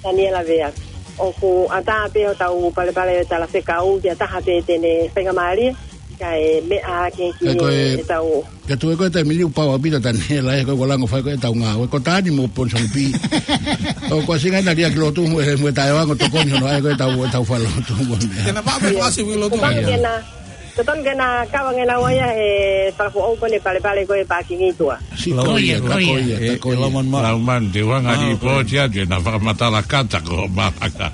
Taniela Vea. ʻOku ʻatā pē hotau palepale ʻo e talafekau, ki ha taha pē te ne faingamālie, kae meʻa hake ki Kae ko e, ʻetau. Ka tuʻu ko e taimi ni ʻoku pau ʻaupito Taniela, ʻe ko e ʻoku lango fai ko ʻetau ngāue, ko Tani mo Ponsongi Pī. ʻOku ʻasi ngai na lia ki lotu mo e, mo e taʻeʻoange ʻo tokoni hono ʻai ko ʻetau, ʻetau fai lotu mo e meʻa. Ke na pā pē Ia. fasi ui lotu. Totonu Ia. ke na Totonu ke na kau ange naua ia he fakafoʻou ko eni palepale ko e pākingi ʻi tuʻa. Siʻi Lau-, ko ia, ko ia. ko ia, ʻE, ko ʻe ia. Laumanu. Laumanu, te u hanga ʻo Ah, ko ia. lipooti atu, ʻe na fakamatala kātaki ʻo malanga.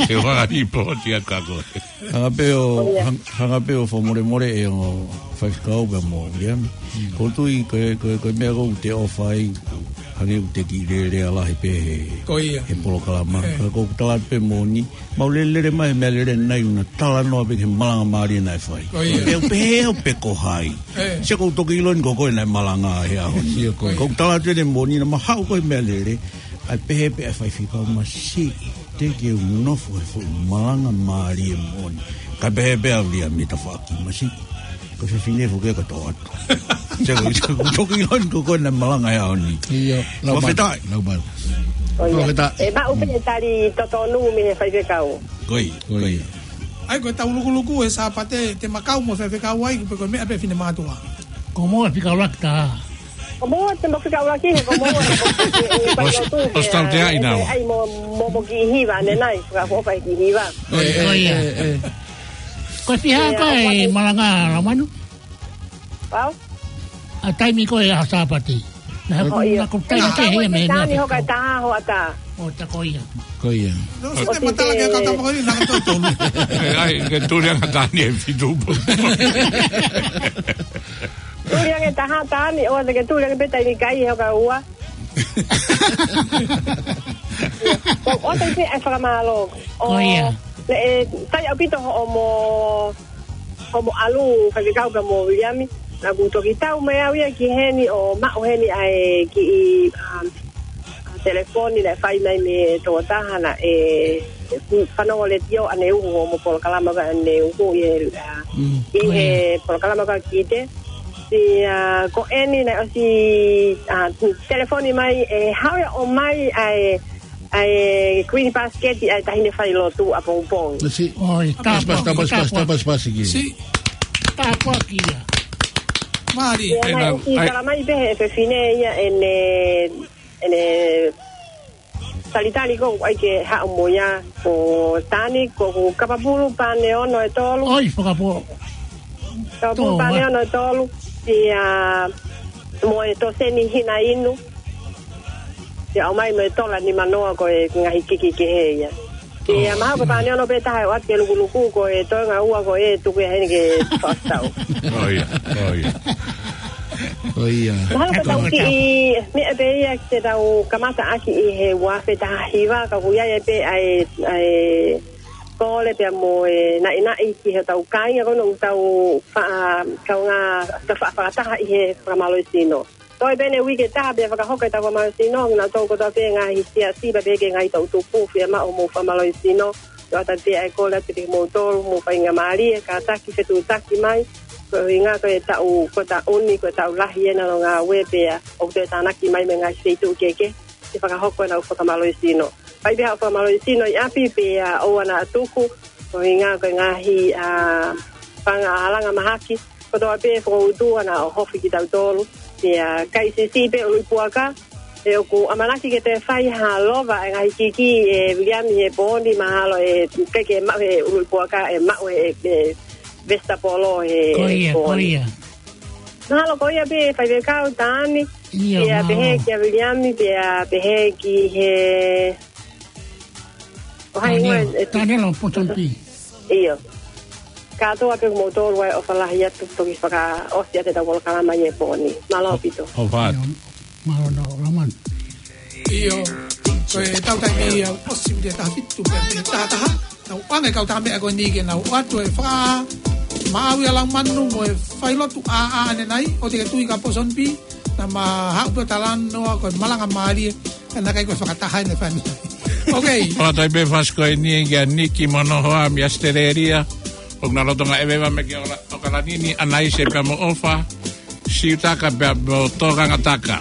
Te u hanga ʻo lipooti atu ka ko e. Hanga pē ʻo, Ko ia. hang-, hanga pē ʻo fakamolemole ʻe ongo faifekau pea mo Viliami. Mm. Ko e tui, ko e, ko e, ko e meʻa ko ē ʻoku te ʻofa ai, hangē ʻoku te kiʻi lelea lahi pē he, Ko ia. he polokalama. Eh. Ka ʻoku ou tala pē moʻoni, mau lele mai he meʻa lelei ʻanenai ʻoku na talanoa pē ki he malanga mālie naʻe fai. Ko ia. Pea u pehē au pe ko hai. Eh. Sai ʻoku ou toki ʻilo eni ko koe naʻe malanga he ʻaho ni. Sio ko e. ʻOku ou tala atu eni moʻoni naʻa ma haʻu ko e meʻa lelei. ʻAi pehē pē ʻa e faifekau masiʻi. Teʻeki ke u nofo he fuʻu malanga mālie moʻoni. Kae pehē pē ʻa Viliami tafaʻaki masiʻi. Ko e fefine foki ʻoku tō atu. Sai ʻoku, sai ʻoku ou toki ʻilo eni ko koe naʻe malanga he ʻaho ni. ʻIo, Laumanu. Fakafetaʻi. Laumanu. Ko ia. Fakafetaʻi. ʻE maʻu pē e tali totonu mei he faifekau. Ko ia, ko ia. ʻAi ko e tau lukuluku he Sāpate, te ma kau mo e faifekau ai, pe ko e meʻa pē finemātuʻa. Ko mo e fika ʻuluaki ta. Ko mo te mo fika ʻuluaki, he ko mo e, e, e, e, Os-, fai lotu, ʻosi tau te ai e, nau. ʻAi mo, mo, mo kiʻi hiva, ʻanenai, fakaʻofoʻofa e kiʻi hiva. ʻOi, ʻe, ʻoi, ia. ʻe, ʻe. Ko e fiha Ia, ko e ʻofa. malanga Laumanu? Pau? ʻA e taimi ko e ʻaho Sāpate. Na ʻOi, ko, ʻio. na ko taimi Ia, ke he Tani, me, me, Tani, hoka e taha hoʻatā. ʻO ta ko ia. Ko ia. No, ʻO se te te matala ke te kata mo ni, na ka tau tonu. ʻE, ʻai, ke tuli anga Tani e fitu. Tuli ange taha Tani, ʻoua te ke tuli ange pē taimi kai hoka ua. Ko, ʻoua te ke fakamālō. Ko ia. ʻE, sai ʻaupito hoʻomo Ko mo ʻalu, faifekau pea mo Viliami, naʻa ku toki tau mai au ia ki heni ʻo maʻu heni ʻa e kiʻi, um, ʻa e telefoni naʻe fai mai mei he tokotaha naʻe, ʻe, fanongo letiō ʻaneuhu mo polokalama ko ē ʻaneuhu ʻi he, ʻa, Mm. ʻi he Ko ia. polokalama ko ē Kite. Pea, ʻa, ko eni naʻe ʻosi, ʻa, telefoni mai ʻe haʻu ia ʻo ʻomai ʻa e ʻa e green basket ʻa e taʻahine failotu ʻapongipongi. Masiʻi. ʻOi, Pasi, pasi, tāpuaki, pasi, pasi, tāpuaki. Pasi, pasi, ki. Sī. Tāpuaki ia. Mālie. Ia, ʻE, naʻe na, ʻosi ʻai- tala mai pē he fefine ia ʻene, ʻene talitali ko ʻai ke haʻu mo ia ko Tani ko, ko Kapapulu pane ono e tolu. ʻOi, fakapō. Kapapulu Tō, pane ua. ono e tolu. Pea mo e toseni hina inu. Pea ʻomai mo e tola nimanoa ko e ngaahi kiki kehe ia. Pea mahalo ko e taʻu ni ono pē taha ʻe ʻoatu ke lukuluku ko e toenga ua ko e tuku ia heni ke fakatau. ʻIo, ʻio. ʻIo. Mahalo ko e taʻu kiʻi meʻa pē ia ke tau kamata ʻaki ʻi he ua afe taha hiva ka ʻoku ʻi ai pē ʻa e, ʻa e kole pea mo e naʻinaʻi ki he tau kāinga ko ena ʻoku tau faʻa, kaungā, tau faʻa fakataha ʻi he fakamālohisino. Toe pē ʻene uike ʻe taha pea fakahoko ʻetau fakamālohisino, ʻa kinautolu kotoa pē ngaahi siasi pea pehē ki he ngaahi toʻutupu, fiemaʻu hoʻomou fakamālohisino, ʻoatu pē ʻa e kole atu kiate kimoutolu, mou faingamālie, kātaki, fetuʻutaki mai, ko e ʻuhinga ko e taʻu, ko e taʻu ni, ko e taʻu lahi ena ʻo e ngāue pea ʻoku toe tānaki mai mei he ngaahi feituʻu kehekehe, ke fakahoko ʻenau fakamālohisino. Fai pē haʻo fakamālohisino ʻi ʻapi pea ʻoua naʻa tuku, ko e ʻuhinga ko e ngaahi, ā, paʻanga ʻa e langa mahaki, kotoa pē fakautu ʻana ʻo hofi kitautolu. Pea kai siʻisiʻi pē ʻuluʻi puaka, ʻe ʻoku ʻamanaki ke toe fai ha lova ʻa e ngaahi kiki ʻe Viliami he pō ni mahalo ʻe peke maʻu he ʻuluʻi puaka ʻe maʻu he, he vesitapolo he pō ni. Ko ia, ko ia. Mahalo ko ia pē faifekau Tani. ʻIo, pea pehē kia Viliami, pea pehē ki he ʻo hai Tani, ʻoe, ʻe, Tani lo Ponsonby. ʻIo. Kātoa pē kimoutolu ʻa e ʻofa lahi atu toki fakaʻosi atu ʻetau polokalama ʻi he pō ni. Mālō ʻaupito. ʻIo, mālō nō, Laumanu. ʻIo, ko e tau taimi ia, ʻosi miniti ʻe taha fitu pē, miniti taha taha. Tau ʻoange kau tā meʻa ko eni ke nau ʻoatu e fakamaau ʻa Laumanu mo e failotu ʻa, ʻa ʻanenai, ʻoua te ke tui ka Ponsonby, naʻa ma haʻu pē ʻo talanoa ko e malanga mālie, ka naʻe ʻikai ko e fakataha ʻene fani. Ok. ʻOatu ai pē fasi ko eni kia Niki mo Nohoa mei ʻAositelēlia, ʻoku na lolotonga ʻeveʻeva mei he ʻOkalani ni, ʻAnaise pea mo ʻOfa, Siutaka pea mo Tokangataka.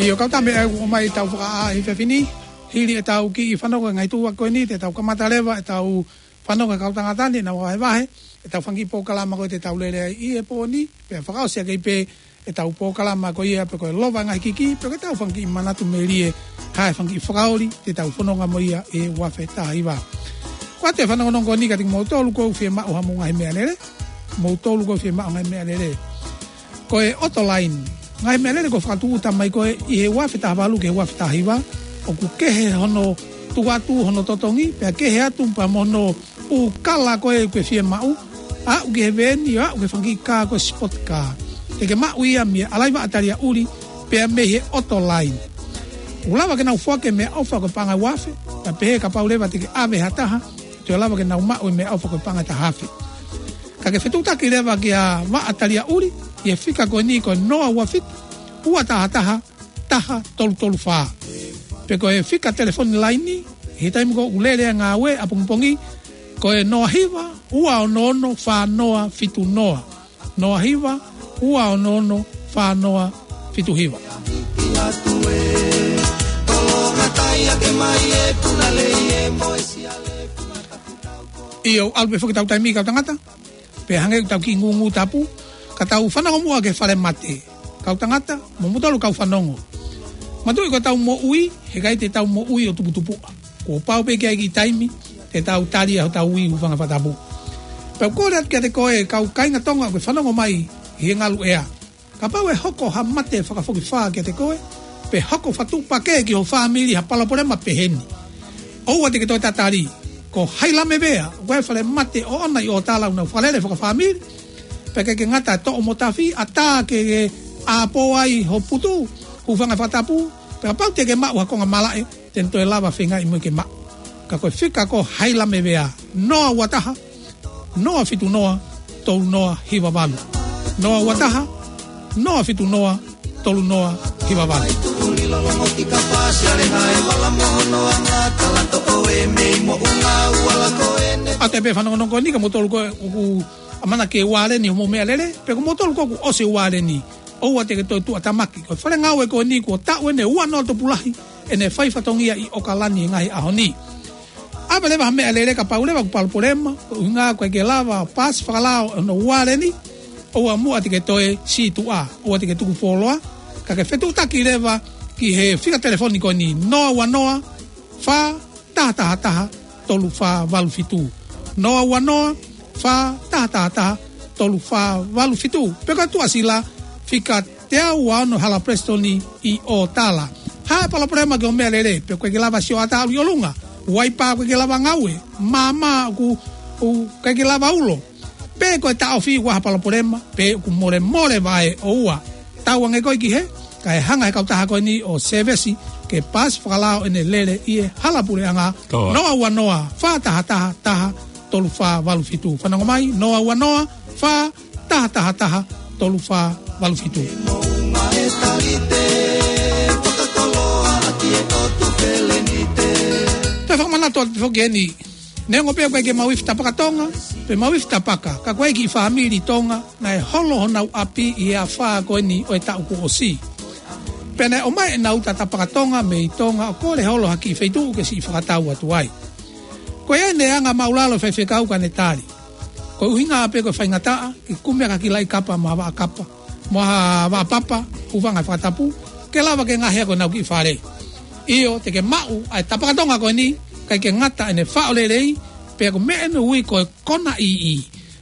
ʻIo, kau tā meʻa ʻoku ʻomai tau fakaʻā ʻi he efiafi ni. Hili ʻetau kiʻi fanongo e ngaahi tuʻa ko eni, te tau kamata leva ʻetau fanongo e kau tangata ni, nau vahevahe ʻetau fanga kiʻi polokalama ko ē te tau lele ai ʻi he pō ni, pea fakaʻosi ʻaki pē ʻetau polokalama ko ia pe ko e Lova e Ngaahi Kiki, pe ko ʻetau fanga kiʻi manatu melie, ha e fanga kiʻi fakaoli te tau fononga mo ia ʻi he ua afe taha hiva. Ko ʻetau fanongonongo ko eni kiate kimoutolu ʻoku fiemaʻu haʻamou ngaahi meʻalele, moutolu ʻoku fiemaʻu ngaahi meʻalele. Ko e ʻoto laini. Ngaahi meʻalele kuo fakatūʻuta mai ko ē ʻi he ua afe taha valu ki he ua afe taha hiva, ʻoku kehe hono tuku atu, hono totongi, pea kehe atu pea mo hono ʻū kala ko ē ʻoku ke fiemaʻu, aʻu ki he veeni, aʻu ki he fanga kiʻi kā ko e sport car. Te ke maʻu ia mei he ʻalaivaʻa tali ʻuli, pea mei he ʻoto laini. ʻOku lava ke nau foaki e meʻaʻofa ko e paʻanga ʻe ua afe, pea pehē kapau leva te ke ʻave ha taha, te ke lava ke nau maʻu e meʻaʻofa ko e paʻanga ʻe taha afe. Ka ke fetuʻutaki leva ki he vaʻa tali ʻuli, ʻi he fika ko eni ko e noa ua fitu, ua taha taha, taha tolu tolu fā. Pe ko e fika telefoni laini, he taimi ko ē ʻoku lele ai e ngāue ʻapongipongi, ko e noa hiva, ua ono ono, fā noa fitu noa. Noa hiva, ua ono ono, fā noa fitu hiva. ʻIo, ʻalu pē foki ʻetau taimi kau tangata. Pea hangē ʻoku tau kiʻi ngūngū tapu, ka tau fanongo muʻa ki he falemate. Kau tangata, mo moutolu kau fanongo. Manatuʻi ko ʻetau moʻui, heʻikai te tau moʻui ʻo tuputupuʻa. Kuo pau pē ke ʻi ai e kiʻi taimi te tau tali ai hotau ui, hūfanga he fakatapu. Pea ʻoku ou kole atu kiate koe kau kāinga Tonga ʻoku ke fanongo mai ʻi he ngalu ʻea. Kapau ʻe hoko ha mate fakafokifā kiate koe, pe hoko fakatuʻupakē ki ho fāmili ha palopalema pehē ni, ʻoua te ke toe tatali. Ko Hailamevea, ko e falemate ʻoʻona ʻi ʻOtala ʻoku nau fakalele fakafāmili. Pea ʻikai ke ngata e toʻo mo tafi, ʻatā ke ke ʻāpō ai ho putu, hūfanga he fakatapu, pea kapau te ke maʻu ha konga malaʻe, te ne toe lava feingaʻi mo ia ke maʻu. Ka ko e fika ko Hailamevea, noa ua taha, noa fitu noa, tolu noa hiva valu. Noa ua taha, noa fitu noa, tolu noa hiva valu. ʻA e pē fanongonongo ko eni, ka moutolu ko ē ʻoku ʻamanaki ke ualeni hoʻomou meʻalele, pe ko moutolu ko ē kuo ʻosi ualeni, ʻoua te ke toe tuʻatamaki. Ko e fale ngāue ko eni kuo taʻu eni ua noa tupulahi ʻene fai fatongia ʻi ʻOkalani he ngaahi ʻaho ni. ʻAve leva ha meʻalele kapau leva ʻoku palopalema, ko e ʻuhinga ʻoku ʻikai ke lava paasi fakalao hono ualeni, ʻoua muʻa te ke toe sītuʻa, ʻoua te ke tuku fuoloa, ka ke fetuʻutaki leva ki he fika telefoni ko eni, noa ua noa, fā taha taha taha, tolu fā valu fitu. Noa ua noa, fā taha taha taha, tolu fā valu fitu. Pe ko e tuʻasila, fika teau ua ono Hala Presitoni ʻi ʻOtala. Ha palopalema ki hoʻo meʻalele, pe ʻoku ʻikai ke lava sio ʻatā ʻalu ʻi ʻolunga, uaipa ʻoku ʻikai ke lava ngaue, maama ʻoku, ʻoku ʻikai ke lava ulo, pe ko e taʻofi ʻoku ʻi ai ha palopalema, pe ʻoku molemole vaʻe, ʻoua. Tauange koe ki hē, kae hanga he kautaha ko eni ʻo sēvesi ke paasi fakalao ʻene lele ʻi he hala puleʻanga. Noa ua noa, fā taha taha taha, tolu fā valu fitu. Fanongo mai, noa ua noa, fā taha taha taha, tolu fā valu fitu. Toe fakamanatu atu foki eni, neongo pē ʻoku ʻikai ke mau ifi tapaka Tonga, pe mau ifi tapaka, ka ko e kiʻi fāmili Tonga naʻe holo honau ʻapi ʻi he afā ko eni ʻo e taʻu kuo ʻosi. Pea naʻe ʻomai ʻenau uta tapaka Tonga mei Tonga ʻo kole holo ha kiʻi feituʻu ke siʻi fakatau atu ai. Ko ia ʻene anga māʻulalo e faifekau ka ne tali. Ko e ʻuhinga pē ko e faingataʻa ke kumi ʻaki ha kiʻi laʻi kapa mo ha vaʻa kapa, mo ha vaʻa papa, hūfanga he fakatapu, ke lava ke ngaohi ʻaki honau kiʻi fale. ʻIo, te ke maʻu ʻa e tapaka Tonga ko eni, ʻikai ke ngata ʻene faʻo lelei, pea ko e meʻa ʻoku ui ko e kona ʻiʻi.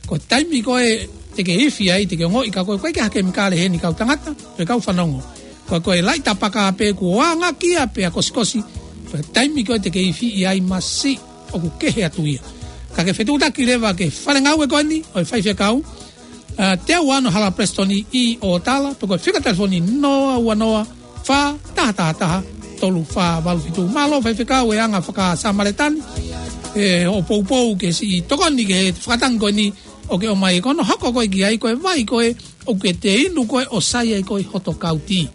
Ko e taimi ko ē te ke ifi ai, te ke ongoʻi ka ko e ʻikai ke ʻi ai ha kemikale heni kau tangata, pe kau fanongo. Ko e, ko e laʻi tapaka pē kuo anga kia pea kosikosi, ko e taimi ko ē te ke ifi ai masiʻi ʻoku kehe atu ia. Ka ke fetuʻutaki leva ki he fale ngāue ko eni ʻo e faifekau, ʻa, teau ua ono Hala Presitoni ʻi ʻOtala, pe ko e fika telefoni noa ua noa, fā taha taha taha, tolu fā valu fitu. Mālō faifekau e anga faka-Samaletani, ʻe, hoʻo poupou ke siʻi tokoni ki he fakatangi ko eni ʻoku ke ʻomai, ko hono hoko ko ē ki ai, ko e vai ko ē ʻoku ke inu ko ē ʻo sai ai ko ē hoto kauti.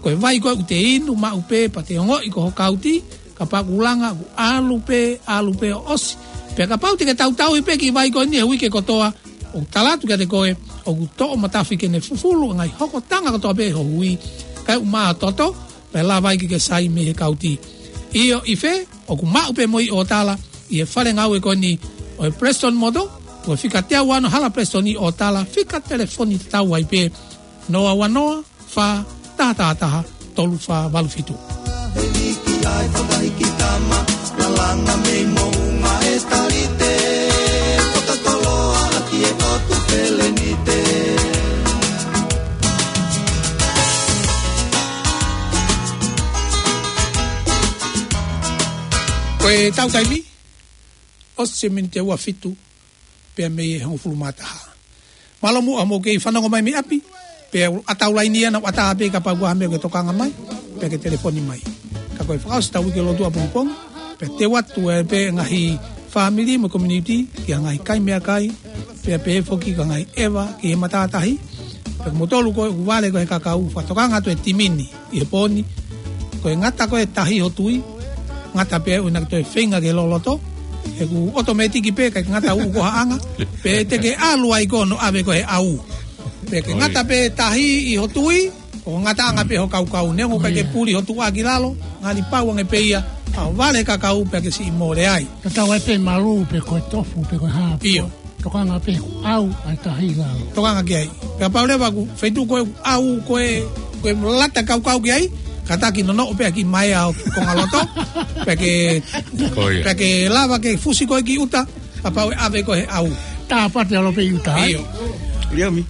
Ko e vai ko ē ʻoku te inu maʻu pē pea te ongoʻi ko ho kauti, kapau ʻoku langa ʻoku ʻalu pē, ʻalu pē ʻo ʻosi. Pea kapau te ke tautauhi pē kiʻi vai ko eni he uike kotoa, ʻoku tala atu kiate koe ʻoku toʻo matafi ke ne fufulu e ngaahi hokotanga kotoa pē ho hui, kae ʻumaʻā ho toto, pea lava ai ke ke sai mei he kauti. ʻIo, ʻi fē? ʻOku maʻu pē mo ʻi ʻOtala, ʻi he fale ngāue ko eni ʻo e Preston Motor, ko e fika teau ono Hala Preston ʻi ʻOtala, fika telefoni tatau ai pē, noa ua noa, fā taha taha taha, tolu fā valu fitu. Ko e tau taimi, ʻosi e miniti ua fitu, pea mei he hongofulu mā taha. Mālō muʻa hoʻomou kei fanongo mai mei ʻapi, pea ʻoku ʻatā ʻa e laini ʻana, ʻoku ʻatā pē kapau ʻoku ʻi ai ha meʻa ke tokanga mai, pea ke telefoni mai. Ka ko e fakaʻosi ʻetau uike lotu ʻapongipongi, pea teu atu ē pē ngaahi fāmili mo e community, ki he ngaahi kai meʻakai, pea pehē foki ki he ngaahi ʻeva, ki he matātahi, pea ko moutolu ko ē ʻoku vale ko ē he kakau, fakatokanga atu e timi ni ʻi he pō ni. Ko e ngata ko ē tahi ʻi ho tui, ngata pē ʻoua naʻa ke toe feinga ke loloto. He ʻoku ʻotomētiki pē, ʻikai ke ngata ʻū ko ha anga. Pea te ke ʻalu ai ko hono ʻave ko ē he ʻau. Pea ke ngata pē tahi ʻi ho tui, ko e ngataʻanga pē ho kaukau. Neongo ʻikai ke puli ho tuʻa ki lalo, ngali pau ange pē ia, ʻa e vale kakau pea ke siʻi mole ai. Tatau ai pē malū, pe ko e tofu, pe ko e hā. ʻIo. Tokanga pē ʻoku ʻau ʻa e tahi lalo. Tokanga ki ai. Pea kapau leva ʻoku feituʻu ko ē ʻau ko ē, ko e lata kaukau ki ai, kātaki nonoʻo pē ʻaki mai ʻa e konga loto. Pea ke, pea ke lava ke fusi ko ē ki ʻuta, kapau ʻe ʻave ko ē he ʻau. Tāpate ʻalu pē ʻi ʻuta, ʻio. ʻIo mi,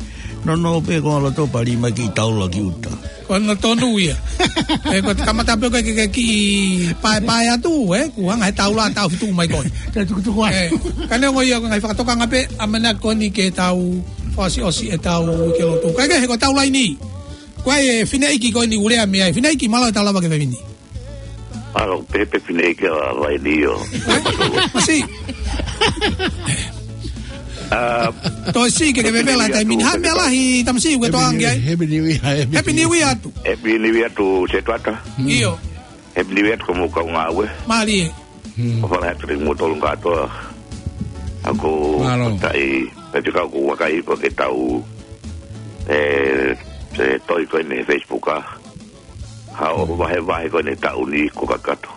nonoʻo pē konga loto pea lī mai ki taula ki ʻuta. Ko hono tonu ia. ʻE, ko e kamata pē ko ē ke, ke kiʻi paepae atu, ē, kuo hanga he taula ʻo taʻofi mai ko ē. Te tukutuku ai. ʻE, ka neongo ia ko e ngaahi fakatokanga pē, ʻamanaki ko eni ke tau fakaʻosiʻosi ʻetau uike lotu. Kae kehe ko e tau laini. Ko e fineʻeiki ko eni ʻoku lea mei ai. Fineʻeiki, mālō e tau lava ke fai mini. Mālō, pehē pē fineʻeiki ʻa e laini ʻo. Masiʻi. Toe siʻi ke ke vevela e taimi ni. Hā e meʻa lahi, tamasiʻi, ʻoku ke toʻa ange ai? Happy New Year, Happy New Year atu. Happy New Year atu, Setuata. ʻIo. Happy New Year atu ki hoʻomou kau ngāue. Mālie. ʻOfa lahi atu kiate kimoutolu kātoa. ʻOku ou fakafetaʻi, pea ʻoku ou vakai ko ē ki he tau, ʻe, ʻe tohi ko eni he Facebook ʻa. Hā ʻo vahevahe ko eni taʻu ni kuo kakato.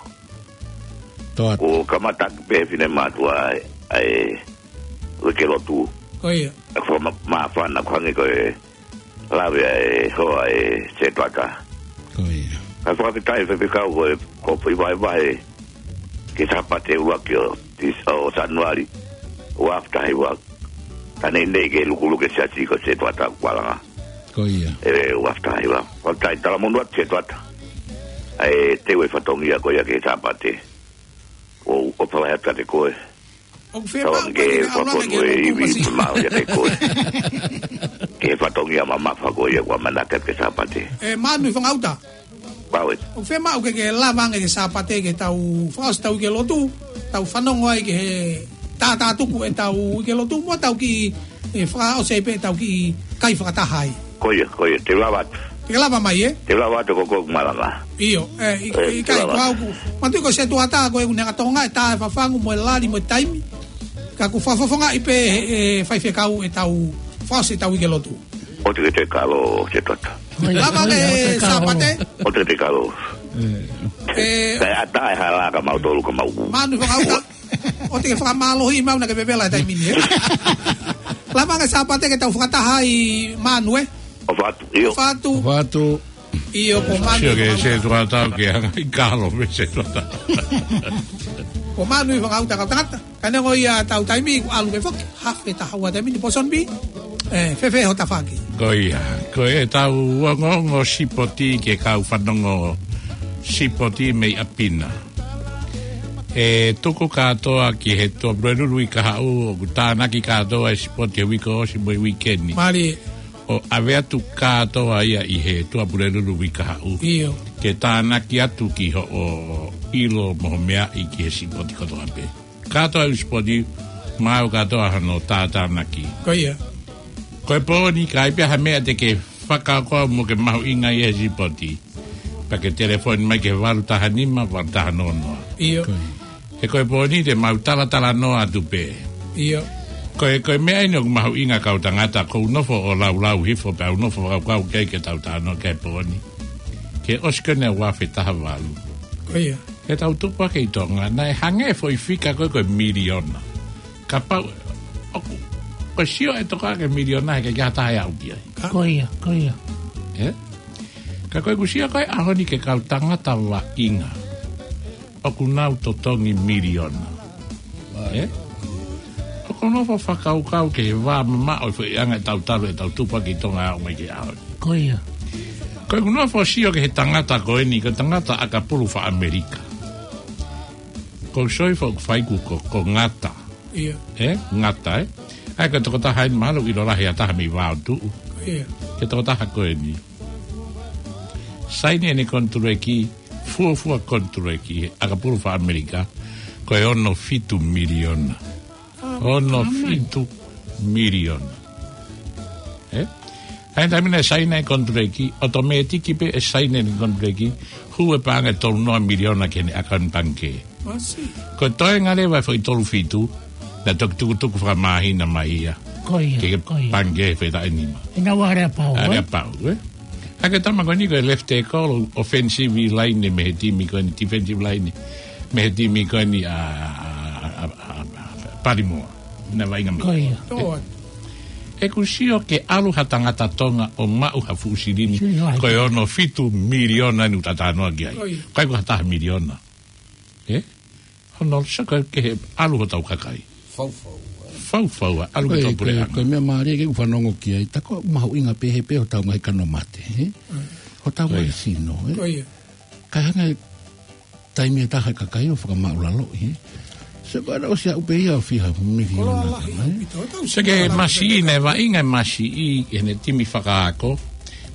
Kuo kamata pē finemātuʻa ʻa e, ʻa e uike lotu. Ko ia. ʻOku fakamāfana ko e hangē ko e lave ʻa e hoa ʻa e Setuata. Ko ia. Kae fakafetaʻi Faifekau ko e, ko e foʻi vahevahe ki he Sāpate ʻuluaki ʻo Tis-, ʻo Sānuali, ua afe taha hiva. Ka neʻineʻi ke lukuluku e siasi ko e Setuata ʻoku malanga. Ko ia. ʻE, ua afe taha hiva. Fakafetaʻi, talamonū atu Setuata. ʻA e teu e fatongia ko ia ki he Sāpate. ʻOku ou fakafetaʻi atu kiate koe. ʻOku fiemaʻu ke ke ʻalu ange ke ke ivi masi. Mālō ia kiate koe. Ki he fatongia mamafa ko ia kuo ʻamanaki ki he Sāpate. ʻE, Mānuifangauta. Pau ē. ʻOku fiemaʻu ke ke lava ange ki he Sāpate ke tau fakaʻosi ʻetau uike lotu, tau fanongo ai ki he tātātuku ʻetau uike lotu, mo tau kiʻi, ʻe, fakaʻosi ai pē ʻetau kiʻi kai fakataha ai. Ko ia, ko ia, te u lava atu. Te ke lava mai, ē? Te u lava atu ko ē ʻoku malanga. ʻIo, ʻe, ʻi, ʻe, ʻikai, te u lava atu. Ko au ʻoku, manatuʻi ko Setuata ko ē ʻoku ne ʻatonga e tā e fafangu mo e lali mo e taimi. Ka ʻoku fakafofongaʻi pē ʻe he, ʻe he Faifekau ʻetau fakaʻosi ʻetau uike lotu. ʻOua te ke toe kalo Setuata. Lava ange Sāpate. ʻOua te ke toe kalo. ʻE. Kae ʻatā e hala kia mautolu ka mau. Mānuifangauta. ʻOua te ke fakamālohiʻi maʻu naʻa ke vevela e taimi ni, ē? Lava ange Sāpate ke tau fakataha ai Mānue. ʻOfa atu, ʻio. ʻOfa atu. ʻOfa atu. ʻIo, ko Mānue. Sio ke Setuata ke hanga ʻo kalo mei Setuata. Ko Mānuifangauta kau tangata. Ka neongo ia ʻetau taimi kuo ʻalu ke foki. Hafe taha ua taimi ni Pōsoni Pī. ʻE, fēfē ho tafaʻaki? Ko ia. Ko ʻetau ongoongo sipoti ki he kau fanongo sipoti mei ʻapi na. ʻE tuku kātoa ki he Tuʻapulelulu ʻi Kahaʻu, ʻoku tānaki kātoa e sipoti he uike ʻosi mo e uike ni. Mālie. ʻO ʻave atu kātoa ia ʻi he Tuʻapulelulu ʻi Kahaʻu. ʻIo. Ke tānaki atu ki hoʻo ʻilo mo hoʻo meaʻi ki he sipoti kotoa pē. Kātoa e sipoti, maʻu kātoa hono tātānaki. Ko ia. Ko e pō ni ka ʻi ai pē ha meʻa te ke fakakaukau mo ke mahuʻingaʻia he sipoti, pea ke telefoni mai ki he valu taha nima, valu taha noa noa. ʻIo. Ko ia. He ko e pō ni te mau talatalanoa atu pē. ʻIo. Ko e, ko e meʻa eni ʻoku mahuʻinga kau tangata, ʻoku ou nofo ʻo laulau hifo pea u nofo fakakaukau ki ai ke tau talanoa ki he pō ni. Ke ʻosi ko eni ua afe taha valu. Ko ia. He tau tupu hake ʻi Tonga, naʻe hangē foʻi fika ko ē ko e miliona. Kapau, ʻoku, ko e sio ʻe Tonga ki he miliona he ʻikai ke ʻi ai ha taha ʻe aʻu ki ai. Ko ia, ko ia. Ē? Ka ko ʻeku sio ko ē ʻaho ni ki he kau tangata vaʻinga ʻoku nau totongi miliona. Ē? ʻOku ou nofo ʻo fakakaukau ki he vā mamaʻo e foʻi anga ʻetau talu ʻetau tupu hake ʻi Tonga ʻo aʻu mai ki he ʻaho ni. Ko ia. Ko ʻeku nofo ʻo sio ki he tangata ko eni, ko e tangata ʻakapulu faka-ʻAmelika. Ko e sio foki ʻoku fai ʻoku, ko, ko Ngata. Ia. Ē? Ngata, ē? ʻA ia ko e tokotaha eni mahalo ʻoku ʻilo lahi ʻa e taha mei Vaotuʻu. Ia. Ko e tokotaha ko eni. Saini ʻene konituleki, fuofua konituleki, ʻakapulu faka-ʻAmelika, ko e ono fitu miliona. Ono fitu miliona. Ē? ʻA ia taimi naʻe saini e konituleki, ʻotomētiki pē ʻe saini e konituleki, hū e paʻanga ʻe tolu noa miliona ki heʻene ʻakauni pangikē. Masi. Ko e toenga leva e foʻi tolu fitu, naʻe toki tukutuku fakamāhina mai ia. Ko ia, Ke ke ko ia. pangikē he fetaʻi nima. ʻIna ua ʻa e aleapau, ʻA e ē? aleapau, ē? ʻA ia ko e tama ko eni ko e left tackle, offensive line mei he timi ko eni, defensive line mei he timi ko eni ʻa, ʻa, ʻa, ʻa, ʻa Baltimore. Naʻe vaʻinga mai. Ko ia. Tō atu. ʻOku sio ke ʻalu ha tangata Tonga ʻo maʻu ha fuʻu silini, Silini lahi. ko e ono fitu miliona eni ʻoku ta talanoa ki ai. Ko ia. ʻIkai ko ha taha miliona. Ē? Hono saka ke he ʻalu hotau kakai. Faufau, ē. Faufau, ʻalu ki Ko e, tau ko e, puleʻanga. ko e meʻa mālie ke u fanongo ki ai. Ta ko e mahuʻinga pē he pē hotau ngaahi kano mate, ē? Mm. Hotau Ko ngaahi ia. sino, ē? Ko ia. Ka hanga e taimi ʻe taha e kakai ʻo fakamaʻulaloʻi, ē? Se ko ena ʻosi aʻu pē ia ʻo fiha miliona Kola lahi, ē? ʻaupito, tau Se ke sika masiʻi, lahi. naʻe vaʻinga e masiʻi ʻi heʻene timi fakaako.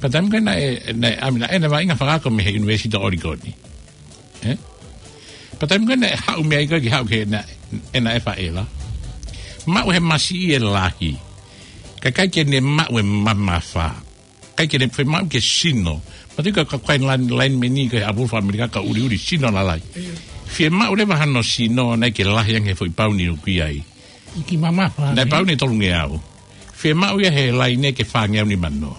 Pea taimi ko ē naʻe, naʻe, ʻa ia naʻe, naʻe vaʻinga fakaako mei he University of Oregon. Ē? Pea taimi ko ē naʻe haʻu mei ai ko ē ke haʻu ki he naʻe, ʻena ʻe faʻela. Maʻu he masiʻi e lahi. Kae ʻikai ke ne maʻu e mamafa. ʻIkai ke ne fiemaʻu ke sino. Matu ka, ka kai line, line meni ko e ʻakapulu faka-ʻAmelika ka uliuli sino lalai. Fiemaʻu leva hano sino naʻe ke lahi ange he foʻi pauni ʻoku ʻi ai. Ki mamafa, Naʻe ē? pauni tolungeau. Fiemaʻu ia he line ke fāngeau nimanoa.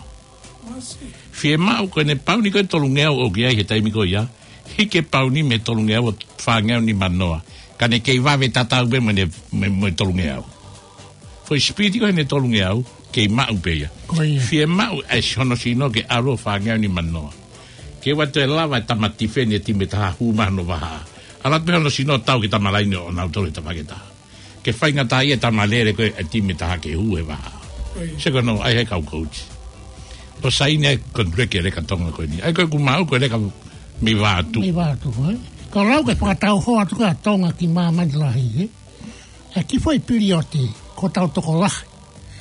Fiemaʻu ko ʻene pauni ko e tolungeau ʻoku ʻi ai he taimi ko ia. Hiki e pauni mei he tolungeau ʻo fāngeau nimanoa. Ka ne kei vave tatau pē mo ʻene, mo, mo e tolungeau. Foʻi sipiti ko ʻene tolungeau, kei maʻu pē ia. Ko ia. Fiemaʻu ʻa e si-, hono sino ke ʻalu ʻo fāngeau nimanoa. Ke ʻoua toe lava e tama tifeni e timi ʻe taha hū mai hono vahaʻa. ʻAlu atu pē hono sino tau ki he tama laine ʻo nau tolu he tafaʻaki ʻe taha. Ke faingataʻaʻia e tama lele ko ē e timi ʻe taha ke hū he vahaʻa. Ko ia. Se ko hono ʻai he kau coach. ʻO saini e konituleki e leka Tonga ko eni. ʻA ia ko ʻeku maʻu ko e leka mei Vaotuʻu. Mei Vaotuʻu, ē? Ka lau ke fakatau hoa atu ko ē ʻa Tonga ki māmani lahi, ē? ʻE kiʻi foʻi pilioti, ko hotau tokolahi.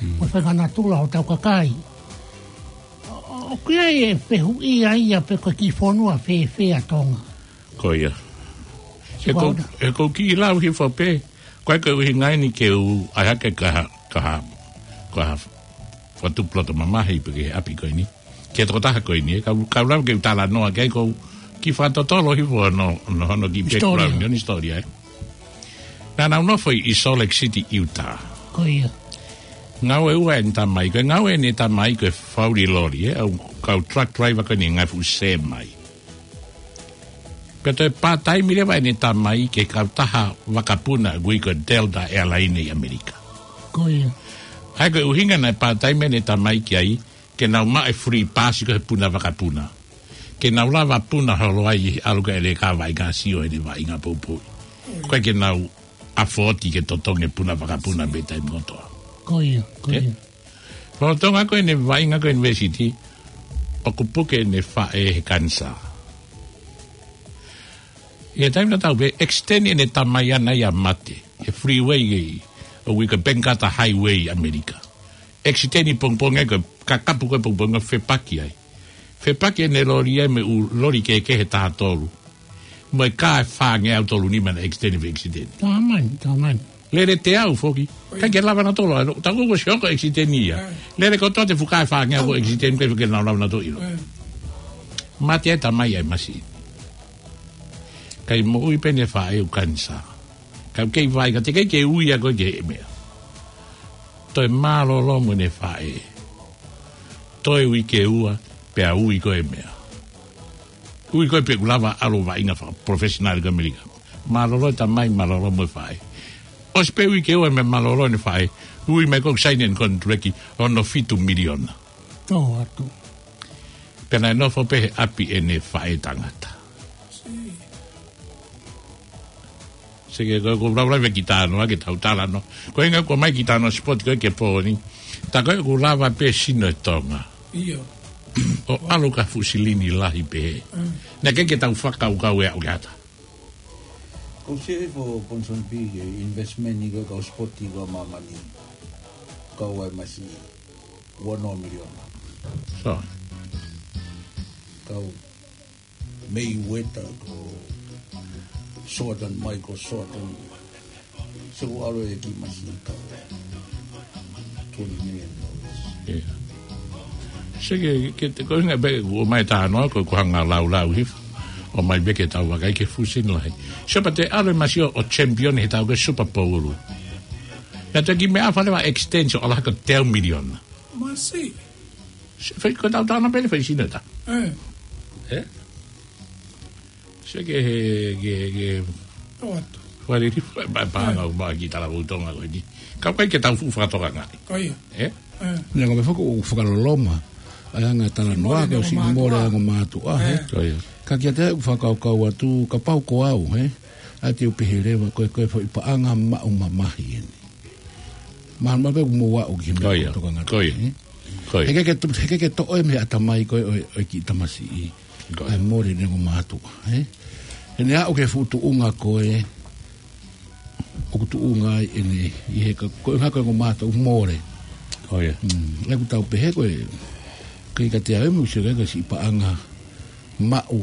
Hmm. Mo e fakanatula hotau kakai. ʻO, ʻoku ʻi ai e fehuʻi ia pe ko e kiʻi fonua fēfē ʻa Tonga. Ko ia. He ʻoku, Sipaona. he ʻoku ou kiʻi lau hifo pē. Ko e, ko e ʻuhinga eni ke u ʻai hake ka ha, ka ha, ka ha fakatupu loto mamahi pē ki he ʻapi ko eni. Ki he tokotaha ko eni, ē, ka u, ka u lava ke u talanoa ki ai ʻoku ou kiʻi fakatotolo hifo hono, hono, hono kiʻi Hisitōlia. background, hono hisitōlia, ē. Naʻa nau nofo ʻi Salt Lake City, Utah. Ko ia. Ngāue ua ʻene tamai, ko e ngāue ʻene tamai ko e fauli loli, ē, ʻa e kau truck driver ko eni ngaahi fuʻu semi. Pea toe pātaimi leva ʻene tamai ki he kautaha vakapuna ʻoku ui ko e Delta Airline ʻi ʻAmelika. Ko ia. ʻA ia ko e ʻuhinga naʻe pātaimi ʻene tamai ki ai, ke nau maʻu e free pass ko ē he puna vakapuna. Ke nau lava puna holo ai ʻi he ʻalu ka ʻe leka vaʻinga sio ʻene vaʻinga poupou. ʻIkai ke nau afford ke totongi e puna vakapuna mei he taimi kotoa. Ko ia, ko Ē? ia. Lolotonga ko ē ʻene vaʻinga ko ē ʻunivēsiti, ʻoku puke ʻene faʻē he kanisā. ʻI he taimi tatau pē, accident ʻene tamai ʻana ia mate. He freeway ʻi, ʻoku ui ko e Bank Carter Highway ʻi ʻAmelika. Accident ʻi pongipongi ai ko e kakapu ko ē pongipongi ʻo fepaki ai. Fepaki ʻene loli ai mo e ʻū loli kehekehe ʻe taha tolu. Mo e kā ʻe fāngeau tolu nima naʻe accident, accident. Tamani, tamani. Lele teau foki. ʻIkai ke lava nautolu, ʻa, tau ko ʻosi hoko accident ia. Lele kotoa e fuʻu kā ʻe fāngeau ko e accident, ʻikai ke nau lava nautolu ʻilo. Mate ai e tamai ʻa e masiʻi. Kae moʻui pē ʻene faʻē ʻoku kanisā. Ka ʻoku kei vaʻinga, teʻeki ke ui ia ko ē ki he meʻa. Toe mālōlō mo ʻene faʻē. Toe uike ua, pea ui ko ē e meʻa. Ui ko ē pē ʻoku lava ʻalu ʻo vaʻinga fakaprofessional ki ʻAmelika. Mālōlō e tamai, mālōlō mo e faʻē. ʻOsi pē uike ua mei mālōlō ʻene faʻē, ui mai ko ē ʻoku saini ʻene konituleki ono fitu miliona. Tō atu. Pea naʻe nofo pē he ʻapi ʻene faʻē tangata. Seke ko e ko lau lau ki Tanoa, ke tau talanoa. Ko e ʻuhinga ko ē ʻomai ki Tanoa sipoti ko ē ki he pō ni. Tā ko ē ʻoku lava pē sino e Tonga. ʻIo. ʻO ʻalu ki ha fuʻu silini lahi pē. Mm. Naʻe ʻikai ke tau fakakaukau ʻe aʻu ki ha taha. Ko e sio hifo Ponsonby ki he investment ni ko e kau sipoti ko ē ʻa māmani. Kau ai masiʻi ua noa miliona. So. Kau Mayweather ko Jordan, Michael Jordan. So ʻalu e kiʻi masiʻi kau twenty million dollars. Yeah. Seke, ke te ko e ʻuhinga pē ʻoku ʻomai Tanoa ko e ʻoku hanga lau lau hifo. ʻOmai pē ke tau vakai ki he fuʻu silini lahi. So pea te ʻalu e masiʻi ʻo champion he tau ki he Super Bowl. Naʻe toki meʻa fale ʻo extension ʻo ʻalu hake ʻo teau miliona. Masiʻi. Se fai ko e tau Tanoa pē ʻene fai sino ta. Eh. Eh? Seke he, ke, ke. Tō atu. Fale ri, pa, pa, ʻAmelika ki he talavou Tonga ko eni. Ka ʻoku ʻikai ke tau fuʻu fakatokangaʻi. Ko ia. Eh? Eh. Naʻe ko e meʻa foki ʻoku fakaloloma. ʻA e anga talanoa ko e siʻi mole ʻa e ongo mātuʻa, he? Eh. Ko ia. Ka kiate au ʻoku fakakaukau atu, kapau ko au, he? ʻA ia te u pehē leva, ko e, ko e foʻi paʻanga maʻu mamahi eni. Mahalo pē ʻoku mou aʻu ki he meʻa ʻoku tokanga atu, he? Ko ia. He ʻikai ke to-, he ʻikai ke toʻo ia mei he ʻatamai ko ē ʻo e, ʻo e kiʻi tamasiʻi. Ko ia. ʻA e mole ʻene ongo mātuʻa, he? He naʻe aʻu ki he fuʻu tuʻunga ko ē ʻoku tuʻunga ai ʻene, ʻi he ka, ko e hā ko e ongo mātuʻa mole. Ko ia. Mm, ʻa ia ʻoku tau pehē ko e, ʻikai kiate au ʻe mou sio ki ai ko e siʻi paʻanga maʻu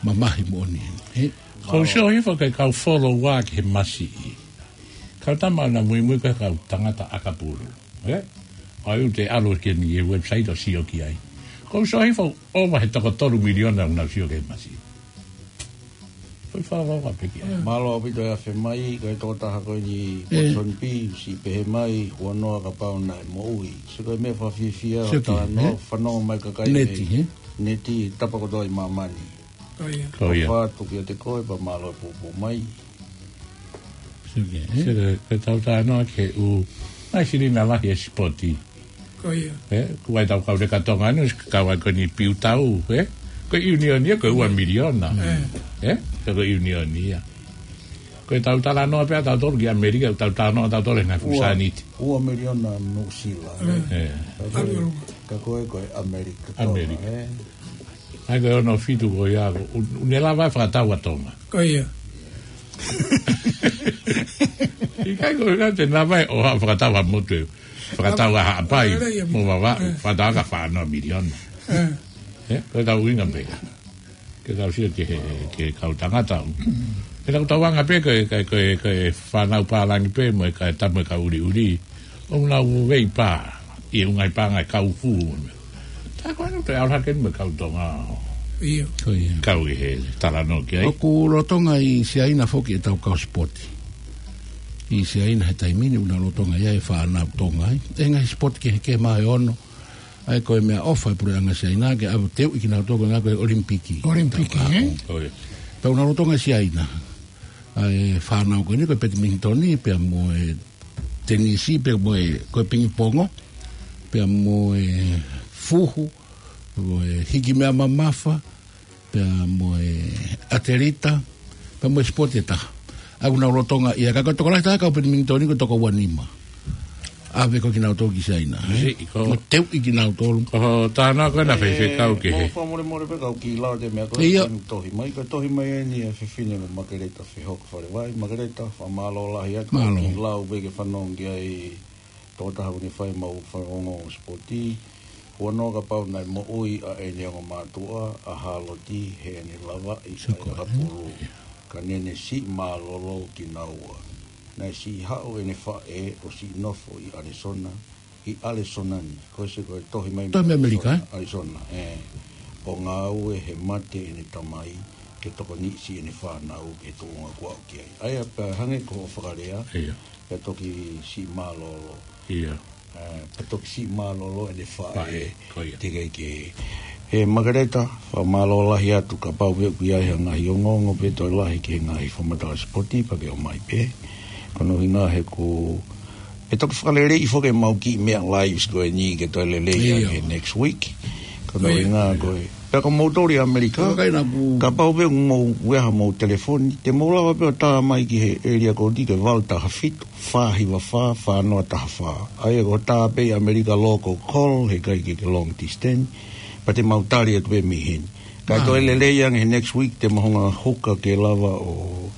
mamahi moʻoni, he? Ko u sio hifo ki he kau follow ua ki he masiʻi. Kau tama ʻoku na muimui ko e kau tangata ʻakapulu. Eh? ʻA ia ʻoku te ʻalu ki he website ʻo sio ki ai. Ko u sio hifo ʻova he toko tolu miliona ʻoku nau sio ki he masiʻi. Ko e fakaloloa pē ki ai. Mālō ʻaupito e afe mai, ko e tokotaha ko eni Ponsonby, siʻi pehē mai, huanoa kapau naʻe moʻui. So ko e meʻa fakafiefia, sio ki, talanoa, eh? Fanongo mai kakai neti, mei he? Neti, tapa kotoa ʻi māmani. Ko ia. Ko ia. ʻOfa atu kiate koe, pea mālō e poupou mai. Sio ki, eh? Sio ki, ko e tau talanoa ki he ʻū, mai silini lahi e sipoti. Ko ia. Eh, ko e tau kau leka Tonga ni, kau ai ko eni Piutau, eh? Ko e ʻiunioni ia, ko e ua miliona. Eh. Eh? Ko e ʻiunioni ia. Ko e tau talanoa pē ʻa tautolu ki ʻAmelika, tau talanoa ʻa tautolu he ngaahi fuʻu sāniti. Ua miliona Nuʻusila, eh? Eh. Ka ko e, ka ko e, ko e ʻAmelika Tonga, eh? ʻAmelika. ʻA ia ko e ono fitu ko ia, ko, ʻoku, ʻoku ne lava e fakatau ʻa Tonga. Ko ia. ʻIkai ko e ʻikai te ne lava e ʻo ha fakatau ʻa motu e. Fakatau ʻa Haʻapai, mo Vavaʻu, eh, fakatau ʻa ka fā noa miliona. Eh. Eh, ko e tau ʻuhinga pē. Ke tau sio ki he, ki he kau tangata. Ke tau tau anga pē ko e, ko e, ko e, ko e fānau pālangi pē, mo e ka e tamu e kau ʻuliʻuli. ʻOku nau vei pā, ʻi he ngaahi paʻanga e kau fū. Tā ko ena te ʻalu hake mo e kau Tonga. ʻIo. Ko ia. Kau ʻi he talanoa ki ai. ʻOku lolotonga ʻi Siaina foki e tau kau sipoti. ʻI Siaina he taimi ni ʻoku nau lolotonga ʻi ai e fānau Tonga ai. E ngaahi sipoti kehekehe mā e ono. ʻA ia ko e meʻaʻofa e puleʻanga Siaina ke ʻave ʻo teuʻi kinautolu ko e ngaahi ko e ʻOlimipiki. ʻOlimipiki, eh? Ko ia. Pea ʻoku nau lolotonga ʻi Siaina. ʻA e fānau ko eni ko e petimingitoni, pea mo e tenisi, pea mo e, ko e pingipongo, pea mo e fuhu, mo e hiki meʻa mamafa, pea mo e ʻatelita, pea mo e sipoti ʻe taha. ʻA ia ʻoku nau lolotonga ia, ka ko e tokolahi taha kau petimingitoni ko e toko ua nima. ʻAve ko ē kinautolu ki Siaina, eh? Siʻi ko. Mo teuʻi kinautolu. Ko e talanoa ko ena faifekau kehe. Mo fakamolemole pē kau kiʻi lau atu e meʻa ko ē. ʻIo. Tohi mai, ko e tohi mai eni e fefine ko Makeleta Fehoko Falevai, Makeleta, fakamālō lahi atu. Mālō. Kiʻi lau pē ke fanongo ki ai tokotaha ʻoku ne fai ʻemau fanongo sipoti. Huanoa kapau naʻe moʻui ʻa ʻene ongo mātuʻa, ʻa Haloti, heʻene lavaʻi ʻa e ʻakapulu. Ka ne ne siʻi mālōlō kinaua. Naʻe siʻi haʻu ʻene faʻē ʻo siʻi nofo ʻi ʻAlisona, ʻi ʻAlisona ni, ko e sio ko e tohi mai mei ʻAlisona, ʻAlisona, eh. ʻO ngāue he mate ʻene tamai, ke tokoniʻi siʻene fānau, ke tuʻunga kuo aʻu ki ai. ʻA ia pea hangē ko hoʻo fakalea, pea toki siʻi mālōlō. ʻIo. Eh, pea toki siʻi mālōlō ʻene faʻē, ko ia. Teʻeki ai ke He Makereta, fakamālō lahi atu kapau pē ʻoku ʻi ai ha ngaahi ongoongo pē toe lahi ki he ngaahi fakamatala sipoti pea ke ʻomai pē. Ko hono ʻuhinga he ko e toki fakaleleiʻi foki ʻemau kiʻi meʻa lives ko eni ke toe lelei ange he next week. Ko hono ʻuhinga ko e, pea ko moutolu ʻi ʻAmelika, kapau pē ʻoku mou ʻi ai haʻamou telefoni, te mou lava pē ʻo tā mai ki he area code ko e valu taha fitu, fā hiva fā, fā noa taha fā. ʻA ia ko e tā pē ʻi ʻAmelika local call, heʻikai ke ke long distance, pea te mau tali atu pē mei heni. Kae toe lelei ange he next week, te mau hanga ʻo hoko ke lava ʻo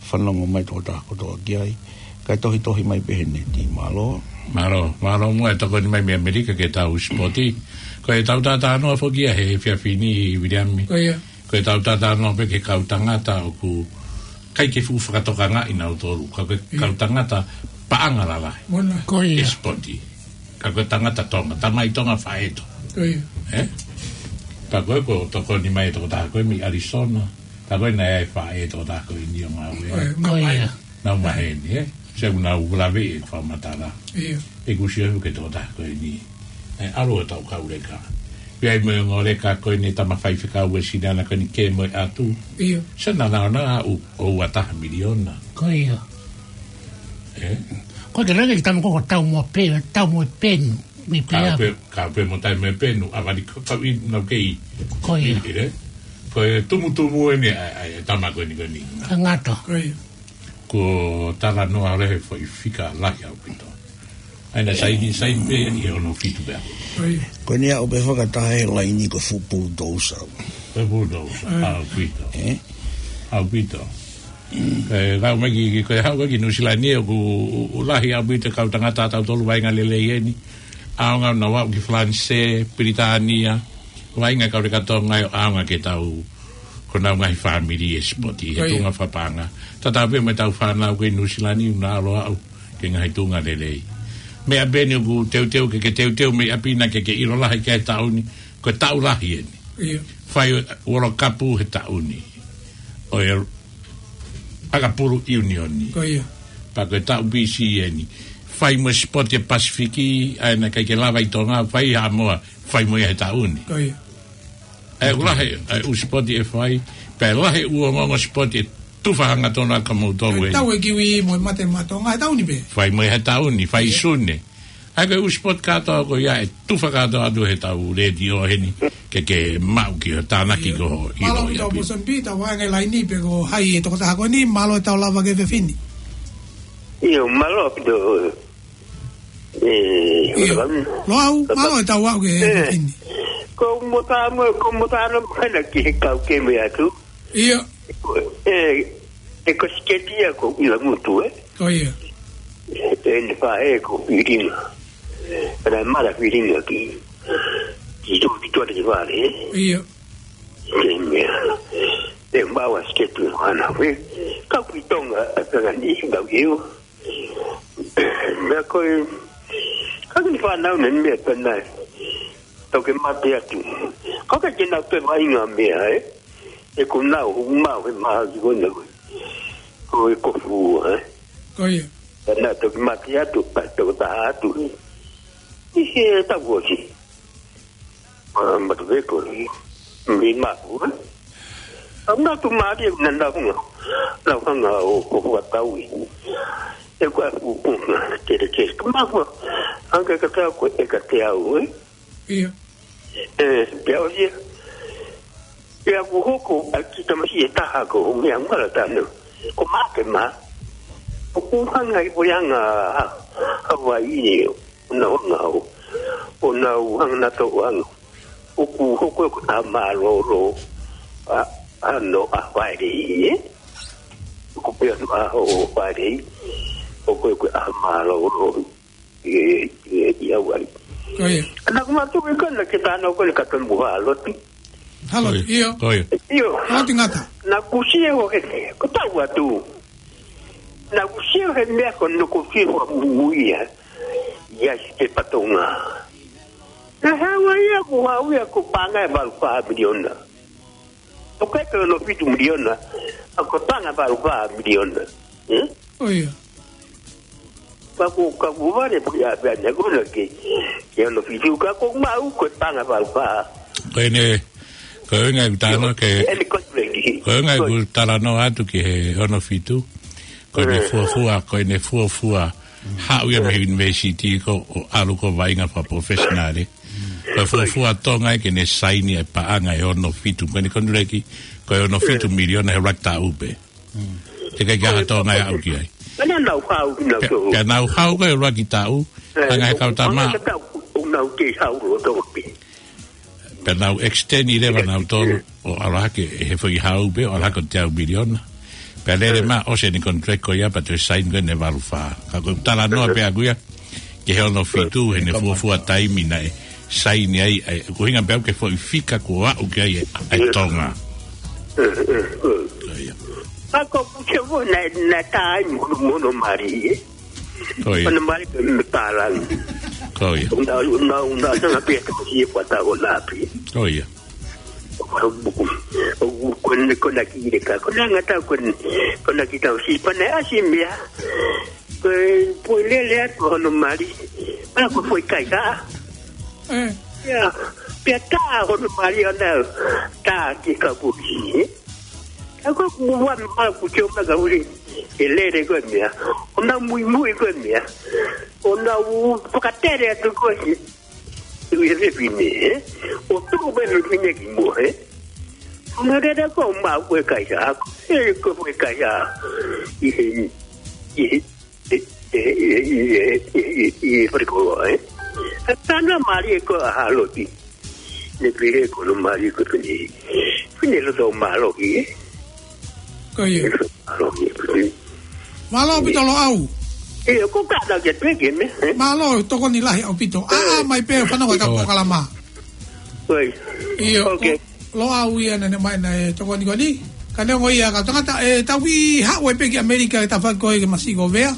fanongo mai tokotaha kotoa ki ai. Kae tohitohi mai pē he neti, mālō. Mālō, mālō muʻa e tokoni mai mei ʻAmelika ki heʻetau sipoti. Ko ʻetau talanoa foki ia he efiafi ni, Viliami. Ko ia. Ko ʻetau talanoa pē ki he kau tangata ʻoku ʻikai ke fuʻu fakatokangaʻi nautolu. Ka ko e kau tangata paʻanga lalahi. Ko ia. ʻE sipoti. Ka ko e tangata Tonga, tamai Tonga, faʻē Tonga. Ko ia. Ē? Ka ko e ko e tokoni mai e tokotaha ko ē mei Arizona. Ka ko e naʻe ʻi ai e faʻē tokotaha ko eni ʻo ngāue. Ko ia. Nau maheni, ē? Sio, nau lave e fakamatala. ʻIo. ʻOku sio ki he tokotaha ko eni. ʻE, ʻalu ʻo tau kau leka. Pea ʻi ai mo e ongo leka ko eni tama faifekau e sinana ko eni ke mo e atu. ʻIo. Sio naʻa nau ʻo, ʻo ua taha miliona. Ko ia. Ē? Ko e lele ki tama ko ko tau mo pe, tau mo e penu. Mei pea. Ka pe, ka pe mo tai mo e penu, a vali ko tau ʻi nau kei. Ko ia. Ko e tumutumu eni, ʻa, ʻa, ʻa, tama ko eni ko eni. Ka ngata. Ko ia. Ko talanoa lehe foʻi fika lahi ʻaupito. ʻA ia naʻe saini, saini pē ʻi he ono fitu pea. Ko eni ʻaʻu pē fakataha he laini ko e fuʻu pulutousa. Ko e pulutousa, ʻaupito. Ē? ʻAupito. Ko e kau mai ki, ki, ko e haʻu ki Nuʻu Sila ni ʻoku, ʻoku lahi ʻaupito e kau tangata ʻa tautolu vaʻinga lelei eni. ʻAonga nau aʻu ki Falanisē, Pilitānia, vaʻinga kau leka Tonga ʻo ʻaonga ki heʻetau, ko honau ngaahi fāmili ʻe sipoti, he tuʻunga fakapaʻanga. Tatau pē mo ʻetau fānau ko ē ʻi Nuʻu Sila ni ʻoku nau ʻalu ʻo aʻu ki he ngaahi tuʻunga lelei. Meʻa pē eni ʻoku teuteu ke, ke teuteu mei ʻapi na ke, ke ʻilo lahi ki ai he taʻu ni, ko e taʻu lahi eni. ʻIo. Fai World Cup he taʻu ni. ʻO e ʻakapulu ʻiunioni. Ko ia. Pea ko e taʻu B C eni. Fai mo e sipoti e Pasifiki, ʻa ia naʻe ʻikai ke lava ʻi Tonga, fai ʻi Haʻamoa, fai mo ia he taʻu ni. Ko ia. ʻE ʻoku lahi e ʻū sipoti ʻe fai, pea lahi e ʻū ongoongo sipoti ʻe tufa hangatonu ʻaki moutolu eni. Tau e kiwi mo e mate maʻa Tonga, he taʻu ni pē. Fai mo ia he taʻu ni, fai ʻi Sune. ʻA ia ko e ʻū sipoti kātoa ko ia ʻe tufa kātoa atu heʻetau letiō heni, ke, ke maʻu ki hoʻo tānaki ko hoʻo ʻilo ʻi ʻapi. Mālō ʻaupito Boston Pita, vaʻinga laini pē ko hai e tokotaha ko eni, mālō e tau lava ki he efiafi ni. ʻIo, mālō ʻaupito. Ē, ʻio. Loau, mālō e tau aʻu ki he efiafi ni. Ko mo tā mo, ko mo tā no hana ki he kau ke me atu. ʻIo. Ē, ʻe ko siketi ia ko ʻIla Ngutu, ē? Ko ia. ʻE ne faʻē ko Filinga. Pea naʻe mala Filinga ki, ki tu, ki tuʻa ki vale, ē? ʻIo. Ke mea. ʻE maua siketi hana, ē? Kau ki Tonga, ʻa Tonga ni, kau ki u. Mea ko e, kau ki fānau na ni mea pena. Tau ke mate atu. Kau ke ke nau pe vaʻinga mea, ē? ʻE ko nau, hu mau he maha ki kona ko e. Ko e kofu, ē? Ko ia. Pea na toki mate atu, pea toki taha atu. ʻI he tau ʻosi. Ma, ma tu veko, ē? Mi maku, ē? Au na tu mate, na nau hunga. Nau hanga ʻo, ʻo fakataui. ʻE kua fu, fu, kere, kere. Ka maku, anga ka tau ko e ka te au, ē? ʻIo. Ē, pea ʻosi ia. Pea kuo hoko ʻa e kiʻi tamasiʻi ʻe taha ko e meʻa ngala tano. Ko Makema. ʻOku hanga ʻi Puleʻanga Hawaiʻi ʻo nau hanga ʻo, ʻo nau hanga nautolu ʻo hanga. ʻOku hoko ko e ʻaho mālōlō ʻa, ʻa no ʻaho Falaite, ē? ʻOku pehē ʻa no ʻaho Falaite. ʻOku ko e ʻaho mālōlō. ʻI, ʻi, ʻi Hawaiʻi. Ko ia. Ka naʻa ku mātuʻaki ʻi kona ke tano ko eni ka tonu mo Hāloti. Hāloti, ʻio. Ko ia. ʻIo. Hāloti Ngata. Naʻa ku sio he, ko tau atu. Naʻa ku sio he meʻa ko ē naʻa ku fie fakamuimui ia. ʻI he pepa Tonga. Naʻe haʻu ia ko e haʻu ia ko e paʻanga ʻe valu fā miliona. ʻOku ʻikai ke ono fitu miliona, ʻa ko e paʻanga valu fā miliona. Ē? ʻIo. Ka ko, ka ko vale puli a pea ne kona ke, ke ono fitu ka ko maʻu ko e paʻanga valu fā. Ko ʻene, ko e ʻuhinga ʻeku talanoa ke, ʻene konitilekiti. Ko e ʻuhinga ʻeku talanoa atu ki he ono fitu. Ko ʻene fuofua, ko ʻene fuofua haʻu ia mei he university ko ē ʻo ʻalu ko ē vaʻinga fakaprofessional. Ko e fuofua Tonga ia ke ne saini e paʻanga ʻe ono fitu. Ko ʻene konitilekiti, ko e ono fitu miliona he ʻuluaki taʻu pē. Teʻeki ai ke ʻi ai ha Tonga ia ʻe aʻu ki ai. Pea nau haʻu, nau Pea, pea nau haʻu ko ē ʻuluaki taʻu, hanga he kau tama. Pea nau kei haʻu loto pē. Pea nau extend leva nautolu, ʻo ʻalu hake he foʻi haʻu pē, ʻo ʻalu hake ʻo teau miliona. Pea lele mai, ʻosi ʻene contract ko ia, pea toe saini ko ē ʻene valu fā. Ka ko e talanoa pē ʻaku ia, ki he ono fitu, heʻene fuofua taimi naʻe saini ai, ʻa e, ko e ʻuhinga pē ʻaku ki he foʻi fika kuo aʻu ki ai ʻa e Tonga. Ko ia. Ako kuke mo na, na tai mo, mo no mari, ē? Ko ia. Ono mali pē mei pālangi. Ko ia. Una, una, una, sana pia te mo si e kuata o lapi. Ko ia. Ko, ko, ko, ko na ki le ka, ko na ngata ko, ko na ki tau si, pa na asi mea. Ko e poi lele atu hono mali. Pea ko foʻi kai ka. Ia. Pea tā hono mali ʻo na tā ki ka puki. Ka ko ʻeku ʻuhinga ʻaku ke ʻomai ka uli. ʻE lele ko e meʻa. ʻO na muimui ko e meʻa. ʻO na u fakatele atu ko e. Ui he fefine, ē? ʻO tuku pē fefine ki muʻa, ē? ʻO na lele ko ma ko e kaisa. ʻE ko e kaisa. ʻI he, ʻi he, ʻi he, ʻi he, ʻi he, ʻi he, ʻi he, ʻi he fale koloa, ē? ʻA tana mali ko ʻa Haloti. Ne pile ko no mali ko fini. Fini loto maloki, ē? Ko ia. Maloki, fini. Mālō ʻaupito Loʻau. Ē, ko ka na ke peke me, ē? Mālō, tokoni lahi ʻaupito. ʻA, ʻa, mai pē fanongo e kau polokalama. Oi. ʻIo, ko Loʻau ia naʻa ne mai naʻe tokoni ko eni. Ka neongo ia ka tangata, ʻe tau ʻi haʻu ai pē ki ʻAmelika ke tau fai ko e ke masi ko Vea.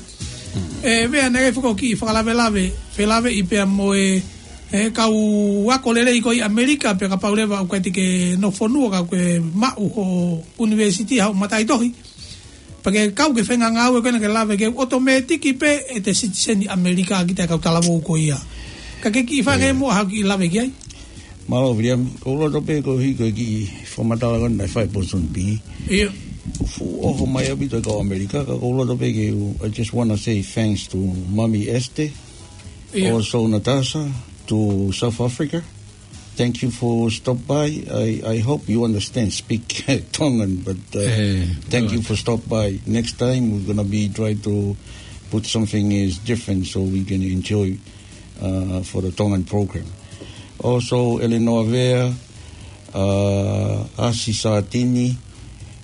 ʻE Vea naʻe foko ki fakalavelave, felave ʻi pea mo e, e kau ako lelei ko ē ʻi ʻAmelika, pea kapau leva ʻoku ʻikai te ke nofo fonua ka ʻoku ke maʻu ho university, haʻu mataʻitohi. Pea ke kau ki he faʻahinga ngāue ko ena ke lave ke ʻotomētiki pē ʻete sitiseni ʻAmelika ki he kau talavou ko ia. Ka ke kiʻi fai ange muʻa haʻaku kiʻi lave ki ai. Mālō, Viliami. Ko u loto pē ko e hiko e kiʻi fakamatala ko ena naʻe fai ʻe Ponsonby. ʻIo. Fuʻu ʻoho mai ʻaupito e kau ʻAmelika, ka ko u loto pē ke u, I just wanna say thanks to Mami Esther, ʻio, also Natasha, to South Africa. Thank you for stop by. I, I hope you understand, speak Tongan, but, uh, thank you for stop by. Next time, we're gonna be try to put something is different so we can enjoy, uh, for the Tongan program. Also, Eleanor Vea, uh, Asi Satini,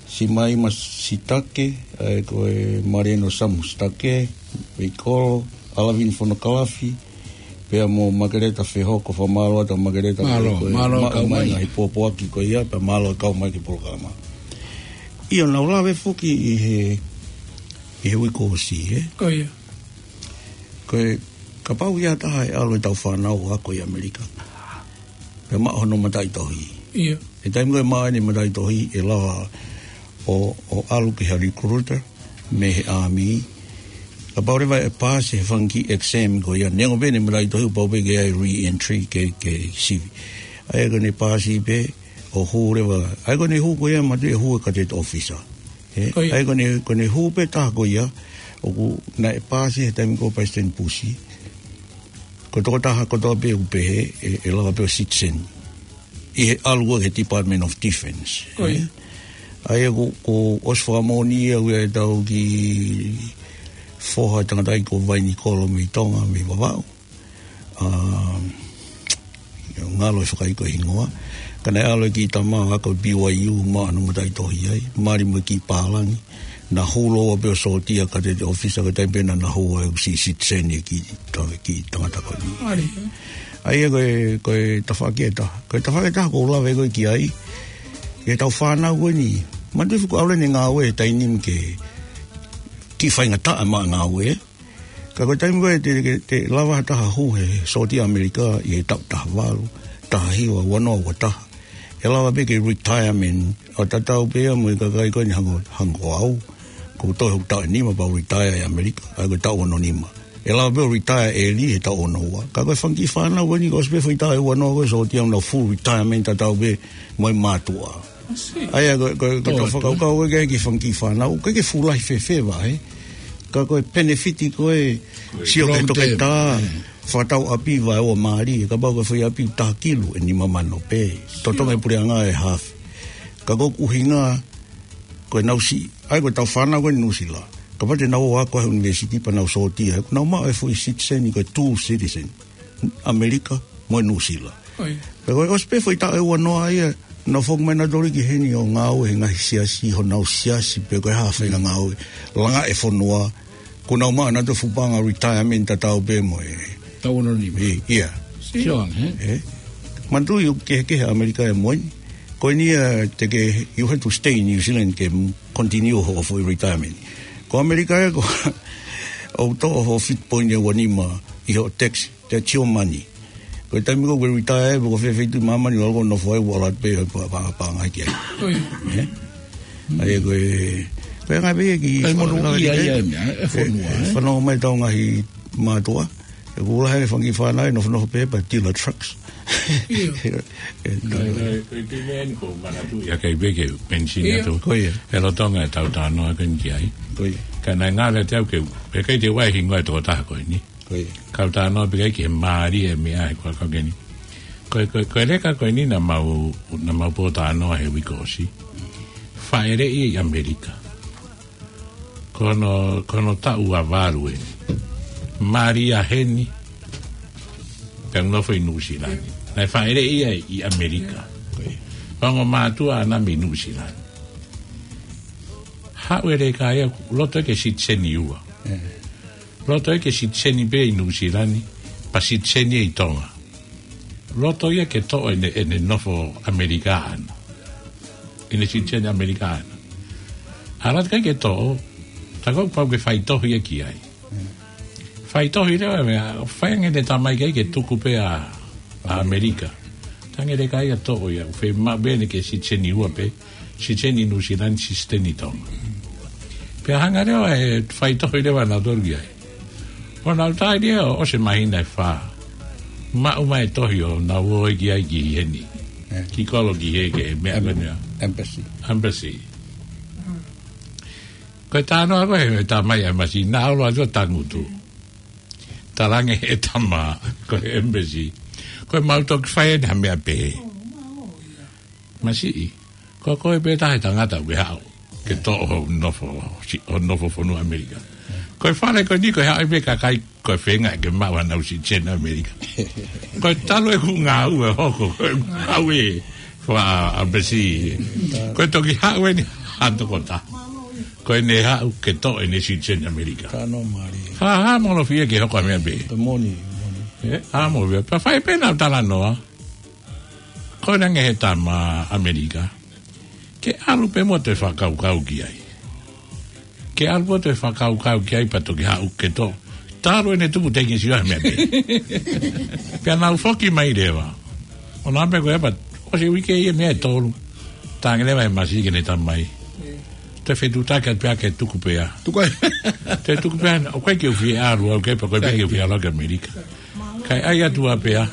Simaima Sitake, ʻa e ko e Marino Samu Sitake, Veikolo, Alavini Fonokalafi, pea mo Makeleta Fehoko, fakamālō atu Makeleta Mālō, Fehoko, mālō maʻu kau mai mai. Ngaahi pōpoaki ko ia, pea mālō kau mai ki he polokalama. ʻIo, naʻa ku lave foki ʻi he, ʻi he uike kuo ʻosi, ē? Ko ia. Ko e, kapau ʻe ʻi ai ha taha ʻe ʻalu ʻetau fānau ʻo ako ʻi ʻAmelika. Pea maʻu hono mataʻitohi. ʻIo. ʻI he taimi ko ē maʻu ai ʻene mataʻitohi ʻe lava ʻo, ʻo ʻalu ki ha recruiter mei he ʻāmī. Kapau leva ʻe paasi he fanga kiʻi exam ko ia, neongo pē ʻene mataʻitohi, pau pē ke ʻi ai re-entry ke, ke sivi. ʻA ia ko ʻene paasi pē ʻo hū leva. ʻA ia ko ʻene hū ko ia mātuʻaki ʻe hū e cadet officer. Ē, ko ia. ʻA ia ko ʻene, ko ʻene hū pē taha ko ia, ʻoku naʻe paasi he taimi ko ē ʻo Palesiteni Pusi. Ko e tokotaha kotoa pē ʻoku pehē, ʻe, ʻe lava pē ʻo citizen. ʻI he ʻalu ko ē ki he Department of Defense. Ko ia. Ē? ʻA ia ko, ko e ʻosi fakamoʻoni ia ʻoku ʻi ai ʻetau kiʻi foha tangataʻeiki ko Vainikolo mei Tonga, mei Vavaʻu. ʻA, ngalo e fakaʻikai hingoa. Ka naʻe ʻalu e kiʻi tama ʻo ako ʻi B Y U maʻu hono mataʻitohi ai. Mali mo e kiʻi pālangi. Naʻa hū lōua pē ʻo sōtia cadet officer ka ko e taimi pē naʻa na hū ai ʻoku siʻi citizen e kiʻi ta-, kiʻi tangata ko eni. ʻA ia ko e, ko e tafaʻaki ʻe taha. Ko e tafaʻaki ʻe taha ʻoku ou lave ko ē ki ai. Ki heʻetau fānau ko eni. Mātuʻaki fuʻu ʻalu ʻene ngāue he taimi ni ke kiʻi faingataʻa maʻa e ngāue. Ka ko e taimi ko ē te, te, te lava ha taha hū he sōtia ʻAmelika ʻi he taʻu taha valu, taha hiva, ua noa, ua taha. ʻE lava pē ke retirement, ʻo tatau pē ia mo e kakai ko eni hangē, hangē ko au. Kuo u toe hoku taʻu ʻe nima pea u retire ʻi ʻAmelika, ʻa ia ko e taʻu ono nima. ʻE lava pē ʻo retire early he taʻu ono ua. Ka ko e fanga kiʻi fānau ko eni, ko e ʻosi pē foʻi taʻu ʻe ua noa ko ē, sōtia, ʻenau full retirement tatau pē mo e mātuʻa. ʻA ia, ko, ko, ko e fakakaukau ko ē ki he fanga kiʻi fānau, ʻoku ʻikai ke fuʻu lahi fēfē, ē. Ka ko e penefiti ko ē, sio ki he toketā, fakatau ʻapi vaeua mālie, kapau ko e foʻi ʻapi ʻe taha kilu, ʻe nima mano pē. Totongi e puleʻanga ʻe hafe. Ka ko e ʻuhinga, ko ʻenau siʻi, ʻa ia ko ʻetau fānau ko ē ʻi Nuʻusila. Kapau te nau ō ʻo ako he university pea nau sōtia, ʻoku nau maʻu e foʻi citizen, ko e dual citizen, ʻAmelika mo Nuʻusila. Pea ko e ʻosi pē foʻi taʻu ʻe ua noa ia, nau foki mai nautolu ki heni ʻo ngāue he ngaahi siasi, honau siasi, pe ko e hā e faʻahinga ngāue, langa e fonua, kuo nau maʻu ʻenau fuʻu paʻanga retirement tatau pē mo e taʻu ono nima. ʻIa. Sio ange, ē? Manatuʻi ʻoku kehekehe ʻa ʻAmelika ia mo eni. Ko eni ia te ke, you have to stay in New Zealand ke continue hoʻo foʻi retirement. Ko ʻAmelika ia ko, ʻoku toʻo hoʻo fitu poini ʻe ua nima ʻi hoʻo tax, that's your money. Ko e taimi ko ē ʻoku ke retire ai, pe ko fē feituʻu ʻi māmani ʻoku ke nofo ai, ʻoku ʻalu atu pē hoʻo pa-, pa-, paʻanga ki ai. Ē? ʻA ia ko e, ko e anga pē ia ki, fanongo mai ʻetau ngaahi mātuʻa. ʻOku lahi e fanga kiʻi fānau ʻe nofonofo pē pea tila trucks. Ko e, ko e, ko e, ko e meʻa eni ʻoku ou manatuʻi ʻa e kai pē ke u mention atu. Ko ia. He lolotonga ʻetau talanoa ko eni ki ai. Ko ia. Ka naʻe ngalo atu au ke u, he ʻikai te u ʻai hingoa e tokotaha ko eni. Ko ia. Ka u talanoa pē ki he mālie e meʻa he ko e kau ko eni. Ko e, ko e, ko e leka ko eni naʻa mau, naʻa mau pōtalanoa he uike ʻosi. Fāʻeleʻi ʻi ʻAmelika. Ko hono, ko hono taʻu ʻe valu eni. Mālie heni. Pea nofo ʻi Nuʻusila ni. Naʻe fāʻeleʻi ia ʻi ʻAmelika. Ko ia. Ongo mātuʻa ʻana mei Nuʻusila ni. Haʻu e leka ia, loto ia ke citizen ʻi ua. Loto ia ke citizen pē ʻi Nuʻusila ni, pea citizen ʻi Tonga. Loto ia ke toʻo ʻene, ʻene nofo ʻAmelika ʻana. ʻEne citizen ʻAmelika ʻana. ʻAlu atu ʻikai ke toʻo, tā ʻoku pau ke faitohi ia ki ai. Faitohi leva, meʻa, fai ange ʻene tamai ki ai ke tuku pē ʻa, ʻa ʻAmelika. Tangi leka ia toʻo ia, ʻoku fiemaʻu pē ʻene ke citizen ʻi ua pē, citizen ʻi Nuʻusila ni, citizen ʻi Tonga. Pea hanga leva ʻe faitohi leva nautolu ki ai. ʻO nau tali ia ʻo ʻosi e māhina ʻe fā. Maʻu mai e tohi ʻo nau ō ki ai ki heni. Ki kolo ki he ke meʻa ko eni ʻa embassy. Embassy. Ko e talanoa ko ē he tamai ʻa e masiʻi, naʻa ʻalu atu ʻo tangutu. Talaange he tama, ko e embassy. Ko e mau toki fai eni ha meʻa pehē. Masiʻi, ko koe pē taha e tangata ʻoku ke haʻu ke toʻo hoʻo nofo, si-, hoʻo nofo fonua ʻAmelika. Ko e fale ko eni ko e haʻu ai pē kakai ko e feinga ke maʻu hanau citizen ʻAmelika. Ko e talu ʻeku ngāue ʻo hoko, ko e ngāue fakaʻembassy. Ko e toki haʻu eni ha tokotaha. Ko ʻene haʻu ke toʻo ʻene citizen ʻAmelika. Ka no mali. Hā, hā molofia ke hoko ha meʻa pehē. Ka moni, moni. Ē, hā molofia. Pea fai pē ʻenau talanoa. Ko e ʻuhinga he tama ʻAmelika. Ke ʻalu pē mo e toe fakakaukau ki ai. Ke ʻalu mo e toe fakakaukau ki ai pea toki haʻu ke toʻo. Talu ʻene tupu teʻeki ke sio ha meʻa pehē. Pea nau foki mai leva. ʻO nau pehē ko e pā, ʻosi e uike ia, meʻa ʻe tolu. Talaange leva he masiʻi ki heʻene tamai. Toe fetuʻutaki atu pē ke tuku pē ā. Tuku ai. Toe tuku pē ā, ʻoku ʻikai ke u fie ʻalu au ki ai pea ko e pē ke u fie ʻalu au ki ʻAmelika. Kae ʻai atu ā pē ā.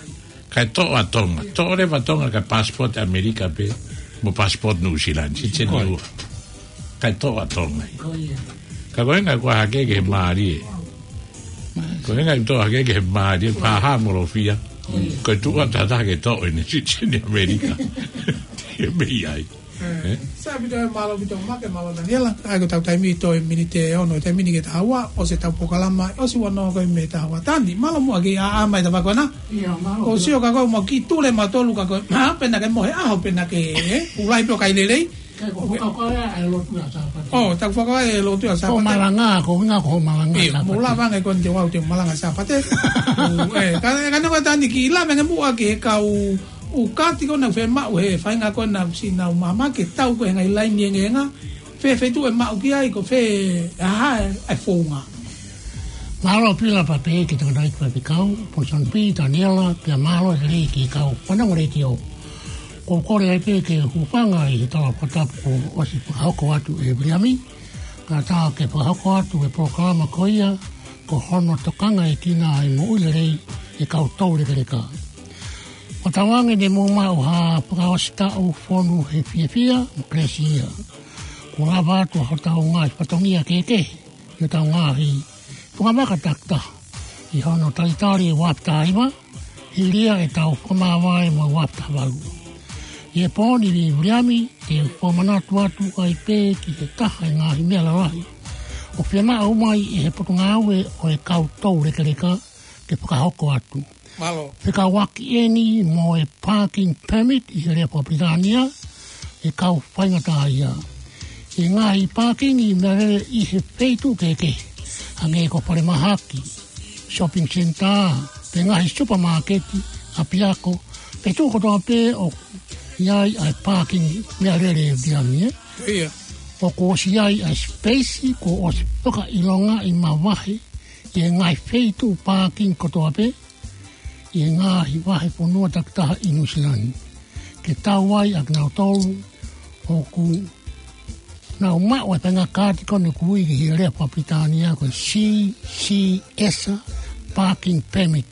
Kae toʻo ʻa Tonga. Toʻo leva ʻa Tonga kae passport ʻAmelika pē. Mo passport Nuʻusila ni. Citizen ʻi ua. Kae toʻo ʻa Tonga. Ka ko e ʻuhinga ko e hake ki he mālie. Ko e ʻuhinga ʻoku toʻo hake ki he mālie. Pea hā molofia. Ko e tuʻu atu ha taha ke toʻo ʻene citizen ʻAmelika. Ke mei ai. Ē? Sai ʻaupito, mālō ʻaupito Maka, mālō Taniela. ʻA ia ko ʻetau taimi toe miniti ʻe ono, taimi ni ki he taha ua, ʻosi ʻetau polokalama, ʻosi ua noa ko ē mei he taha ua. Tani, mālō muʻa ke ʻā mai ta vako na. ʻIa, mālō. ʻOku sio ka ko e mau kiʻi tule mautolu ka ko e, hā, pea na ke mohe ʻaho, pea na ke, ē, ʻuluaki pē ʻo kai lelei. Kai ko hoka ko e ʻa e lotu ʻa Sāpate. ʻO, taku fakaʻā e lotu ʻa Sāpate. Ko malanga, ko e ʻuhinga ko e malanga Sāpate. ʻIa, mou lava ange ko eni te u ʻalu ʻo malanga Sāpate. ʻO, ē, ka, ka ne ko Tani kiʻi lave ange muʻa ki he kau ʻū kaati ko ē naʻa nau fiemaʻu he faʻahinga ko ē naʻa nau siʻi nau maama ke tau ko ē he ngaahi laini engeʻenga, fē feituʻu ʻe maʻu ki ai ko fē, ʻa e hā e founga. Mālō Pila pea pehē ki he tangataʻeiki faifekau, Ponson P, Taniela, pea mālō lelei ki he kau fanongo letiō. ʻOku ou kole ai pē ke u hūfanga ʻi he tala fakatapu kuo ʻosi fakahoko atu ʻe Viliami, kae ʻatā ke fakahoko atu e polokalama ko ia, Ko hono tokangaʻekina ʻa e moʻui lelei ʻa e kau toulekeleka. Ko e tauange ne mou maʻu ha fakaʻosi taʻu fonu he fiefia mo kelesi ia. Kuo lava atu hotau ngaahi fatongia kehekehe ʻi hotau ngaahi tukamaka takitaha ʻi hono talitali ʻo e uaafe taha hiva, hili ia ʻetau fakamāvae mo e uaafe taha valu. ʻI he pō ni, Viliami, te u fakamanatu atu ai pē ki he taha ʻo e ngaahi meʻa lalahi ʻoku fiemaʻu mai ʻe he Potungāue ʻo e kau toulekeleka ke fakahoko atu. Mālō. Fekauʻaki eni mo e parking permit ʻi he lea faka-Pilitānia, ʻe kau faingataʻaʻia. ʻI he ngaahi pākingi meʻalele ʻi he feituʻu kehekehe, hangē ko e falemahaki, shopping centre, pe ngaahi supermarket, ʻapiako, pe tuʻu kotoa pē ʻoku ʻi ai ʻa e pākingi meʻalele, Viliami, ē? Ia. ʻOku ʻosi ʻi ai ʻa e space kuo ʻosi fakaʻilongaʻi mavahe ʻi he ngaahi feituʻu pākingi kotoa pē ʻi he ngaahi vahefonua takitaha ʻi Nuʻusila ni, ke tau ai ʻa kinautolu ʻoku nau maʻu ʻa e faʻahinga kaati ko eni ʻoku ui ki he lea faka-Pilitānia ko e C C S parking permit.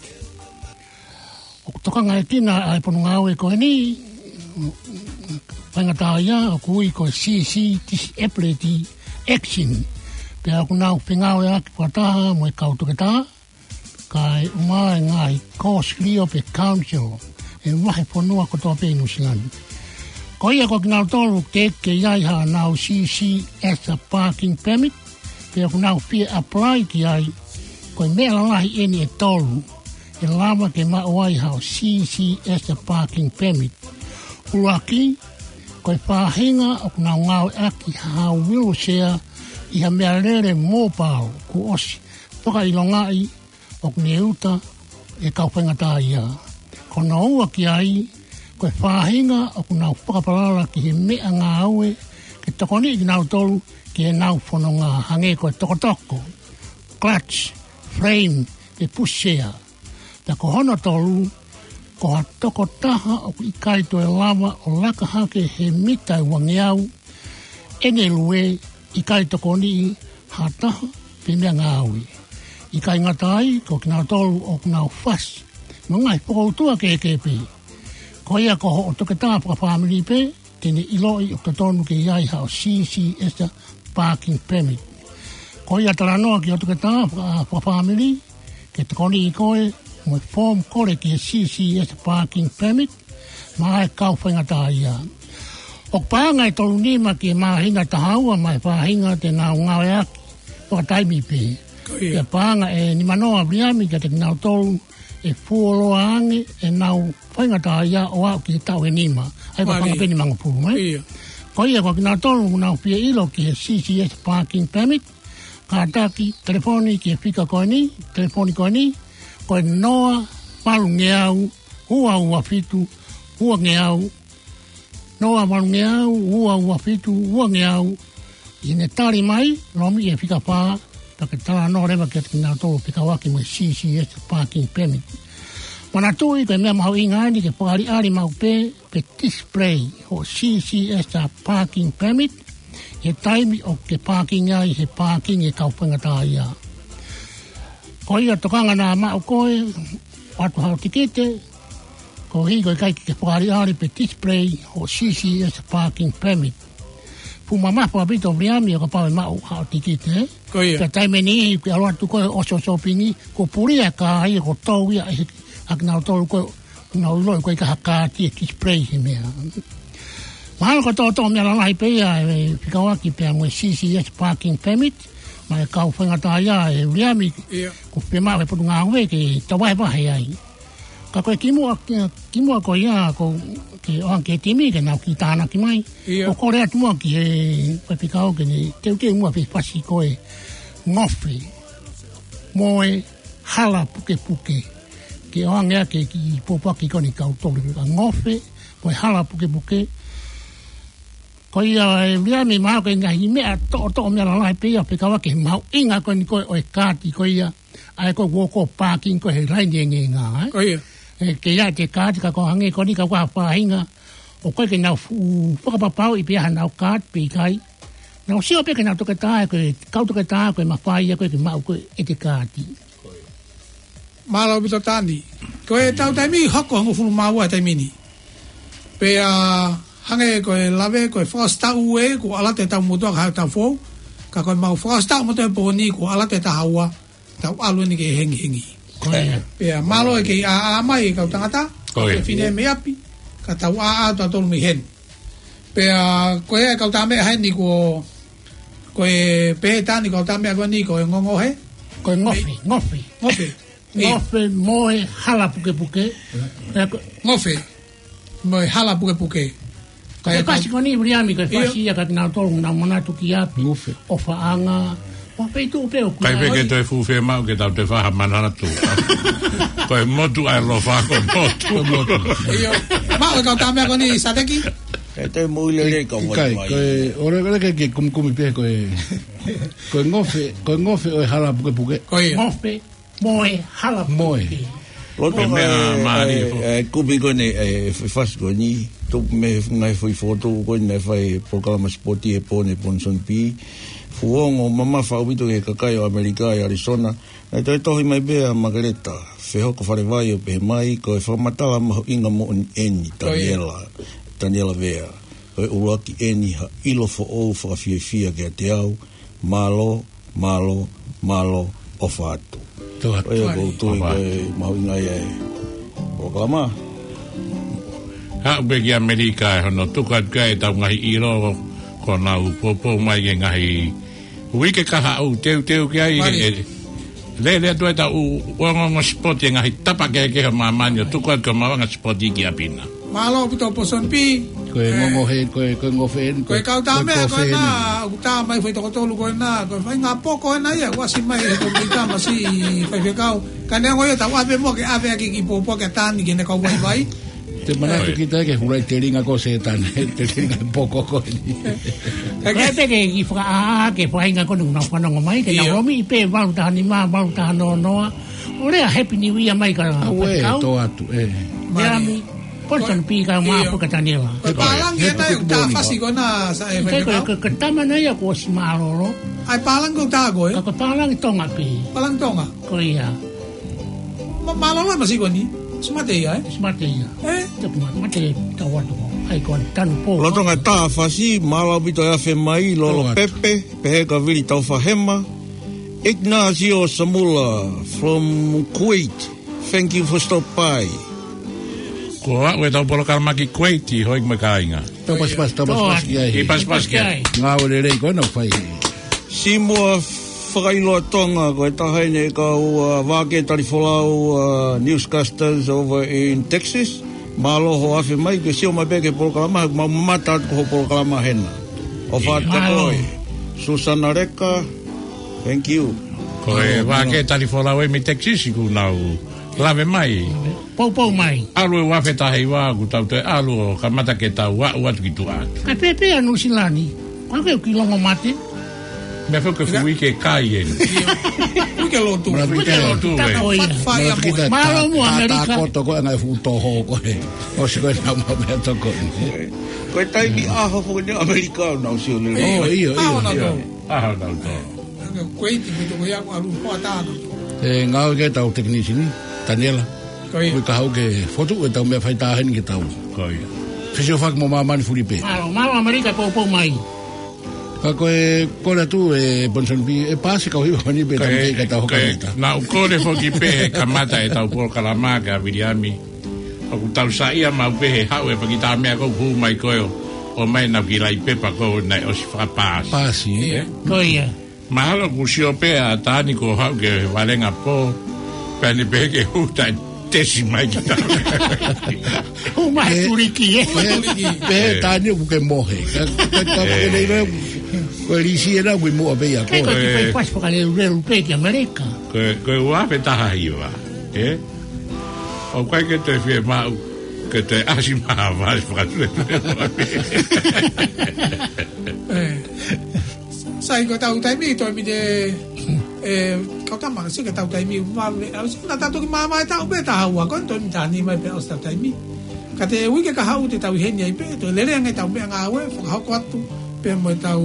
ʻOku tokangaʻekina ʻa e Potungāue ko eni, faingataʻaʻia, ʻoku ui ko e C C Disability Action. Pea ʻoku nau fengāueʻaki fakataha mo e kau toketā, kae ʻumaʻā e ngaahi kōsilio pe council ʻo e vahefonua kotoa pē ʻi Nuʻusila ni. Ko ia ko kinautolu ʻoku teʻeki ke ʻi ai haʻanau C C S parking permit, pe ʻoku nau fie apply ki ai, ko e meʻa lalahi eni ʻe tolu ʻe lava ke maʻu ai haʻo C C S parking permit. ʻUluaki, ko e faʻahinga ʻoku nau ngāueʻaki ha wheelchair ʻi ha meʻalele mobile kuo ʻosi fakaʻilongaʻi ʻoku ne uta ʻe kau faingataʻaʻia. Ko hono ua ki ai, ko e faʻahinga ʻoku nau fakapalala ki he meʻangāue ke tokoniʻi kinautolu ki heʻenau fononga, hangē ko e tokotoko, clutch, frame, pe pushchair. Pea ko hono tolu, ko ha tokotaha ʻoku ʻikai toe lava ʻo laka hake he mita ʻe uangeau ʻene lue, ʻikai tokoniʻi ha taha pe meʻangāue. ʻIkai ngata ai, ko kinautolu ʻoku nau fasi mo e ngaahi fokoutua kehekehe pē. Ko ia ko hoʻo toketā fakafāmili pē te ne ʻiloʻi ʻoku totonu ke ʻi ai haʻo C C S parking permit. Ko ia talanoa ki hoʻo toketā faka-, fakafāmili ke tokoniʻi koe mo e form kole ki he C C S parking permit maʻa e kau faingataʻaʻia. ʻOku paʻanga ʻe tolu nima ki he māhina ʻe taha ua maʻa e faʻahinga te nau ngāueʻaki fakataimi pē. Ko ia. Pea paʻanga ʻe nima noa, Viliami, kiate kinautolu ʻe fuoloa ange ʻenau faingataʻaʻia ʻo aʻu ki he taʻu ʻe nima. ʻA ia ko e paʻanga pē ʻe nimangofulu, ē? Ia. Ko ia ko kinautolu ʻoku nau fie ʻilo ki he C C S parking permit, kātaki telefoni ki he fika ko eni, telefoni ko eni, ko e noa valungeau ua ua fitu uangeau, noa valungeau ua ua fitu uangeau. ʻI heʻene tali mai, lomi e fika fā, pea ke talanoa leva kiate kinautolu ʻoku fekauʻaki mo e C C S parking permit. Manatuʻi ko e meʻa mahuʻinga eni ke fakaʻaliʻali maʻu pē, pe display hoʻo C C S parking permit ʻi he taimi ʻoku ke pākingi ai he pākingi ʻa e kau faingataʻaʻia. Ko ia tokanga naʻa maʻu koe, ʻoatu haʻo tikite, koeʻuhi ko e ʻikai ke ke fakaʻaliʻali pe display hoʻo C C S parking permit. Fuʻu mamafa ʻaupito, Viliami, ʻo kapau ʻe maʻu haʻo tikite, ē? Ko ia. Pea taimi ʻe niʻihi ʻoku ke ʻalu atu koe ʻo ʻosi ʻo sōpingi, kuo puli ʻa e kā ia, kuo tō ia ʻe he, ʻa kinautolu ko ē ʻoku nau ʻiloʻi ʻoku ʻikai ha kaati ʻe display he meʻa. Mahalo ko e toʻotoʻo meʻa lalahi pē ia ʻe fekauʻaki pea mo e C C S parking permit maʻa e kau faingataʻaʻia, ē Viliami. Ia. Ko e fiemaʻu ʻe he Potungāue ke tau vahevahe ai. Ka ko e kimuʻa, kimuʻa ko ia, ko e ʻoange ki he timi ke nau kiʻi tānaki mai. Ia. ʻOku kole atu muʻa ki he faifekau ke ne teuteu muʻa fefasi ko e ngofe mo e hala pukepuke. Ke ʻoange ʻaki e kiʻi pōpoaki ko eni ʻa e kau toulekeleka, ngofe mo e hala pukepuke. Ko ia, ē Viliami, mahalo ko e ngaahi meʻa toʻotoʻo meʻa lalahi pē ia ʻoku fekauʻaki he mahuʻinga ko eni ko ē ʻo e kaati ko ia, ʻa ia ko e ʻoku ke pākingi koe he laine ʻe ngeʻenga, ē? Ko ia. Ē, ke ʻi ai ʻete kaati, ka ko e hangē ko eni ka ko ha faʻahinga ʻoku ʻikai ke nau fuʻu fakapapauʻi pe ʻi ai haʻanau kaati pe ʻikai. Naʻa ku sio pē ki heʻenau toketā, ko e kau toketā ko e mafai ia ko e ke maʻu ko e ʻete kaati. Mālō ʻaupito Tani. Ko e tau taimi hoko hongofulu mā ua taimi ni. Pea hangē ko e lave, ko e fakaʻosi taʻu ē, kuo ʻalu atu e taʻu motuʻa ka haʻu e taʻu foʻou. Ka ko e mau fakaʻosi taʻu motuʻa e pō ni, kuo ʻalu atu e taha ua, tau ʻalu eni ki he hengihengi. Ko ia. Pea mālō e kei ʻā, ʻā mai e kau tangata, Ko ia. Fefine mei ʻapi, ka tau ʻā, ʻā tautolu mei heni. Pea ko e kau tā meʻa heni ko, ko e pehē Tani kau tā meʻa ko eni ko e ngongohe. Ko e ngofe, ngofe. Ngofe. Ia. Ngofe mo e hala pukepuke. Ē, ko Ngofe. Mo e hala pukepuke. Ko e Kae fasi kau ko eni, Viliami, ko e Ia. fasi ia ka kinautolu naʻa manatu ki ʻapi. Ngofe. ʻOfaʻanga. ʻO peitu pe o Kai pe ke Oi. toe fufe mau ke tau te faha manatu. Ko e motu ʻa e ʻaloʻofa ko e motu. Ko e motu. Io. Mau e kau tā meʻa ko eni Sateki. E te mui lele ka Ki kai, mai. Ko e, ʻore, ʻore ke, ke kumikumi pē ko e, ko e ngofe, ko e ngofe ʻo e hala pukepuke. Ko ia. Ngofe, mo e hala Mo e. pukepuke. Loto Ko e meʻa e, mālie e, foʻi. e, kupi ko eni, e, f-, fasi ko eni, tupu mei he ngaahi foʻi fotu ko eni naʻe fai polokalama sipoti he pō ni Ponson P. Fuongo mamafa ʻaupito ki he kakai ʻo ʻAmelika ʻi ʻAlisona. Naʻe toe tohi mai pē ʻa Makeleta Fehoko Falevai ʻo pehē mai, ko e fakamatala mahuʻinga moʻoni eni, Ko ia. Taniela, Taniela Vea. Ko e ʻuluaki eni ha ʻilo foʻou fakafiefia kiate au, mālō, mālō, mālō, ʻofa atu. Tō atu. Ko ia ʻoku ou tui Ova. ko e mahuʻinga ia e polokalama. Haʻu pē ki ʻAmelika ʻe hono tuku atu ki ai ʻetau ngaahi ʻilo ko ʻenau poupou mai ki he ngaahi uike ka haʻu teuteu ki ai Mali. e, e, lele atu ʻetau ongoongo sipoti e ngaahi tapa kehekehe ʻo māmani ʻo tuku atu ki he maʻuʻanga sipoti ki ʻapi na. Mālō ʻaupito Ponson P. Ko e Eh, ngongohe, ko e, ko e ngofe eni, ko e kau tā meʻa ko e ngofe ena, eni. ʻOku tā mai foʻi toko tolu ko ena, ko e faʻahinga poko ena ia, ʻoku ʻasi mai he ko e tā masi faifekau. Ka neongo ia tau ʻave mo ke ʻave ʻaki ki pōpua ke Tani ke ne kau vaivai. Te manatu Oi. kita ke hulai telinga ko Sētane, telinga poko ko eni. Ka Ko e ke pē ke i fakaʻā ke faʻahinga ko eni naʻa fanongo mai, ke na Io. romi i pē valu taha nima, valu taha noa noa. ʻO lea Happy New Year mai ka Aue, faifekau. tō atu, e. Ia Mali. mi, Ponson P ka Io. mafu ka Taniela. Ko e Oi, pālangi happy ena good ʻoku tā morning, fasi ko. ko ena sa e Ke ko, faifekau. ko, ko tama na ia ko si mālōlō. ʻAi pālangi ko tā ko e? Ka ko pālangi Tonga pē. Pālangi Tonga. Ko ia. Ma-, mālōlō e masi ko eni. Smart ia, e? Smart ia. E? Te ma-, mate tau atu ko. ʻAi ko tanu pō. Lolotonga tā fasi, mālō ʻaupito e afe mai, Lolo Tō atu. Pepe, pehē ka Vili Taufahema. Ignacio Samula from Kuwait. Thank you for stop by. Ko aʻu ʻetau polokalama ki Kuwait, hoi mo e kāinga. Tau pasipasi, tau Tō pasipasi atu. ki ai. I pasipasi ki ai. Ngāue lelei ko ena ʻoku fai. Simua Fakailoa Tonga, ko e taha eni e kau, uh, Vākē Talifolau, uh, newscasters over in Texas. Mālō hoʻo afe mai, ke sio mai pē ki he polokalama, he ʻoku mau mamata atu ki hoʻo polokalama hena. ʻOfa atu Mālō. koe. Susana Leka, thank you. Ko e Mālō, Vākē mālō. Talifolau ē mei Texas kuo nau lave mai. Poupou mai. ʻAlu e ua afe taha hiva, kuo tau toe ʻalu ʻo kamata ke tau aʻu atu ki tuʻa atu. Kae pehē pē ʻa Nuʻusila ni, ko e ke ki longo mate. Meʻa foki ko e Ia. fuʻu uike kai eni. Uike lotu. Mālō Uike kita. lotu, e. Tapa o ia. Fai Mālō amo. kita. Mālō mo Tā, tā ʻAmelika. koto ko e ngaahi fuʻu toho ko e. ʻOsi ko e nau ma meʻa toko eni. Ko e taimi ʻaho foki eni ʻAmelika ʻoku nau sio lelei. ʻIo, ʻio, ʻio. ʻAho nau tō. ʻAho nau tō. Ko e iti pito ko ia ko ʻalu hoa tāna. E ngāue ki ai ʻetau tekinisini, Taniela. Ko ia. Ko e ka haʻu ke fotu ʻetau meʻa faitā heni ke tau. Ko ia. Fesiofaki mo māmani fuli pē. Mālō, mālō ʻAmelika poupou mai. Ka ko e kole atu e Ponson P, e pasi kau hiva ko eni pē Ko e, tamai ka tau ko e, hoka mita. naʻa ku kole foki pē he kamata ʻetau polokalama kia Viliami. ʻOku tau saiʻia maʻu pē he haʻu e paki tā meʻa ko ē ʻoku hū mai ko ē ʻo, ʻomai naʻa ku kilai pepa ko ē naʻe ʻosi fakapasi. Pasi, e? Ko ia. Mahalo kuo sio pē ʻa Tani kuo haʻu ke valenga pō, pea ne pehē ke hū taʻe tesi mai ki tā. Hū mai E, tuliki, e. e, Tuliki. pehē E. Tani ʻoku ke mohe. Ka, ka, ka, E. ke nei vai, ko e lisi ena ʻoku ʻi muʻa pē ia Kai ko ko. ki E. fai pasi fakaleuleu pē ki ʻAmelika. Ko e, ko e ua afe taha hiva, e? ʻOku ʻikai ke toe fiemaʻu, ke toe ʻasi mai ha vasi fakatule. E. Sai ko ʻetau taimi, toe mite, e, kau tama, si ke tau taimi, ma, me, au si, naʻa tau toki māmā e taʻu pē taha ua, ko e toe mita ni mai pē ʻosi ʻetau taimi. Ka te uike ka haʻu te tau ʻi heni ai pē, toe lele ange ʻetau meʻangāue, fakahoko atu. Pea mo e tau,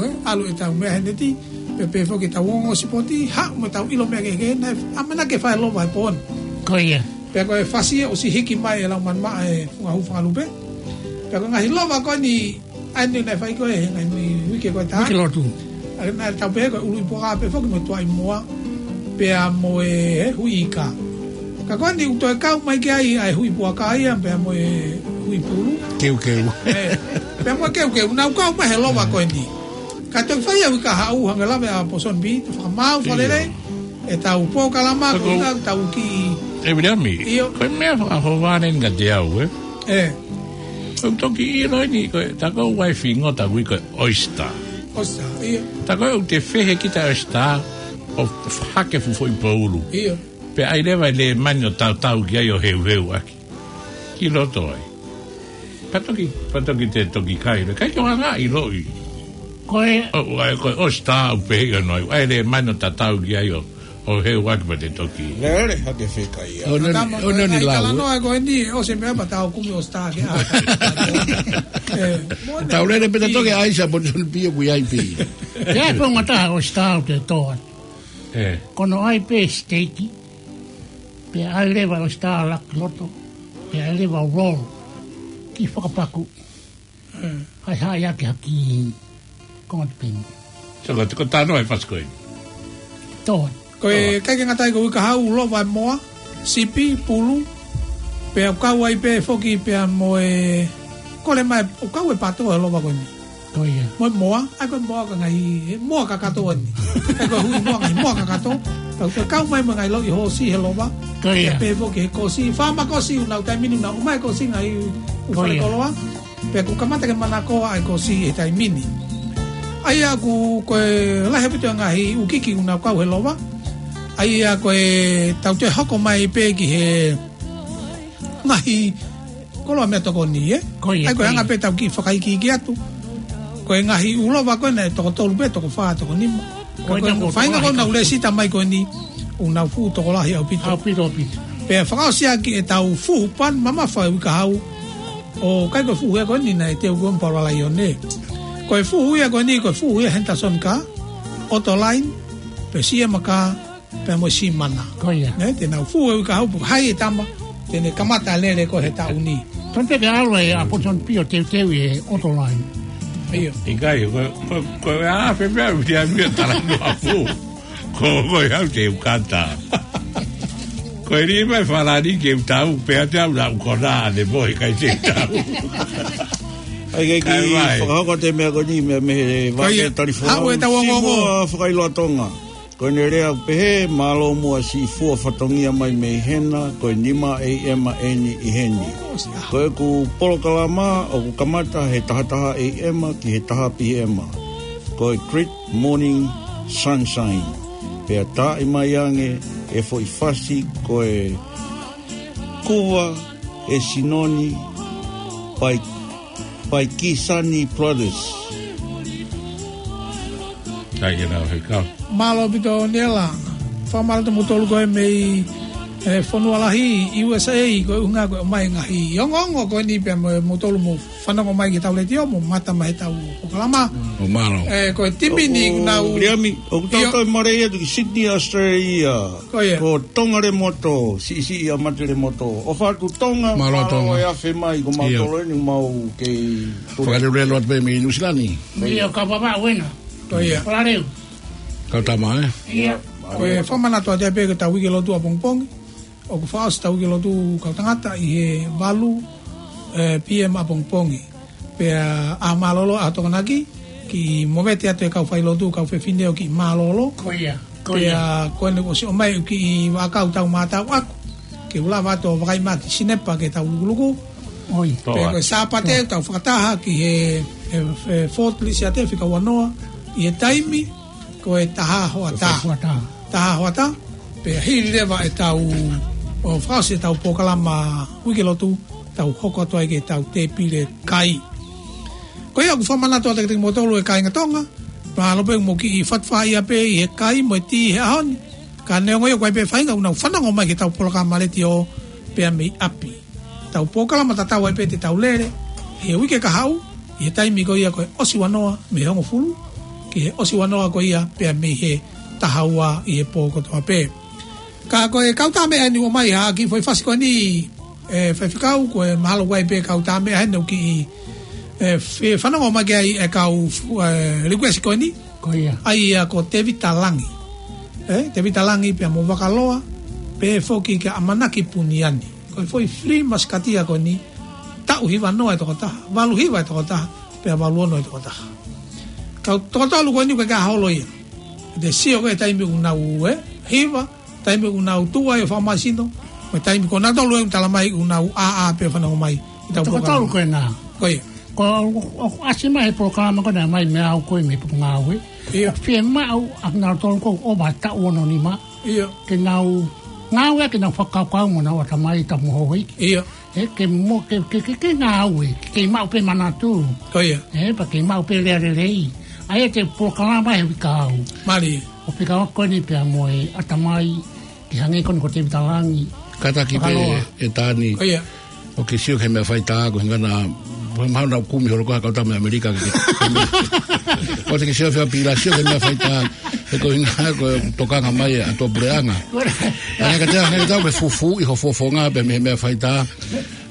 ē, ʻalu e tau meʻa he neti, pea pehē foki e tau ongo sipoti, haʻu mo e tau ʻilo meʻa kehekehe, naʻe ʻamanaki ke fai e lova he pō ni. Ko ia. Pea ko e fasi ia ʻosi hiki mai e lau manumaʻa e funga hū fakalupe. Pea ko e ngaahi lova ko eni, ʻa eni naʻe fai ko ē he ngaahi uike ko ē taha. Uike lotu. ʻA ia naʻe tau pehē ko e ʻuluʻi puaka pē foki mo e tuaʻi moa. Pea mo e, ē, hui ika. Ka ko eni ʻoku toe kau mai ki ai ʻa e hui puaka ia, pea mo e hui pulu. Keukeu. Ē, pea mo e keukeu, nau kau mai he lova ko eni. Ka toki fai au i ka haʻu hangē lave ʻa Pōsoni Pī, te fakamaau fakalelei, ʻio, e tau polokalama, ko e ʻuhinga ʻoku tau kiʻi. ʻE Viliami, ʻio, ko e meʻa fakahoa eni kiate au, ē? Ē. ʻOku toki ʻilo eni, ko e, tā ko e uaifi ngota ui ko e oyster. Oyster, ʻio. Tā ko e ʻoku te fehe kita oyster, ʻo hake fuʻu foʻi poulu. ʻIo. Pea ʻai leva e lēmani ʻo tautau ki ai ʻo heuheu ʻaki ki loto ai. Pea toki, pea toki te toki kai, le kai ke ʻoange ʻi loʻi. Ko e ʻo, ʻai, ko e oyster ʻoku pehē ʻoku ʻi ai, ʻai lēmani ʻo tautau ki ai ʻo, ʻo heu ʻaki pea te toki. Lele, hake fekai ia. ʻOku ʻi ai, ʻoku ʻi ai e lau, ē? Talanoa ko eni, ʻosi e meʻa pea tau kumi oyster ke ʻai. Ē, mo e tau lele pē ta toki ʻai sa Pōsoni Pī ʻoku ʻi ai pē. Ko e founga taha e oyster ʻoku te toa. Ē. Ko hono ʻai pē siteiki, pea ʻai leva e oyster ʻo laka ki loto, pea ʻai leva ʻo roll, kiʻi fakapaku. Ē. Hai haʻi ake ha kiʻi konga tipeni. So, ko, ko e talanoa e fasi ko ē. Toa. Ko e, toa, ʻikai ke ngata ai, ko e ui ka haʻu, lova e moa, sipi, pulu, pea ʻoku kau ai pē foki pea mo e, kole mai, ʻoku kau e pato he lova ko eni. Ko ia. Mo e moa, ʻai ko e moa ka ngaahi, e moa kakato eni. ʻAi ko e hui moa, ngaahi moa kakato. Tau te kau mai mo e ngaahi loʻi hoosi he lova. Ko ia. Pea pehē foki he kosi, faama kosi ʻoku nau taimi ni ʻoku nau ʻomai kosi ngaahi ʻū, ko ia, fale koloa. Pea ʻoku kamata ke manakoa ʻa e kosi he taimi ni. ʻA ia ʻoku, ko e lahi ʻaupito e ngaahi ʻū kiki ʻoku nau kau he lova. ʻA ia ko e tau te hoko mai pē ki he ngaahi koloa meʻatokoni, ē? Ko ia, ʻai ko e, ko ia, anga pē tau kiʻi fakaikiiki atu. Ko e ngaahi ʻū lova ko ē naʻe toko tolu pē, toko fā, toko nima. Ko ia, ko e, ko e faʻahinga ko ē naʻa ku lēsisita mai ko eni, ʻoku nau fuʻu tokolahi ʻaupito. ʻAupito, ʻaupito. Pea fakaʻosi ʻaki e tau fuhu pan mamafa e ui ka haʻu. ʻOku ʻikai ko e fuhu ia ko eni naʻe teu ko ē mo Paula Laione. Ko e fuhu ia ko eni, ko e fuhu ia Henderson Car, Autoline, pea C M Car, pea mo e Simana. Ko ia. Nē, te nau fuhu e ui ka haʻu, pea haʻi e tama, te ne kamata lele ko ē he taʻu ni. Tonu pē ke ʻalu ʻa Pōsoni Pī ʻo teuteu e Autoline. ʻIo. ʻIkai, ko, ko, ko e ʻa, pea, pea, pea, pea, talanoa fuhu. Ko, ko e hau te u kata. Ko e lima e falani ke u tau, pea te au lau kona, ne mo he kai te u tau. ʻAi ke kiʻi, kai mai, fakahoko atu e meʻa ko eni, meʻa mei he, ko ia, vaʻe Talifua. Haʻu e tau ongoongo. Sīfua Fakailoa Tonga. Ko ʻene lea ʻoku pehē, mālō muʻa Sīfua fatongia mai mei hena, ko e nima A M eni ʻi heni. Ko ʻeku polokalama ʻoku kamata he taha taha A M ki he taha P M. Ko e Great Morning Sunshine. Pea taaʻi mai ange e foʻi fasi ko e Kuva e Sinoni by, by Kisani Brothers. Kai ke nau hei kau. Mālō ʻaupito Niela. Fakamālō atu kimoutolu ko ē mei, ē, fonua lahi U S A, ko e ʻuhinga ko e ʻomai e ngaahi ongoongo ko eni pea mo, moutolu mo fanongo mai ki heʻetau letiō mo mamata mai heʻetau polokalama. ʻO mālō. Ē, ko e timi ni ʻoku nau. Viliami, ʻoku tau, ʻio, toe marei atu ki Sydney, Australia. Ko ia. Ko Tonga Lemoto, siʻisiʻi ʻa Mate Lemoto. ʻOfa atu Tonga, mālō, mālō Tonga. E afe mai, ko mālō, ʻio, eni mau kei fakalelulelu atu pē mei Nuʻu Sila ni. ʻIo, ka papa uena. Ko ia. Fakaleu. Kau tama, ē? ʻIo. Ko e fakamanatu atu pē ko ʻetau uike lotu ʻapongipongi. ʻOku fakaʻosi ʻetau uike lotu kau tangata ʻi he valu, ē, P M ʻapongipongi. Pea ʻaho mālōlō, ʻaho Tokonaki, kiʻi movete atu e kau failotu, kau fefine ʻo kiʻi mālōlō. Ko ia, ko ia. Pea ko ʻene ʻosi ʻomai kiʻi vaʻakau tau mātau ʻaku. Ke u lava atu ʻo vakai mai ki Sinepa ke tau lukuluku. ʻOi. Pea ko e Sāpate, ʻoku tau fakataha ki he, he, he Fort Lisiate fika ua noa, ʻi he taimi, ko e taha hoʻatā. Taha hoʻatā. Taha hoʻatā, pea hili leva ʻetau, ʻo fakaʻosi ʻetau polokalama uike lotu, tau hoko atu ai ki heʻetau tēpile kai. Ko ia ʻoku fakamanatu atu kiate kimoutolu e kāinga Tonga, mālō pē mo e kiʻi fatafāʻia pē ʻi he kai mo e tī he ʻaho ni. Ka neongo ia ʻoku ʻi ai pē faʻahinga ʻoku nau fanongo mai ki heʻetau polokalama letiō pea mei ʻapi. Tau polokalama tatau ai pē te tau lele, he uike kahaʻu, ʻi he taimi ko ia ko e ʻosi ua noa mei he hongofulu, ki he ʻosi ua noa ko ia pea mei he taha ua ʻi he pō kotoa pē. Ka ko e kau tā meʻa eni ʻoku ʻomai ha kiʻi foʻi fasi ko eni, ē, faifekau, ko e mahalo ʻoku ʻi ai pē kau tā meʻa heni ʻoku kiʻi, ē, fe-, fanongo mai ki ai e kau fu-, ē, request ko eni. Ko ia. ʻA ia ko Tevita Langi. Ē, Tevita Langi pea mo Vakaloa, pehē foki kia ʻAmanaki Puniani. Ko e foʻi free masikatia ko eni, taʻu hiva noa e tokotaha, valu hiva e tokotaha, pea valu ono e tokotaha. Kau toko tolu ko eni ʻoku ʻikai ke holo ia. Te sio ko e taimi ʻoku nau, ē, hiva, taimi ʻoku nau tuʻu ai ʻo fakamālohisino, mo e taimi ko nautolu ʻoku tala mai ʻoku nau ʻā ʻā pē ʻo fanongo mai ʻi heʻetau polokalama. Toko tolu ko ena. Ko ia. Ko, ʻo, ʻo, ʻasi mai he polokalama ko ena mai mei au ko e mei Potungāue. Ia. ʻOku fiemaʻu ʻa kinautolu ko ē ʻoku ʻova taʻu ono nima. Ia. Ke nau ngāue ke nau fakakaukau mo nau ʻatamai tamu houʻeiki. Ia. Ē, ke mo-, ke, ke, ke, ke ngāue, ke, ke maʻu pē manatu. Ko ia. Ē, pea ke maʻu pē lea lelei. ʻA ia te u polokalama he uike kahaʻu. Mālie. ʻO pika ko eni pea mo e ʻatamai, ke hangē ko eni ko Tevita Langi. Kātaki pē Vakaloa. ʻE Tani. Ko ia. ʻOku ke sio ki he meʻa faitā ko e ʻuhinga naʻa, mahalo naʻa ku kumi holo ko e kau tā meʻa ʻAmelika ke, ke, ʻoku ke sio fea pila sio ki he meʻa faitā. He ko e ʻuhinga ko e tokanga mai ʻa e ʻOtua puleʻanga. Hangē ka te, hangē ka te ke fufuuʻi ho fofonga pē mei he meʻa faitā.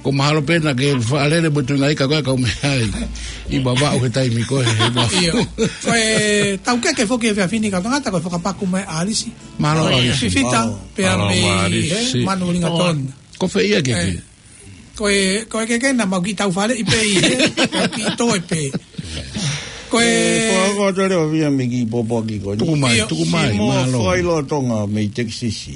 Ko e mahalo pē naʻa ke faʻa lele mo e tuʻunga ika ko e kau meʻa ai. ʻI Vavaʻu he taimi ko ē, he Vavaʻu. Ia. Ko e taukeke foki he efiafi ni kau tangata ko e fakapaku mai ʻa ʻAlisi. Mālō ʻAlisi. Fifita, pea mei he Manu Lingatona. Ko fē ia ke ke? Ko e, ko e ke ke na mau kiʻi tau fale ʻi pē ʻi he, mau kiʻi toe pē. Ko e, ko e, ko e tole o via me kiʻi pōpoaki ko eni. Tuku mai, tuku mai, mālō. Simo Failoa Tonga mei Texas.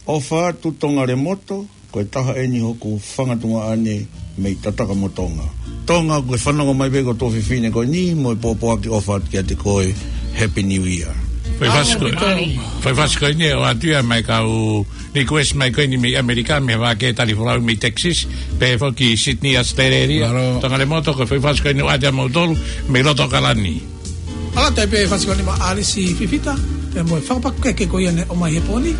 ʻOfa atu Tonga Lemoto, ko e taha eni hoku fanga tuongaʻane mei Tataka mo Tonga. Tonga, ko e fanongo mai pē ko e tuofefine ko eni, mo e pōpoaki ʻofa atu kiate koe, Happy New Year. Fai fasi ko, fai fasi ko eni ʻoatu ia mai kau request mai ko eni mei ʻAmelika, mei he vā ke tali folau mei Texas, pehē foki Sydney, Australia. Mālō. Tonga Lemoto, ko e fai fasi ko eni ʻoatu ia mautolu, mei loto ʻAokalani. ʻAlu atu pē fasi ko eni maʻa ʻAlisi Fifita, pea mo e fakapakukeke ko ia ne ʻomai he pō ni.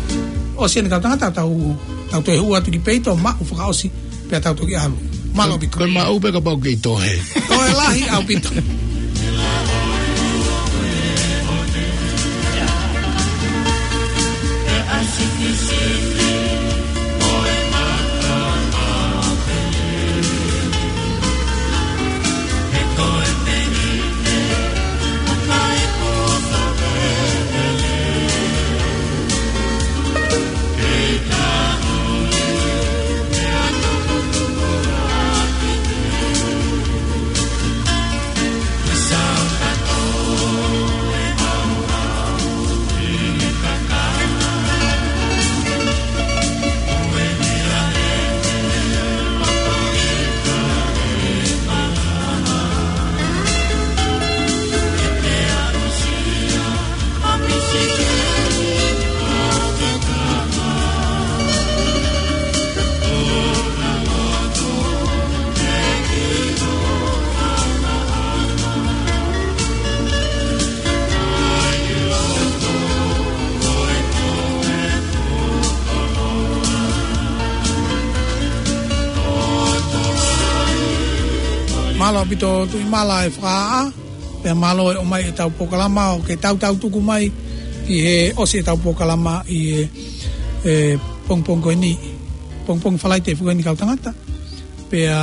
ʻOsi eni kau tangata tau, tau toe hū atu ki peito, maʻu fakaʻosi, pea tau toki ʻalu. Mālō ʻaupito. Ko e maʻu pē kapau ʻoku ke toe. Toe lahi ʻaupito. Mālō ʻaupito Tuʻimala e fakaʻā, pea mālō e ʻomai ʻetau polokalama ʻo ke tautau tuku mai ki he ʻosi ʻetau polokalama ʻi he, e, pongipongi ko eni, pongipongi Falaite foki eni kau tangata. Pea,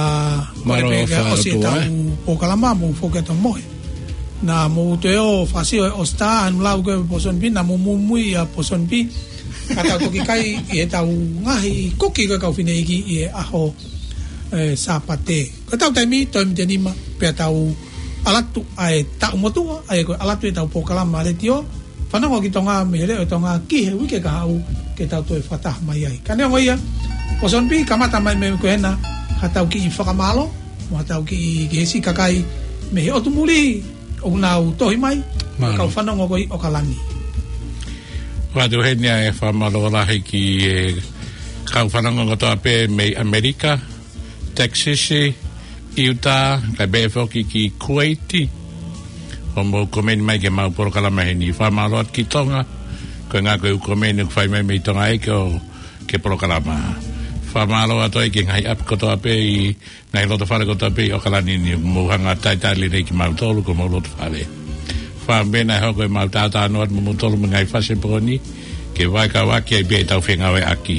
mālō pē ke ʻosi ʻetau polokalama mo foki atu mohe. Naʻa mou toe ō fakasio e ʻOsitā, anu lau ko e Pōsoni Pī, naʻa mou muimui ʻia Pōsoni Pī. Ka tau toki kai ʻi heʻetau ngaahi kuki ko e kau fineʻeiki ʻi he ʻaho, e, Sāpate. Ko ʻetau taimi, toe miniti ʻe nima, pea tau ʻalu atu ʻa e taʻu motuʻa, ʻa ia ko e ʻalu atu ʻetau polokalama letiō, Fanongo ki Tonga mei he Leʻo ʻo Tonga ki he uike kahaʻu ke tau toe fakataha mai ai. Ka neongo ia, Pōsoni Pī, kamata mai mei ko ena, haʻatau kiʻi fakamālō, mo haʻatau kiʻi, ki he siʻi kakai mei he ʻotu muli, ʻoku nau tohi mai, mālō. Kau fanongo ko ē ʻi ʻAokalani. ʻOatu heni ʻa e fakamālō lahi ki he kau fanongo kotoa pē mei ʻAmelika, Texas, Utah, kae pehē foki ki Kuwait, hoʻomou komeni mai ki heʻemau polokalama heni. Fakamālō atu ki Tonga, ko e ʻuhinga ko e ʻū komeni ʻoku fai mai mei Tonga ē ki he, ki he polokalama. Fakamālō atu ai ki he ngaahi ʻapi kotoa pē ʻi he ngaahi loto fale kotoa pē ʻi ʻOkalani ni, mou hanga talitali lelei kimautolu ko homou loto fale. Fāmili naʻe hoko ʻemau tautau atu mo moutolu mo e ngaahi fasi ʻo e pō ni, ke vakai atu ai pē ʻetau fengāueʻaki.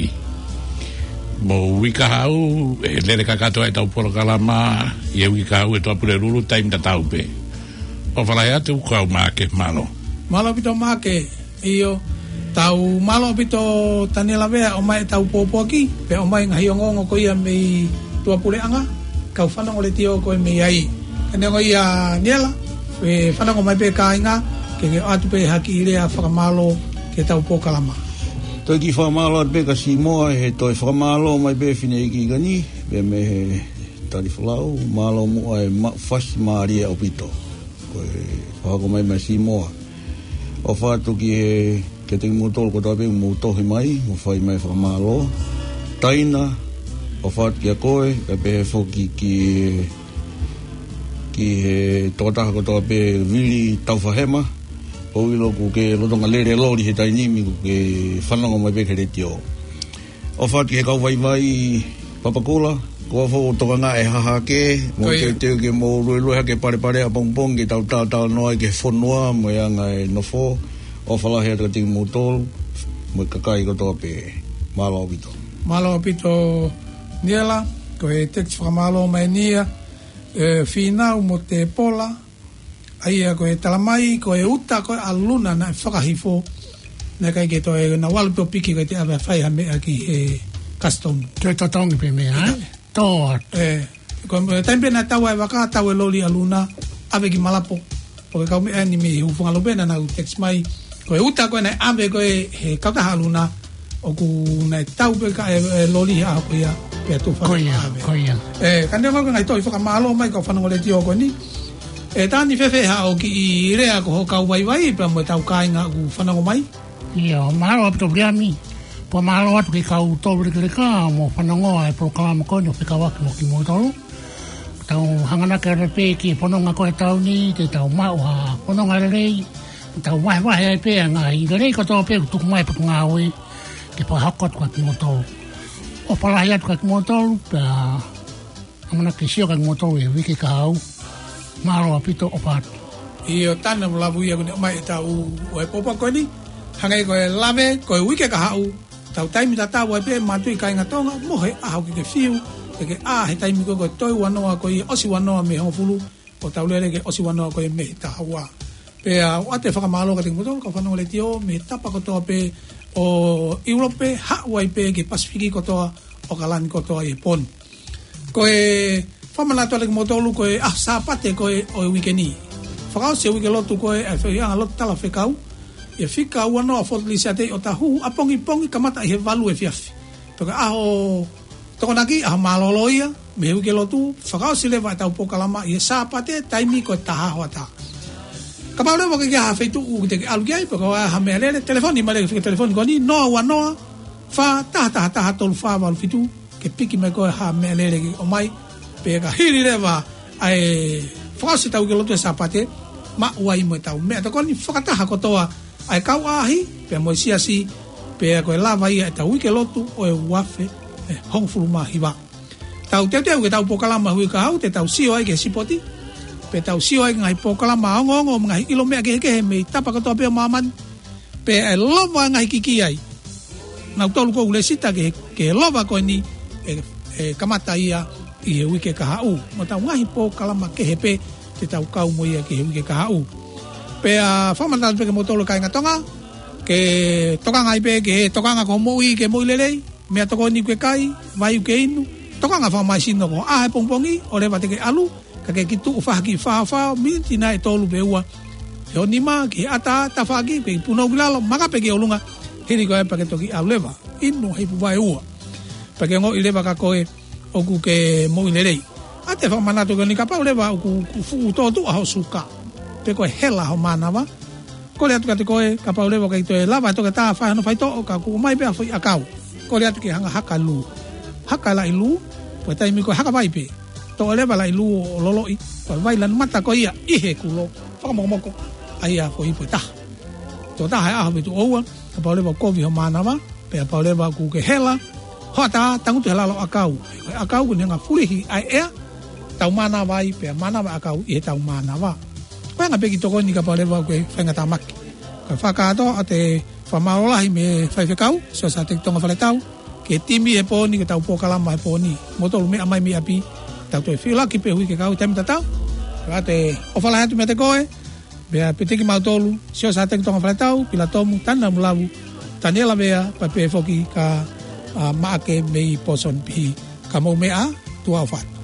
Mou uike kahaʻu, ʻe lele kakato ʻetau polokalama, ʻi he uike kahaʻu ʻe Toa Pulelulu, taimi tatau pē. ʻOfa lahi atu, ko au Maʻake, mālō. Mālō ʻaupito Maʻake. ʻIo, tau mālō ʻaupito Taniela Vea ʻomai ʻetau pōpoaki, pea ʻomai ngaahi ongoongo ko ia mei tuʻapuleʻanga, kau fanongo letiō ko ē mei ai. Ka neongo ia Niela, ʻe fanongo mai pē kāinga, ke ke ʻoatu pē ha kiʻi lea fakamālō ki heʻetau polokalama. Toe kiʻi fakamālō atu pē kia Sīmoa he toe fakamālō mai pē fineʻeiki ko eni, pea mei he tali folau, mālō muʻa e maʻu fasi mālie ʻaupito. Ko e fakahoko mai meia Sīmoa. ʻOfa atu ki he, kiate kimoutolu kotoa pē mou tohi mai, mou fai mai fakamālō. Taina, ʻofa atu kia koe, kae pehē foki ki he, ki he tokotaha kotoa pē Vili Taufahema, ʻoku ou ʻilo ʻoku ke lolotonga lele loli he taimi ni ʻoku ke fanongo mai pē ki he letiō. ʻOfa atu ki he kau vaivai Papakura, ko e fou tokanga ʻe hahake, mou Ko ia. teuteu ke mou luelue hake palepale ʻapongipongi ke tau talatala noa ai ki he fonua, mo e anga e nofo, ʻofa lahi atu kiate kimoutolu, mo e kakai kotoa pē, mālō ʻaupito. Mālō ʻaupito Niela, ko e text fakamālō mai eni ia, ʻe Fīnau mo Tepola, ʻa ia ko e talamai, ko e uta ko ē ʻa Luna naʻe fakahifo, naʻe ʻikai ke toe nau ʻalu pē ʻo piki ko e te ʻave ʻo fai ha meʻa ki he custom. Toe totongi pē meʻa, ʻe? Tō atu. ʻE, ko e taimi pē naʻe tau ai e vaka, tau e loli ʻa Luna, ʻave ki Malapo. Ko e kau meʻa ni mei Hūfangalupe naʻa nau text mai. Ko e uta ko ē naʻe ʻave ko ē he kautaha ʻa Luna, ʻoku naʻe tau pē ka e, e loli he ʻaho ko ia, pea tufa Ko ia, ʻave. ko ia. ʻE, ka neongo ko e ngaahi tohi fakamālō mai kau fanongo letiō ko eni. ʻE Tani, fēfē haʻo kiʻi lea ko hoʻo kau vaivai, pea mo ʻetau kāinga ʻoku fanongo mai? ʻIo, mālō ʻaupito Viliami. Pea mālō atu ki he kau tolu lekeleka, mou fanongo ʻa e polokalama ko eni ʻo fekauʻaki mo kimoutolu. Tau hanganaki atu pē ki he fononga ko ē ʻo e taʻu ni, te tau maʻu ha fononga lelei, tau vahevahe ai pē ʻa e ngaahi lelei kotoa pē ʻoku tuku mai ʻe he Potungāue, ke fakahoko atu kia kimoutolu. ʻOfa lahi atu kia kimoutolu, pea ʻamanaki ke sio kia kimoutolu he uike kahaʻu. Mālō ʻaupito, ʻofa atu. ʻIo, Tani, mo lavu ia kuo ne ʻomai ʻetau ʻo e pōpoaki ko eni, hangē ko e lave, ko e uike kahaʻu, tau taimi tatau ai pē, mātuʻa kāinga Tonga, mo e ʻaho ke ke fiu, ke ke ʻā he taimi ko ē ko e toe ua noa ko ia, ʻosi ua noa mei he hongofulu, ʻo tau lele ki he ʻosi ua noa ko ia mei he taha ua. Pea ʻoatu e fakamālō kiate kimoutolu kau fanongo letiō mei he tapa kotoa pē ʻo ʻIulope, haʻu ai pē ki he Pasifiki kotoa, ʻOkalani kotoa ʻi he pō ni. Ko e fakamanatu atu kiate kimoutolu ko e ʻaho Sāpate ko ē ʻo e uike ni. Fakaʻosi e uike lotu ko ē ʻa e feohiʻanga lotu talafekau, ʻi he fika ua noa ʻo Fort Lisiate ʻi ʻŌtāhuhu, ʻapongipongi kamata ʻi he valu efiafi. Pea ko e ʻaho Tokonaki, ʻaho mālōlō ia mei he uike lotu, fakaʻosi leva ʻetau polokalama ʻi he Sāpate, taimi ko e taha hoʻatā. Kapau leva ʻoku ʻi ai ha feituʻu ʻoku te ke ʻalu ki ai, pe ko ha meʻalele, telefoni mai leva ki he fika telefoni ko eni, noa ua noa, fā taha taha taha tolu fā valu fitu, ke piki mai koe ha meʻalele ke ʻomai, pea ka hili leva ʻa e fakaʻosi ʻetau uike lotu he Sāpate, maʻu ai mo ʻetau meʻatokoni fakataha kotoa ʻa e kau ʻaʻahi, pea mo e siasi, pea ko e lava ia ʻetau uike lotu ʻo e ua afe ʻe hongofulu mā hiva. Tau teuteu ke tau polokalama he uike kahaʻu, te tau sio ai ki he sipoti, pea tau sio ai ki he ngaahi polokalama ongoongo mo e ngaahi ʻilo meʻa kehekehe mei he tapa kotoa pē ʻo māmani, pea ʻe lava ngaahi kiki ai. Nautolu ʻoku lesita ki he, ki he lava ko eni ʻe, ʻe kamata ia ʻi he uike kahaʻu. Mo ʻetau ngaahi polokalama kehe pē te tau kau mo ia ki he uike kahaʻu. Pea fakamanatu pē kiate kimoutolu kāinga Tonga, ke tokanga ai pē ki he tokanga ki hoʻo moʻui, ke moʻui lelei, meʻatokoni ke kai, vai ke inu, tokanga fakamālohisino ko e ʻaho ʻe pongipongi, ʻo leva te ke ʻalu, ka ke kiʻi tuʻu fakakiʻi faofao, miniti nai ʻe tolu pe ua. He ʻo nima ki he ʻatā, tafaʻaki, ke kiʻi punou ki lalo, maka pē ki ʻolunga, hili ko ia pea ke toki ʻalu leva. Inu ha ipu vaeua. Pea ke ongoʻi leva kia koe ʻoku ke moʻui lelei. ʻA e fakamanatu ko eni, kapau leva ʻoku, ʻoku fuʻu tōtuʻa hoʻo suka, pe ko e hela hoʻo mānava, kole atu kiate koe, kapau leva ʻoku ʻikai toe lava ʻe he toketā ʻo fai hano faitoʻo, ka ʻoku ʻomai pē ha foʻi ʻakau. Kole atu ke hanga ʻo haka lū. Haka e laʻi lū, ko e taimi ko ē haka vai pē. Toʻo leva e laʻi lū ʻo loloʻi, ko e vai lanu mata ko ia ʻi he kulo fakamokomoko, ʻa ia ko e ipu ʻe taha. Tō taha he ʻaho pe tuʻo ua, kapau leva ʻoku kovi hoʻo mānava, pea kapau leva ʻoku ke hela, Hoʻatā, tangutu he lalo ʻakau. Ko e ʻakau ko e ʻuhinga fulihi ʻa e ʻea, tau mānava ai pea mānava ʻakau ʻi heʻetau mānava. Ko e anga pē ki tokoni kapau leva ʻoku ke faingatāmaki. Ka fakakātoa ʻoatu e fakamālō lahi mei he faifekau, Siosiate Tonga Faletau, ki he timi he pō ni, ki heʻetau polokalama he pō ni. Mou tolu meʻa mai mei ʻapi, tau toe filo ki he pē hui ke kau taimi tatau. Ka te ʻofa lahi atu meiate koe, pea pehē ki mautolu, Siosiate Tonga Faletau, Pila Tomu, Tana Mulavu, Taniela Vea, pea pehē foki kia, ā, Maʻake mei Pōsoni Pihi. Ka mou meʻa ā, tuʻa ʻofa atu.